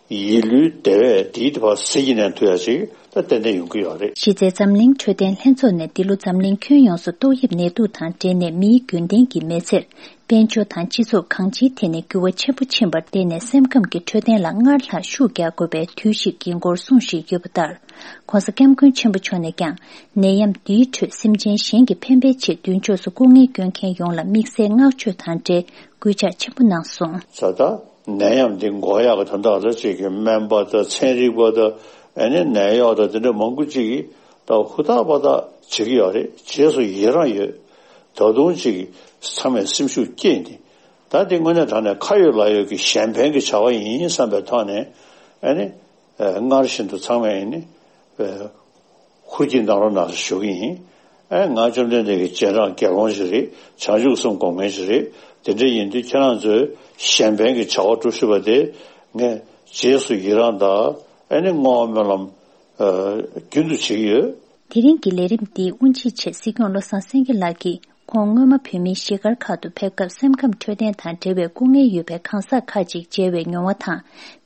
ཡིད་ལུས་བདེ་བས་དེའི་དེ་ཕར་ཟིལ་གྱིས་མནན་ཐུབ་ཡག་ཅིག་ད་ཏན་ཏན་ཡོང་གི་ཡོད་རེད། གཞི་རྩའི་འཛམ་གླིང་འཕྲོད་བསྟེན་ལྷན་ཚོགས་ནས་འདི་ལོ་འཛམ་གླིང་ཁྱོན་ཡོངས་སུ་ཏོག་དབྱིབས་ནད་དུག་དང་འབྲེལ་ནས་མིའི་རྒྱུན་ལྡན་གྱི་མི་ཚེར། དཔལ་འབྱོར་དང་སྤྱི་ཚོགས་གང་ཅིའི་ཐད་ནས་འགྱུར་བ་ཆེན་པོ་ཕྱིན་པར་བརྟེན་ནས། སེམས་ཁམས་ཀྱི་འཕྲོད་བསྟེན་ལ་སྔར་ལྷག་ཤུགས་རྒྱག་དགོས་པའི་དུས་ཤིག་ཡིན་སྐོར་གསུངས་བཞིན་ཡོད་པ་ལྟར། ྋགོང་ས་ྋསྐྱབས་མགོན་ཆེན་པོ་མཆོག་ནས་ཀྱང་། ནད་ཡམས་འདིའི་ཁྲོད་སེམས་ཅན་གཞན་གྱི་ཕན་པའི་ཆེད་མདུན་ཕྱོགས་སུ་སྐུ་ངལ་སྐྱོན་མཁན་ཡོངས་ལ་དམིགས་བསལ་བསྔགས་བརྗོད་དང་འབྲེལ་སྐུལ་ལྕག་ཆེན་པོ་གནང་སོང་། ད་ལྟ་ནད་ཡམས་འདི་འགོག་ཡག་གི་དོན་དག་ལ་ཅིག་གི་སྨན་པ་དང་ཚན་རིག་པ་དང་། ཨ་ནི་ནད་གཡོག་དང་དེ་འདྲ་མང་པོ་ཅིག་གིས་ད་ཧུར་ཐག་པ་ཐག་བྱེད་ཀྱི་ཡོད་རེད། རྗེས་སུ་ཡི་རང་ཡོད། ད་དུང་ཅིག་ཚང་མས་སེམས་ཤུགས་བསྐྱེད་ནས། ད་འདི་དངོས་གནས་དྲང་གནས་ཁ་ཡོད་ལག་ཡོད་ཀྱི་གཞན་ཕན་གྱི་བྱ་བ་ཡིན་བསམ་པའི་ཐོག་ནས། ཨ་ནི། ཨ། སྔར་བཞིན་དུ་ཚང་མས་ཨ་ནི། ཨ། ཧུར་གྱིས་གནང་རོགས་གནང་ཞེས་ཞུ་གི་ཡིན། ཨ། ང་བཅོམ་ལྡན་འདས་ཀྱི་རྗེས་འབྲང་དགེ་སློང་ཞིག་རེད། བྱང་ཆུབ་སེམས་སྒོམ་མཁན་ཞིག་རེད། དེ་འདྲ་ཡིན་དུས་ཁྱེད་རང་ཚོས་གཞན་ཕན་གྱི་བྱ་བ་སྒྲུབ་ཤེས་པ་དེ་ངས་རྗེས་སུ་ཡི་རང་དང་། ཨ་ནི་བསྔོ་བ་སྨོན་ལམ། ཨ། རྒྱུན་དུ་བྱེད་ཀྱི་ཡོད། དེ་རིང་གི་ལས་རིམ་འདིའི་དབུ་འབྱེད་ཆེད་སྲིད་སྐྱོང་བློ་བཟང་སེང་གེ་ལགས་ཀྱིས། ཁོང་སྔོན་མ་བོད་མིའི་གཞིས་སྒར་ཁག་ཏུ་ཕེབས་སྐབས། སེམས་ཁམས་འཕྲོད་བསྟེན་དང་འབྲེལ་བའི་སྐུ་ངལ་ཡོད་པའི་གང་ཟག་ཁག་ཅིག་མཇལ་བའི་མྱོང་བ་དང་།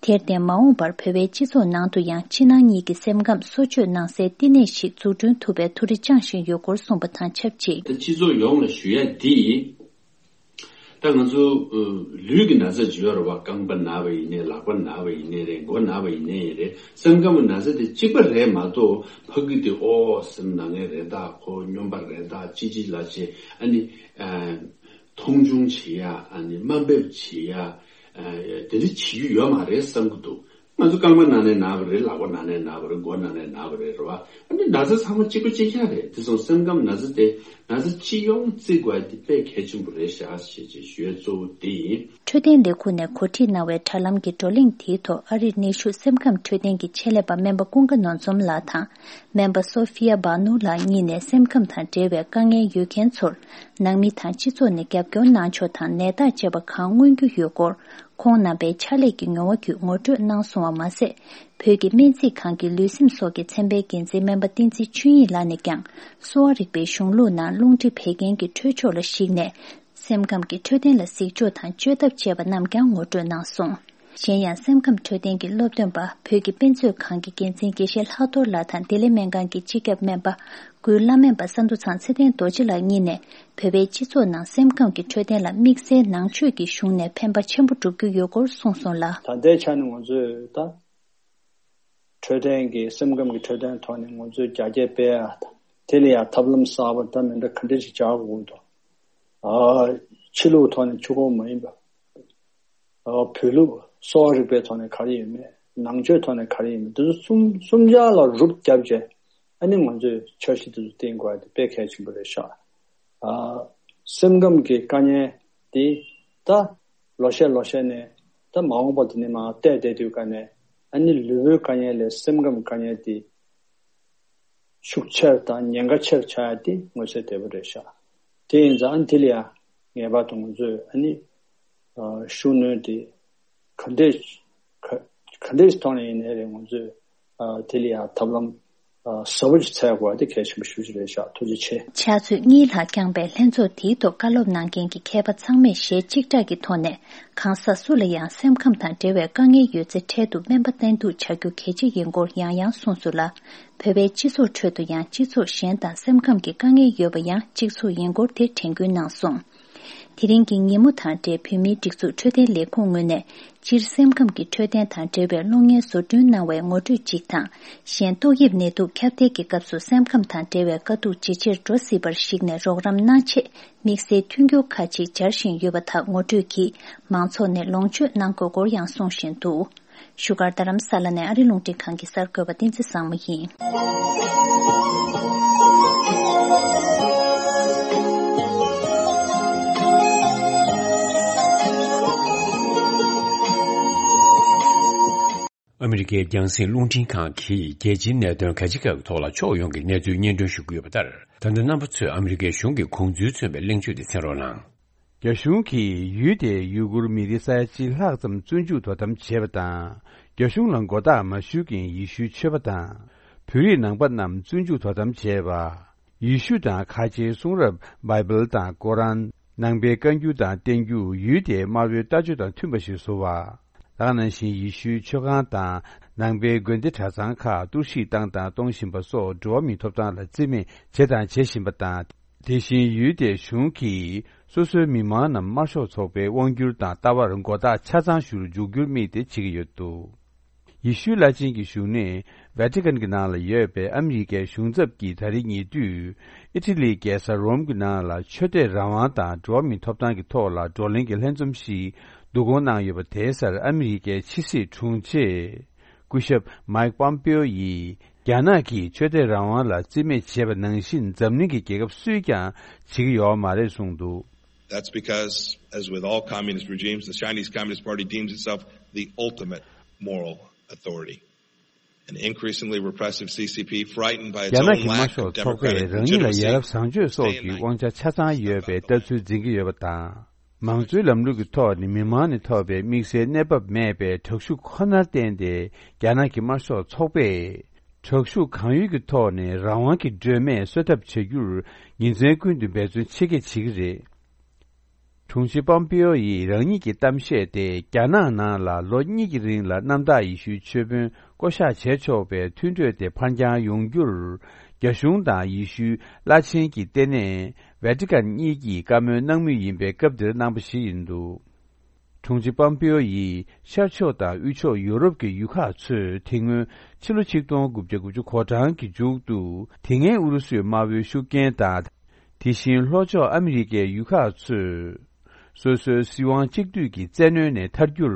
དེར་བརྟེན་མ་འོངས་པར་བོད་པའི་སྤྱི་ཚོགས་ནང་དུ་ཡང་ཕྱི་ནང་གཉིས་ཀྱི་སེམས་ཁམས་གསོ་བཅོས་གནང་སའི་བསྟི་གནས་ཤིག་འཛུགས་སྐྲུན་ཐུབ་པའི་ཐུགས་རེ་བཅངས་བཞིན་ཡོད་སྐོར་གསུངས་པ་དང་ཆབས་ཅིག། ད་སྤྱི་ཚོགས་ཡོངས་ལ་ཞུ་ཡ་འདི་ཡིན། ད་ང་ཚོ་ལུས་ཀྱི་ན་ཚ་ཅིག་ཡོད་རེད་བ། རྐང་པ་ན་བ་ཡིན་ནའི། ལག་པ་ན་བ་ཡིན་ནའི་རེད། མགོ་ན་བ་ཡིན་ནའི་རེད། སེམས་ཁམས་ན་ཚ་དེ་གཅིག་པ་རེད་མ་གཏོགས། ཕ་གི་དེ་ཨོ་སེམས་ན་ངེས་རེད་ད། ཁོ་སྨྱོན་པ་རེད་ད། ཅི་ཅི་ལ་ཅི། ཨ་ནི། ཨ། མཐོང་ཆུང་བྱེད་ཡ། ཨ་ནི་དམའ་འབེབས་བྱེད་ཡ། ཨ། དེ་འདྲ་བྱེད་རྒྱུ་ཡོད་མ་རེད་བསམ་གི་འདུག། ང་ཚོ་རྐང་པ་ན་ནའི་ན་བ་རེད། ལག་པ་ན་ནའི་ན་བ་རེད། མགོ་ན་ནའི་ན་བ་རེད། རེད་བ། ཨ་ནི་ན་ཚ་ཚང་མ་གཅིག་པ་གཅིག་རྐྱང་རེད། དེ་སོང་སེམས་ཁམས་ན་ཚ་དེ། ན་ཚ་སྤྱི་ཡོངས་བརྩི་དགོས་ཡ་དེ་དཔེ་གལ་ཆེན་པོ་རེད་ཤག་ཞེས་ཅེས་ཞུ་ཡ་གཙོ་བོ་དེ་ཡིན། འཕྲོད་བསྟེན་ལས་ཁུངས་ནས་གོ་སྒྲིག་གནང་བའི་དྲ་ལམ་གྱི་བགྲོ་གླེང་དེའི་ཐོག་ཨ་རིར་ནུས་ཤུགས་སེམས་ཁམས་འཕྲོད་བསྟེན་གྱི་ཆེད་ལས་པ་སྨན་པ་ཀུན་དགའ་ནོར་འཛོམས་ལགས་དང་། སྨན་པ་སོ་ཧྥི་ཡ་བྷ་ནུ་ལགས་གཉིས་ནས་སེམས་ཁམས་དང་འབྲེལ་བའི་དཀའ་ངལ་ཡོད་མཁན་ཚོར། ནང་མི་དང་སྤྱི་ཚོགས་ནས་རྒྱབ་སྐྱོར་གནང་ཕྱོགས་དང་ནད་རྟགས་བཅས་པ་གང་མངོན་རྒྱུ་ཡོད་སྐོར། ཁོང་རྣམ་པའི་ཕྱག་ལས་ཀྱི་མྱོང་བ་བརྒྱུད་ངོ་སྤྲོད་གནང་སོང་བ་མ་ཟད། བོད་ཀྱི་སྨན་རྩིས་ཁང་གི་ལུས་སེམས་སོགས་ཀྱི་ཚན་པའི་འགན་འཛིན་སྨན་པ་བསྟན་འཛིན་ཆོས་དབྱིངས་ལགས་ནས་ཀྱང་། གསོ་བ་རིག་པའི་གཞུང་ལུགས་ནང་རླུང་མཁྲིས་བད་ཀན་གྱི་འཕྲོད་ཕྱོགས་ལ་གཞིགས་ནས། སེམས་ཁམས་ཀྱི་འཕྲོད་བསྟེན་ལ་གཟིགས་ཕྱོགས་དང་བཅོས་ཐབས་བཅས་པ་རྣམས་ཀྱང་ངོ་སྤྲོད་གནང་སོང་། གཞན་ཡང་སེམས་ཁམས་འཕྲོད་བསྟེན་གྱི་སློབ་སྟོན་པ། བོད་ཀྱི་དཔེ་མཛོད་ཁང་གི་འགན་འཛིན་དགེ་བཤེས་ལྷག་རྡོར་ལགས་དང་བདེ་ལེགས་སྨན་ཁང་གི་སྤྱི་ཁྱབ་སྨན་པ། འགོས་བླ་སྨན་པ་ས་འདུ་ཚང་ཚེ་བརྟན་རྡོ་རྗེ་ལགས་གཉིས་ནས། བོད་པའི་སྤྱི་ཚོགས་ནང་སེམས་ཁམས་ཀྱི་འཕྲོད་བསྟེན་ལ་དམིགས་བསལ་ནང་ཆོས་ཀྱི་གཞུང་ནས་ཕན་པ་ཆེན་པོ་བསྒྲུབ་རྒྱུ་ཡོད་སྐོར་གསུངས་སོང་ལ། ད་ལྟའི་ཆ་ནས་ང་ཚོས་ད། འཕྲོད་བསྟེན་གྱི་སེམས་ཁམས་ཀྱི་འཕྲོད་བསྟེན་ཐོག་ནས་ང་ཚོས་རྒྱ་སྐྱེད་སྤེལ་ཡ་དང་། དེ་ལ་ཡང་ཐབས་ལམ་གསར་པ་འདྲ་མི་འདྲ་ག་འདྲ་ཞིག་བྱ་དགོས་འདུག། ཨ། ཕྱི་ལུགས་ཐོག་ནས་ཆུ་ཁོལ་མ་ཡིན་པ། ཨ། བོད་ལུགས་གསོ་བ་རིག་པའི་ཐོག་ནས་ག་རེ་ཡོད་མེད། ནང་ཆོས་ཐོག་ནས་ག་རེ་ཡོད་མེད། འདི་ཚོ་གསུམ་གསུམ་ཆ་ལ་རུབ་བརྒྱབ་བྱས། ཨ་ནི་ང་ཚོས་འཆར་གཞི་འདི་ཚོ་བཏིང་དགོས་ཡ་དེ་དཔེ་གལ་ཆེན་པོ་རེད་ཤག། ཨ། སེམས་ཁམས་ཀྱི་དཀའ་ངལ་དེ་ད་ལོ་ཤས་ལོ་ཤས་ནས། ད་མ་འོངས་པ་དེ་ནས་མར་བལྟས་བསྡད་དུས་ཀ་ནས། ཨ་ནི་ལུས་པོའི་དཀའ་ངལ་ལས་སེམས་ཁམས་དཀའ་ངལ་དེ་ཤུགས་ཆེར་དང་ཉེན་ཁ་ཆེར་ཆགས་ཡ་དེ་མངོན་གསལ་དོད་པོ་རེད་ཤག། དེ་ཡིན་ཙང་ཨ་ནི་དེ་ལ་ཡང་ངེས་པར་དུ་ང་ཚོས་ཨ་ནི། ཨ། ཤུགས་སྣོན་དེ་ག་འདྲས་ག་ག་འདྲས་ཐོག་ནས་ཡིན་ནའི་རེད། ང་ཚོས། ཨ། དེ་ལ་ཡང་ཐབས་ལམ། ཨ། ཟབ་པོ་ཞིག་འཚོལ་དགོས་པ་དེ་གལ་ཆེན་པོ་ཞེ་པོ་ཅིག་རེད་ཤག། ཐུགས་རྗེ་ཆེ། ཕྱག་ཚོད་གཉིས་ལྷག་བསྐྱངས་པའི་ལྷན་ཚོགས་དེའི་ཐོག་བཀའ་སློབ་གནང་མཁན་གྱི་མཁས་པ་ཚང་མས་ཞལ་གཅིག་གྲགས་ཀྱི་ཐོག་ནས། གང་ཟག་སུ་ལ་ཡང་སེམས་ཁམས་དང་འབྲེལ་བའི་དཀའ་ངལ་ཡོད་ཚེ་འཕྲལ་དུ་སྨན་པ་བསྟེན་གཏུག་བྱ་རྒྱུ་གལ་ཆེ་ཡིན་སྐོར་ཡང་ཡང་གསུངས་སོང་ལ། བོད་པའི་སྤྱི་ཚོགས་ཁྲོད་དུ་ཡང་སྤྱི་ཚོགས་གཞན་དང་སེམས་ཁམས་ཀྱི་དཀའ་ངལ་ཡོད་པ་ཡང་གཅིག་མཚུངས་ཡིན་སྐོར་དེ་དྲན་སྐུལ་གནང་སོང་། དེ་རིང་གི་ཉིན་མོ་དང་འབྲེལ་བོད་མིའི་སྒྲིག་འཛུགས་འཕྲོད་བསྟེན་ལས་ཁུངས་ངོས་ནས། སྤྱིར་སེམས་ཁམས་ཀྱི་འཕྲོད་བསྟེན་དང་འབྲེལ་བའི་གློག་བརྙན་བཟོ་སྐྲུན་གནང་བའི་ངོ་སྤྲོད་ཅིག་དང་། གཞན་ཏོག་དབྱིབས་ནད་དུག་ཁྱབ་གདལ་གྱི་སྐབས་སུ་སེམས་ཁམས་དང་འབྲེལ་བའི་དཀའ་སྡུག་ཇེ་ཆེར་འགྲོ་སྲིད་པར་གཞིགས་ནས་རོགས་རམ་གནང་ཆེད། དམིགས་བསལ་མཐུན་འགྱུར་ཁག་ཅིག་སྦྱར་བཞིན་ཡོད་པ་དག་ངོ་སྤྲོད་ཀྱིས་མང་ཚོགས་ནས་ལོངས་སྤྱོད་གནང་དགོས་སྐོར་ཡང་གསུང་བཞིན་འདུག། བཞུགས་སྒར་རྡ་རམ་ས་ལ་ནས་ཨ་རི་རླུང་འཕྲིན་ཁང་གི་གསར་འགོད་པ་བསྟན་འཛིན་བཟང་མོ་ཡིན། ཨ་མི་རི་ཀའི་རྒྱང་སྲིང་རླུང་འཕྲིན་ཁང་གིས་རྒྱལ་སྤྱིའི་གནད་དོན་ག་ཅི་ག་གི་ཐོག་ལ་ཕྱོགས་ཡོངས་ཀྱི་གནས་ཚུལ་སྙན་སྒྲོན་ཞུ་གི་ཡོད་པ་ལྟར། ད་ལྟ་རྣམ་པ་ཚོས་ཨ་མི་རི་ཀའི་གཞུང་གི་དགོངས་ཚུལ་མཚོན་པའི་གླེང་བརྗོད་དེ་གསན་རོགས་གནང་། རྒྱ་གཞུང་གིས་ཡུལ་དེའི་ཡུ་གུར་མི་རིགས་ས་ཡ་གཅིག་ལྷག་ཙམ་བཙོན་འཇུག་དོ་དམ་བྱས་པ་དང་། རྒྱ་གཞུང་ལ་མགོ་བཏགས་མ་ཞུ་མཁན་ཡེ་ཤུའི་ཆོས་པ་དང་། བོད་རིགས་ནང་པ་རྣམས་བཙོན་འཇུག་དོ་དམ་བྱས་པ། ཡེ་ཤུ་དང་ཁ་ཆེའི་གསུང་རབ་བྷའི་བལ་དང་ཀོ་རན། ནང་པའི་བཀའ་འགྱུར་དང་བསྟན་འགྱུར་ཡུལ་དེའི་དམར་པོའི་ལྟ་སྤྱོད་དང་མཐུན་པ་ཞིག་བཟོ་བ། ད་ག་ནང་བཞིན་ཡེ་ཤུའི་ཆོས་ཁང་དང་ནང་པའི་དགོན་སྡེ་གྲྭ་ཚང་ཁག་གཏོར་བཤིག་བཏང་དང་གཏོང་བཞིན་པ་སོགས་འགྲོ་བ་མིའི་ཐོབ་ཐང་ལ་བརྩི་མེད་བྱས་དང་བྱེད་བཞིན་པ་དང་། དེ་བཞིན་ཡུལ་དེའི་གཞུང་གིས་སོ་སོའི་མི་མང་རྣམས་དམར་ཤོག་ཚོགས་པའི་དབང་སྒྱུར་དང་ལྟ་བར་མགོ་བཏགས་ཆ་ཚང་ཞུ་རུ་འཇུག་རྒྱུར་དམིགས་ཏེ་བྱེད་ཀྱི་ཡོད་འདུག་ཡེ་ཤུའི་བླ་ཆེན་གྱི་བཞུགས་གནས་ཝེ་ཏི་ཀན་གྱི་ནང་ལ་ཡོད་པའི་ཨ་མི་རི་ཀའི་གཞུང་ཚབ་ཀྱིས་ད་རེས་ཉེ་དུས་ཨི་ཊ་ལིའི་རྒྱལ་ས་རོམ་གྱི་ནང་ལ་ཆོས་དད་རང་དབང་དང་འགྲོ་བ་མིའི་ཐོབ་ཐང་གི་ཐོག་ལ་བགྲོ་གླེང་གི་ལྷན་འཛོམས་ཤིག་བསྡུ་སྐོང་གནང་ཡོད་པ་དེའི་སར་ཨ་མི་རི་ཀའི་ཕྱི་སྲིད་དྲུང་ཆེ་སྐུ་ཞབས་མའིག་པོམ་པེའོ་ཡིས། རྒྱ་ནག་གིས་ཆོས་དད་རང་དབང་ལ་བརྩི་མེད་བྱས་པ་ནང་བཞིན་འཛམ་གླིང་གི་རྒྱལ་ཁབ་སུས་ཀྱང་བྱེད་ཀྱི་ཡོད་མ་རེད་གསུངས་འདུག That's because, as with all communist regimes, the Chinese Communist Party deems itself the ultimate moral authority. An increasingly repressive C C P, frightened by its རྒྱ་ནག་own གི་དམར་lack ཤོག་of ཚོགས་པས་democratic རང་ཉིད་ལ་ཡ་legitimacy, རབས་བཟང་སྤྱོད་སོགས་ཀྱི་དབང་ཆ་ཆ་ཚང་ཡོད་པའི་ལྟ་ཚུལ་འཛིན་གྱི་ཡོད་པ་དང་། མང་གཙོའི་ལམ་ལུགས་ཀྱི་ཐོག་ནས་མི་མང་ནས་ཐོབ་པའི་དམིགས་བསལ་གནས་བབ་མེད་པའི་དྲག་ཤུགས་ཁོ་ནར་བརྟེན་ཏེ་རྒྱ་ནག་གི་དམར་ཤོག་ཚོགས་པས་དྲག་ཤུགས་གང་ཡོད་ཀྱི་ཐོག་ནས་རང་དབང་གི་སྒྲོན་མེ་གསོལ་ཐབས་བྱ་རྒྱུར་ཉིན་མཚན་ཀུན་ཏུ་འབད་བརྩོན་ཆེ་བསྐྱེད་བྱེད་ཀྱི་རེད། དྲུང་ཆེ་པོམ་པེའོ་ཡིས་རང་ཉིད་ཀྱི་གཏམ་བཤད་དེ་རྒྱ་ནག་ནང་ལ་ལོ་གཉིས་ཀྱི་རིང་ལ་གནམ་བདག་ཡེ་ཤུའི་ཆོས་དཔོན་བསྐོ་གཞག་བྱས་ཆོག་པའི་མཐུན་གྲོས་དེ་ཕར་འགྱངས་ཡོང་རྒྱུར་རྒྱ་གཞུང་དང་ཡེ་ཤུའི་བླ་ཆེན་གྱི་ལྟེ་གནས་ཝེ་ཏི་ཀན་གཉིས་ཀྱིས་བཀའ་མོལ་གནང་མུས་ཡིན་པའི་སྐབས་འདིར་གནང་པ་ཞིག་ཡིན་འདུག་དྲུང་ཆེ་པོམ་པེའོ་ཡིས་ཤར་ཕྱོགས་དང་དབུས་ཕྱོགས་ཡོ་རོབ་ཀྱི་ཡུལ་ཁག་ཚོས་དེ་སྔོན་ཕྱི་ལོ་ཆིག་སྟོང་དགུ་བརྒྱ་དགུ་བཅུ་གོ་གྲངས་ཀྱི་མཇུག་ཏུ་དེ་སྔའི་ཨུ་རུ་སུའི་དམར་པོའི་ཤུགས་རྐྱེན་དང་། དེ་བཞིན་ལྷོ་ཕྱོགས་ཨ་མི་རི་ཀའི་ཡུལ་ཁག་ཚོས། སོ་སོའི་སྲིད་དབང་གཅིག་སྡུད་ཀྱི་བཙན་གནོན་ནས་ཐར་རྒྱུར་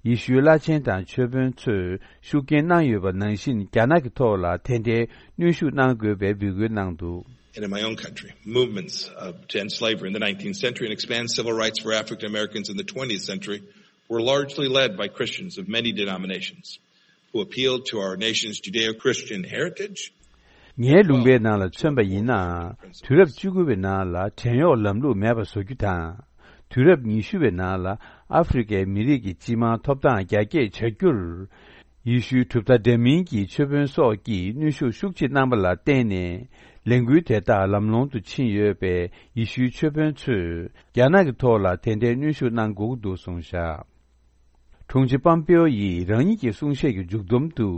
ཡེ་ཤུའི་བླ་ཆེན་དང་ཆོས་དཔོན་ཚོས་ཤུགས་རྐྱེན་གནང་ཡོད་པ་ནང་བཞིན་རྒྱ་ནག་གི་ཐོག་ལ་དེ་འདྲའི་གནོན་ཤུགས་གནང་དགོས་པའི་འབོད་སྐུལ་གནང་འདུག And in my own country, movements, uh, to end slavery in the nineteenth century and expand civil rights for African Americans in the twentieth century were largely led by Christians of many denominations who appealed to our nation's Judeo-Christian heritage. ངའི་ལུང་པའི་ནང་ལ་མཚོན་པ་ཡིན་ན། དུས་རབས་བཅུ་དགུ་པའི་ནང་ལ་བྲན་གཡོག་ལམ་ལུགས་མེད་པ་བཟོ་རྒྱུ་དང་། དུས་རབས་ཉི་ཤུ་པའི་ནང་ལ་ཨ་ཧྥེ་རི་ཁའི་མི་རིགས་ཀྱི་སྤྱི་དམངས་ཐོབ་ཐང་རྒྱ་སྐྱེད་བྱ་རྒྱུར། ཡེ་ཤུའི་གྲུབ་མཐའ་འདྲ་མིན་གྱི་ཆོས་དཔོན་སོགས་ཀྱིས་གནོན་ཤུགས་ཤུགས་ཆེ་གནང་པ་ལ་བརྟེན་ནས། ལས་འགུལ་དེ་དག་ལམ་ལྷོང་དུ་ཕྱིན་ཡོད་པས་ཡེ་ཤུའི་ཆོས་དཔོན་ཚོས་རྒྱ་ནག་གི་ཐོག་ལ་དེ་འདྲའི་གནོན་ཤུགས་གནང་དགོས་ཀྱི་འདུག་གསུངས་བཞག་དྲུང་ཆེ་པམ་པེའོ་ཡིས་རང་ཉིད་ཀྱི་གསུང་བཤད་ཀྱི་མཇུག་བསྡོམས་དུ།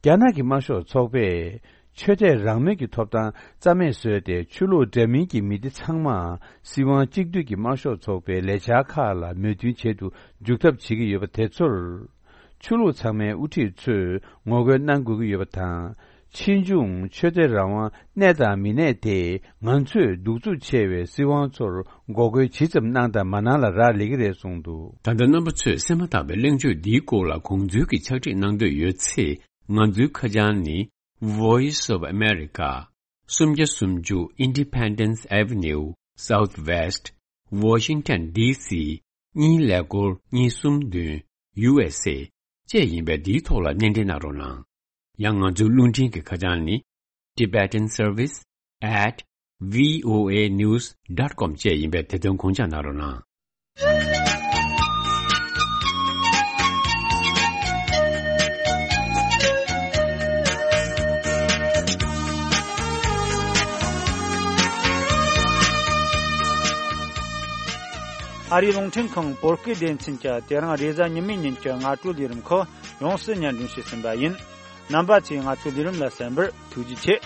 རྒྱ་ནག་གི་དམར་ཤོག་ཚོགས་པས་ཆོས་དད་རང་མོས་ཀྱི་ཐོབ་ཐང་རྩ་མེད་བཟོས་ཏེ། ཆོས་ལུགས་འདྲ་མིན་གྱི་མི་སྡེ་ཚང་མ་སྲིད་དབང་གཅིག་སྡུད་ཀྱི་དམར་ཤོག་ཚོགས་པའི་ལས་འཆར་ཁག་ལ་མོས་མཐུན་བྱེད་དུ་འཇུག་ཐབས་བྱེད་ཀྱི་ཡོད་པ་དེ་ཚོར། ཆོས་ལུགས་ཚང་མའི་དབུ་ཁྲིད་ཚོས་ངོ་རྒོལ་གནང་དགོས་ཀྱི་ཡོད་པ་དང་། ཕྱིས་འབྱུང་ཆོས་དད་རང་དབང་གནས་དང་མི་གནས་དེ་ང་ཚོས་གདུག་རྩུབ་ཆེ་བའི་སྲིད་དབང་ཚོར་འགོག་རྒོལ་ཇི་ཙམ་གནང་དང་མ་གནང་ལ་རག་ལས་ཀྱི་རེད་གསུངས་འདུག་ད་ལྟ་རྣམ་པ་ཚོས་གསན་མ་ཐག་པའི་གླེང་བརྗོད་འདིའི་སྐོར་ལ་གོང་འཛུལ་གྱི་ཕྱག་བྲིས་གནང་འདོད་ཡོད་ཚེ། ང་ཚོའི་ཁ་བྱང་ནི། Voice of America། སུམ་བརྒྱ་སུམ་ཅུ་Independence Avenue Southwest། Washington D C གཉིས་ཀླད་ཀོར་གཉིས་གསུམ་བདུན། U S A བཅས་ཡིན་པས། འདིའི་ཐོག་ལ་སྣེ་འདྲེན་གནང་རོགས་གནང་། ཡང་ང་ཚོའི་རླུང་འཕྲིན་གྱི་ཁ་བྱང་ནི། Tibetan Service at V O A news dot com བཅས་ཡིན་པས། དེ་དོན་དགོངས་འཇགས་གནང་རོགས་གནང་། ཨ་རིའི་རླུང་འཕྲིན་ཁང་བོད་སྐད་སྡེ་ཚན་གྱིས་དེ་རིང་རེས་གཟའ་ཉི་མའི་ཉིན་གྱི་སྔ་དྲོའི་ལས་རིམ་ཁག་ཡོངས་སུ་སྙན་སྒྲོན་ཞུས་ཟིན་པ་ཡིན། རྣམ་པ་ཚོས་ང་ཚོའི་ལས་རིམ་ལ་གསན་པར་ཐུགས་རྗེ་ཆེ།